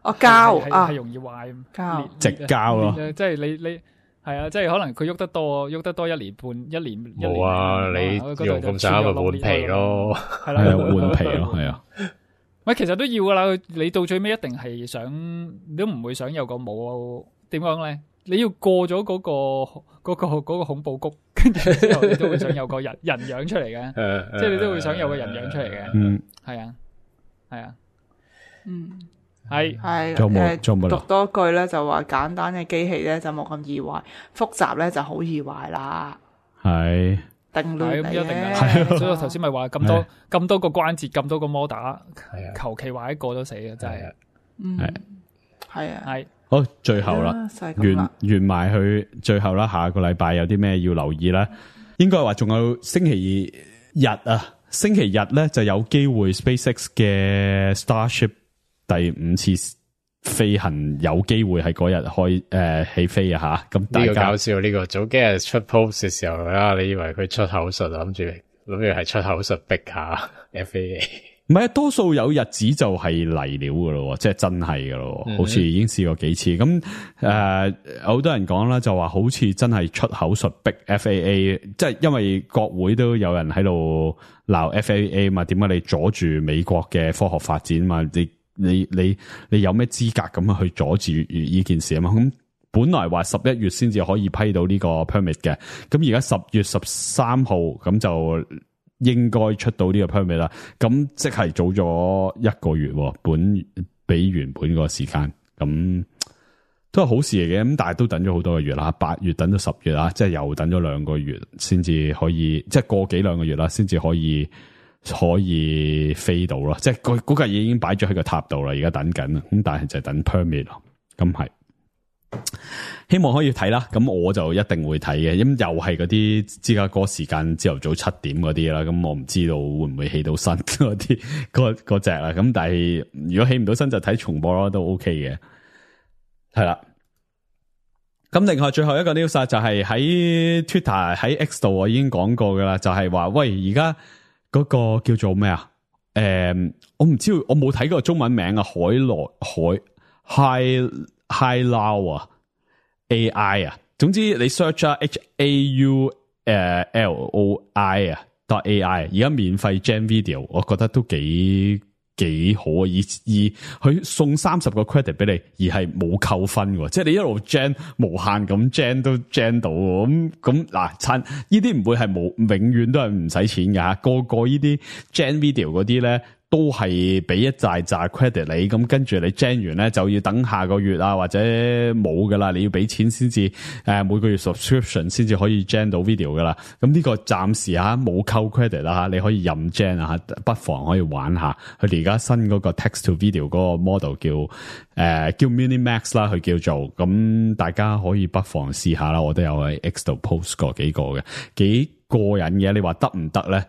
膠係容易壞，膠直膠咯，即係你。係啊，即係可能佢喐得多1年半1年。冇啊，你用咁上下咪換皮咯，係啦，換皮咯，係啊。喂，其實都要噶啦，你到最尾一定係想，你都唔會想有個冇點講咧？你要過咗嗰個恐怖谷，跟住之後你都會想有個人樣出嚟嘅，即係你都會想有個人樣出嚟嘅。係啊，係讀多句咧，就話簡單嘅機器咧就冇咁易壞，複雜咧就好易壞啦。係定律嚟嘅，一定嘅。所以我頭先咪話咁多個關節，咁多個摩打，求其壞一個都死嘅，真係。係好，最後啦，完埋去最後啦。下個禮拜有啲咩要留意咧？應該話仲有星期日啊，星期日咧就有機會 SpaceX 嘅 Starship。第5次飛行有機會係嗰日起飛啊吓，咁大家搞笑呢個早幾日出 post 嘅時候啦，你以為佢出口術，諗住係出口術逼下 FAA， 唔係多數有日子就係嚟料噶咯，即係真係噶咯，好似已經試過幾次咁好多人講啦，就話好似真係出口術逼 FAA， 即係因為國會都有人喺度鬧 FAA 嘛，點解你阻住美國嘅科學發展嘛？你有咩資格咁去阻住呢件事啊嘛？咁本來話11月先至可以批到呢個 permit 嘅，咁而家10月13號咁就應該出到呢個 permit 啦。咁即係早咗1個月，比原本個時間，咁都係好事嚟嘅。咁但係都等咗好多個月啦，8月等到10月啦，即係又等咗2個月先至可以，即係過幾2個月啦，先至可以飛到咯，即係嗰架嘢已經擺咗喺個塔度啦，而家等緊啦，咁但係就係等 permit 咯，咁係希望可以睇啦，咁我就一定會睇嘅，咁又係嗰啲芝加哥時間朝頭早7點嗰啲啦，咁我唔知道會唔會起到身嗰啲嗰隻啦，咁但係如果起唔到身就睇重播咯，都 OK 嘅，係啦。咁另外最後一個 news 就係喺 Twitter 喺 X 度我已經講過噶啦，就係話喂而家。嗰個叫做咩啊？我唔知，我冇睇過中文名啊。HiLao 啊 ，AI 啊。總之你 search 啊 HAULOI 啊 .AI， 而家免費 gen video， 我覺得都幾好啊！而佢送30個 credit 俾你，而係冇扣分喎，即係你一路 gen 無限咁 gen 都 gen 到咁嗱，呢啲唔會係永遠都係唔使錢㗎吓，個呢啲 gen video 嗰啲咧都係俾一紮 credit 你，咁跟住你 gen 完咧就要等下個月啊，或者冇噶啦，你要俾錢先至每個月 subscription 先至可以 gen 到 video 噶啦。咁呢個暫時冇扣 credit 啦吓，你可以任 gen 啊，不妨可以玩下。佢哋而家新嗰個 text to video 嗰個 model 叫 Minimax 啦，佢叫做，咁大家可以不妨試下啦。我都有喺 X 度 post 過幾個嘅，幾過癮嘅。你話得唔得咧？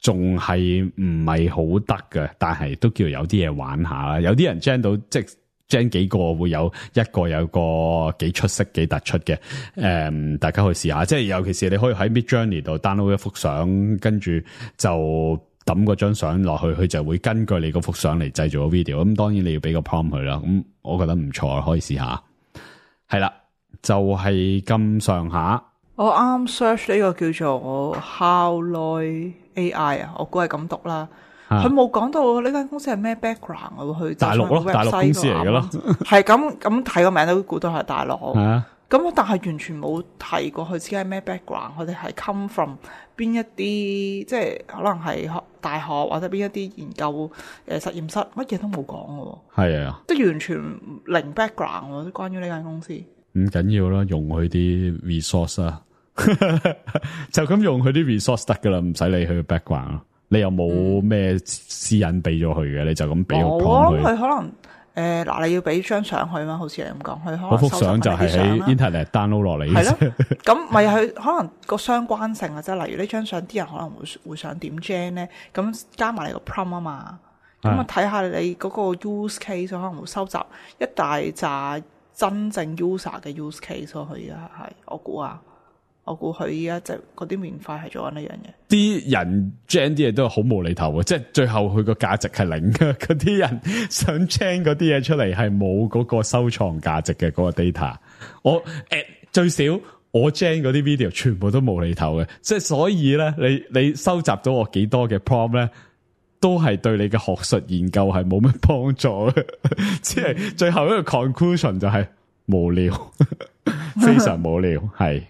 仲係唔係好得嘅，但係都叫有啲嘢玩下啦。有啲人 gen 到即係 gen 幾個會有一個有個幾出色幾突出嘅，大家去試下。即係尤其是你可以喺 Midjourney 度 download 一幅相，跟住就抌嗰張相落去，佢就會根據你嗰幅相嚟製造個 video。咁當然你要俾個 prompt 佢啦。咁我覺得唔錯，可以試下。係啦，就係咁上下。我啱 search 呢個叫做 Howloy AI 啊，我估係咁讀啦。佢冇講到呢間公司係咩 background 喎，去大陸咯，大陸公司嚟嘅咯。係咁睇個名都估到係大陸。係啊。咁但係完全冇提過佢自己係咩 background，佢哋係 come from 邊一啲，即係可能係大學或者邊一啲研究實驗室，乜嘢都冇講嘅。係啊，即係完全零 background 喎，關於呢間公司。唔緊要啦，用佢啲 resource 啊，就咁用佢啲 resource 得噶啦，唔使理佢嘅 background 咯。你又冇咩私隱俾咗佢嘅，你就咁俾個 prompt 佢。我諗佢可能嗱，你要俾張相佢嘛？好似你咁講，佢可能嗰幅相就係喺 internet download 落嚟。係咯，咁咪佢可能個相關性啊，即係例如呢張相啲人可能會想點 gen 咧，咁加埋你個 prompt 啊嘛，咁啊睇下你嗰個 use case 可能會收集一大紮真正 user 嘅 use case 咯。佢而家係我估佢而家即係嗰啲免費係做緊呢樣嘢。啲人 gen 啲嘢都係好無厘頭嘅，即係最後佢個價值係零嘅。嗰啲人想 gen 嗰啲嘢出嚟係冇嗰個收藏價值嘅嗰個 data。我最少我 gen 嗰啲 video 全部都無厘頭嘅，即係所以咧，你收集到我幾多嘅 prompt 咧，都係對你嘅學術研究係冇乜幫助嘅。即係最後一個 conclusion 就係無聊，非常無聊，係。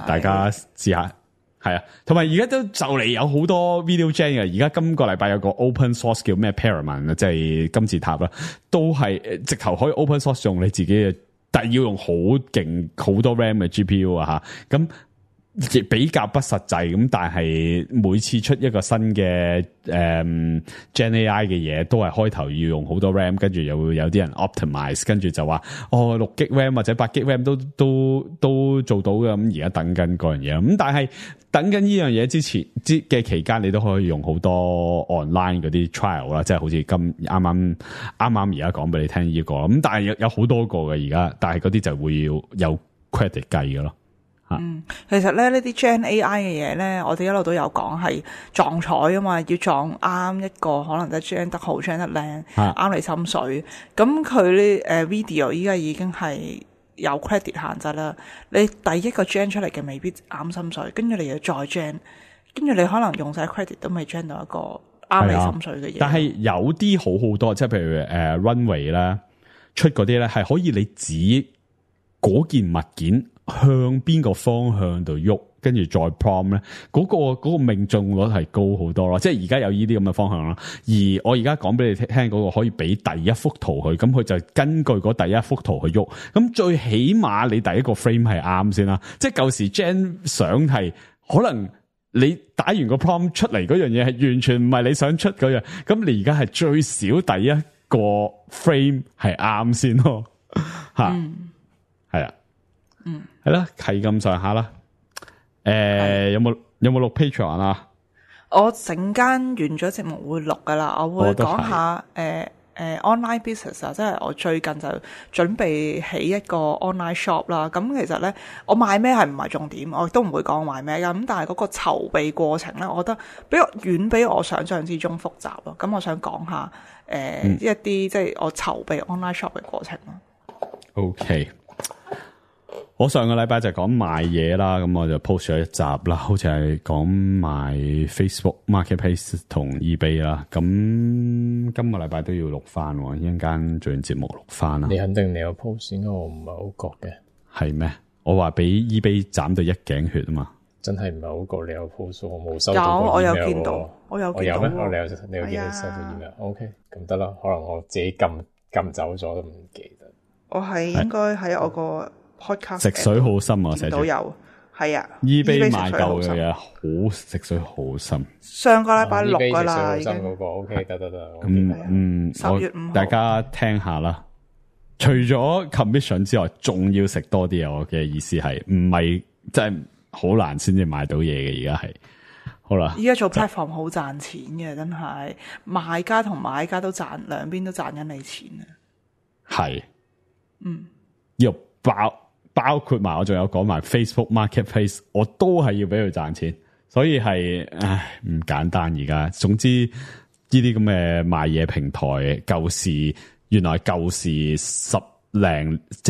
大家試下，係啊，同埋而家都就嚟有好多 video gen 嘅。而家今個禮拜有個 open source 叫咩 Paramount 啊，即係金字塔啦，都係直頭可以 open source 用你自己嘅，但係要用好勁好多 RAM 嘅 GPU 啊吓，咁亦比較不實際咁，但係每次出一個新嘅Gen AI 嘅嘢，都係開頭要用好多 RAM， 跟住又會有啲人 optimize， 跟住就話6GB RAM 或者8GB RAM 都做到嘅。咁而家等緊嗰樣嘢，咁但係等緊呢樣嘢之前嘅期間，你都可以用好多 online 嗰啲 trial 啦，即係好似啱啱而家講俾你聽呢個，咁但係有好多個嘅而家，但係嗰啲就會要有 credit 計嘅咯。其實咧呢啲 Gen AI 嘅嘢咧，我哋一路都有講係撞彩啊嘛，要撞啱一個可能就 Gen 得好 Gen 得靚，啱你心水。咁佢呢video 依家已經係有 credit 限制啦。你第一個 Gen 出嚟嘅未必啱心水，跟住你要再 Gen， 跟住你可能用晒 credit 都未 Gen 到一個啱你心水嘅嘢。但係有啲好多，即係譬如Runway 啦，出嗰啲咧係可以你指嗰件物件向邊個方向度喐，跟住再 prompt 咧，嗰個命中率係高好多咯。即係而家有呢啲咁嘅方向啦。而我而家講俾你聽嗰個可以俾第一幅圖佢，咁佢就根據嗰第一幅圖去喐。咁最起碼你第一個 frame 係啱先啦。即係舊時 gen 相係可能你打完個 prompt 出嚟嗰樣嘢係完全唔係你想出嗰樣，咁你而家係最少第一個 frame 係啱先咯。吓，係啊。係啦，係咁上下啦。有冇錄 Patreon 啊？我陣間完咗節目會錄噶啦，我會講下online business 啊，即係我最近就準備起一個 online shop 啦。咁其實咧，我賣咩係唔係重點，我都唔會講賣咩噶。咁但係嗰個籌備過程咧，我覺得遠比我想象之中複雜咯。咁我想講下一啲即係我籌備 online shop 嘅過程咯。OK。我上個禮拜就講賣嘢啦，咁我就 post 咗一集啦，好似係講賣 Facebook Marketplace 同 eBay 啦。咁今個禮拜都要錄翻，一陣間做完節目錄翻啦。你肯定你有 post，應該我唔係好覺嘅。係咩？我話俾 eBay 斬到一頸血啊嘛。真係唔係好過你有 post， 我冇收到個 email 喎。我有見到，我有見到咩？喎。你有見到收到 email？OK，咁得啦，可能我自己撳走咗都唔記得。我係應該喺我個 podcast 食水好深啊，寫住都有，係啊。eBay 買夠嘅嘢好食水好深。上個禮拜六㗎啦，已經嗰個 OK 得。10月5號大家聽下啦。除咗 commission 之外，仲要食多啲啊！我嘅意思係，唔係真係好難先至買到嘢嘅。而家係好啦，依家做 platform 好賺錢嘅，真係賣家同買家都賺，兩邊都賺緊你錢啊！係，要包括埋我仲有講埋 Facebook Marketplace， 我都係要俾佢賺錢，所以係唔簡單而家。總之呢啲咁嘅賣嘢平台，原來舊時即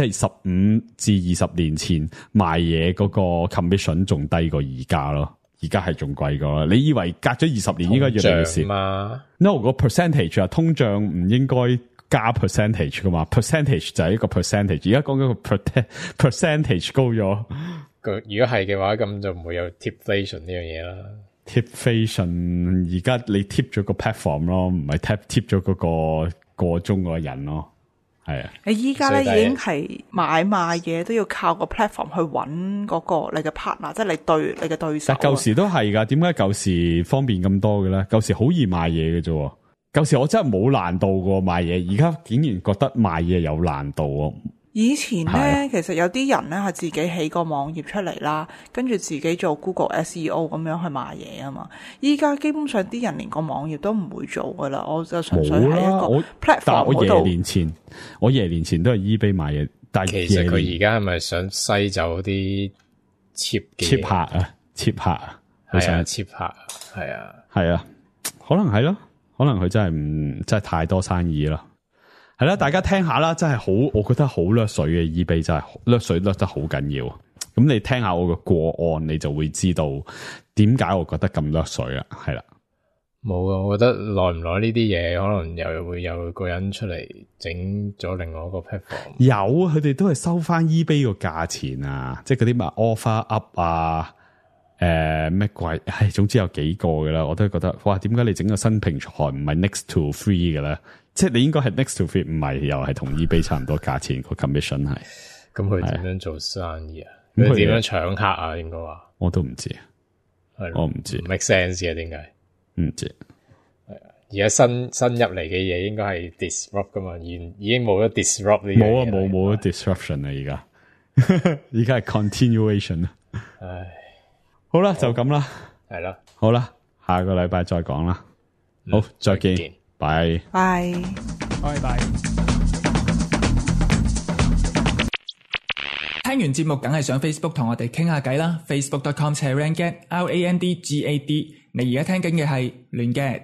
係15至20年前賣嘢嗰個 commission 仲低過而家咯，而家係仲貴過啦。你以為隔咗20年應該越嚟越少嘛 ？No， 個 percentage 啊，通脹唔應該加 percentage 噶嘛 ？percentage 就係一個 percentage， 而家講緊個 percentage 高咗。如果係嘅話，咁就唔會有 tipflation 呢樣嘢啦。tipflation 而家你 tip 咗個 platform 咯，唔係 tip 咗嗰個中嗰個人咯。係啊，你依家咧已經係買賣嘢都要靠個 platform 去揾嗰個你嘅 partner， 即係你嘅對手。但舊時都係㗎，點解舊時方便咁多嘅咧？舊時好易賣嘢嘅啫，舊時我真係冇難度過賣嘢，而家竟然覺得賣嘢有難度喎。以前咧，其實有啲人咧係自己起個網頁出嚟啦，跟住自己做 Google SEO 咁樣去賣嘢啊嘛。依家基本上啲人連個網頁都唔會做噶啦，我就純粹喺一個 platform 但我嗰度。我廿年前都係 eBay 賣嘢，但係其實佢而家係咪想篩走啲 cheap 客啊？cheap 客啊？係啊 cheap 客係啊，係啊，可能係咯，可能佢真係太多生意啦。係啦，大家聽下啦，真係好，我覺得好掠水嘅 eBay 真係掠水掠得好緊要。咁你聽下我嘅個案，你就會知道點解我覺得咁掠水啦。係啦，冇啊，我覺得耐唔耐呢啲嘢，可能又會有個人出嚟整咗另外一個 platform。有，佢哋都係收翻 eBay 個價錢啊，即係嗰啲咩 offer up 啊，咩鬼，總之有幾個㗎啦，我都覺得，哇，點解你整個新平台唔係 next to free 嘅咧？即係你應該係 next to free， 唔係又係同 eBay 差唔多價錢個 commission 係。咁佢點樣做生意啊？佢點樣搶客啊？應該話我都唔知，我唔知 make sense 嘅點解？唔知係啊，而家新入嚟嘅嘢應該係 disrupt 噶嘛，已經冇咗 disrupt 呢樣嘢。冇咗 disruption 啦，而家係 continuation 啦。唉，好啦，就咁啦，係啦，好啦，下個禮拜再講啦。好，再見。拜拜。聽完節目梗係上 Facebook 同我哋傾下偈啦，facebook.com/randgad，RANDGAD。你而家聽緊嘅係亂 gad。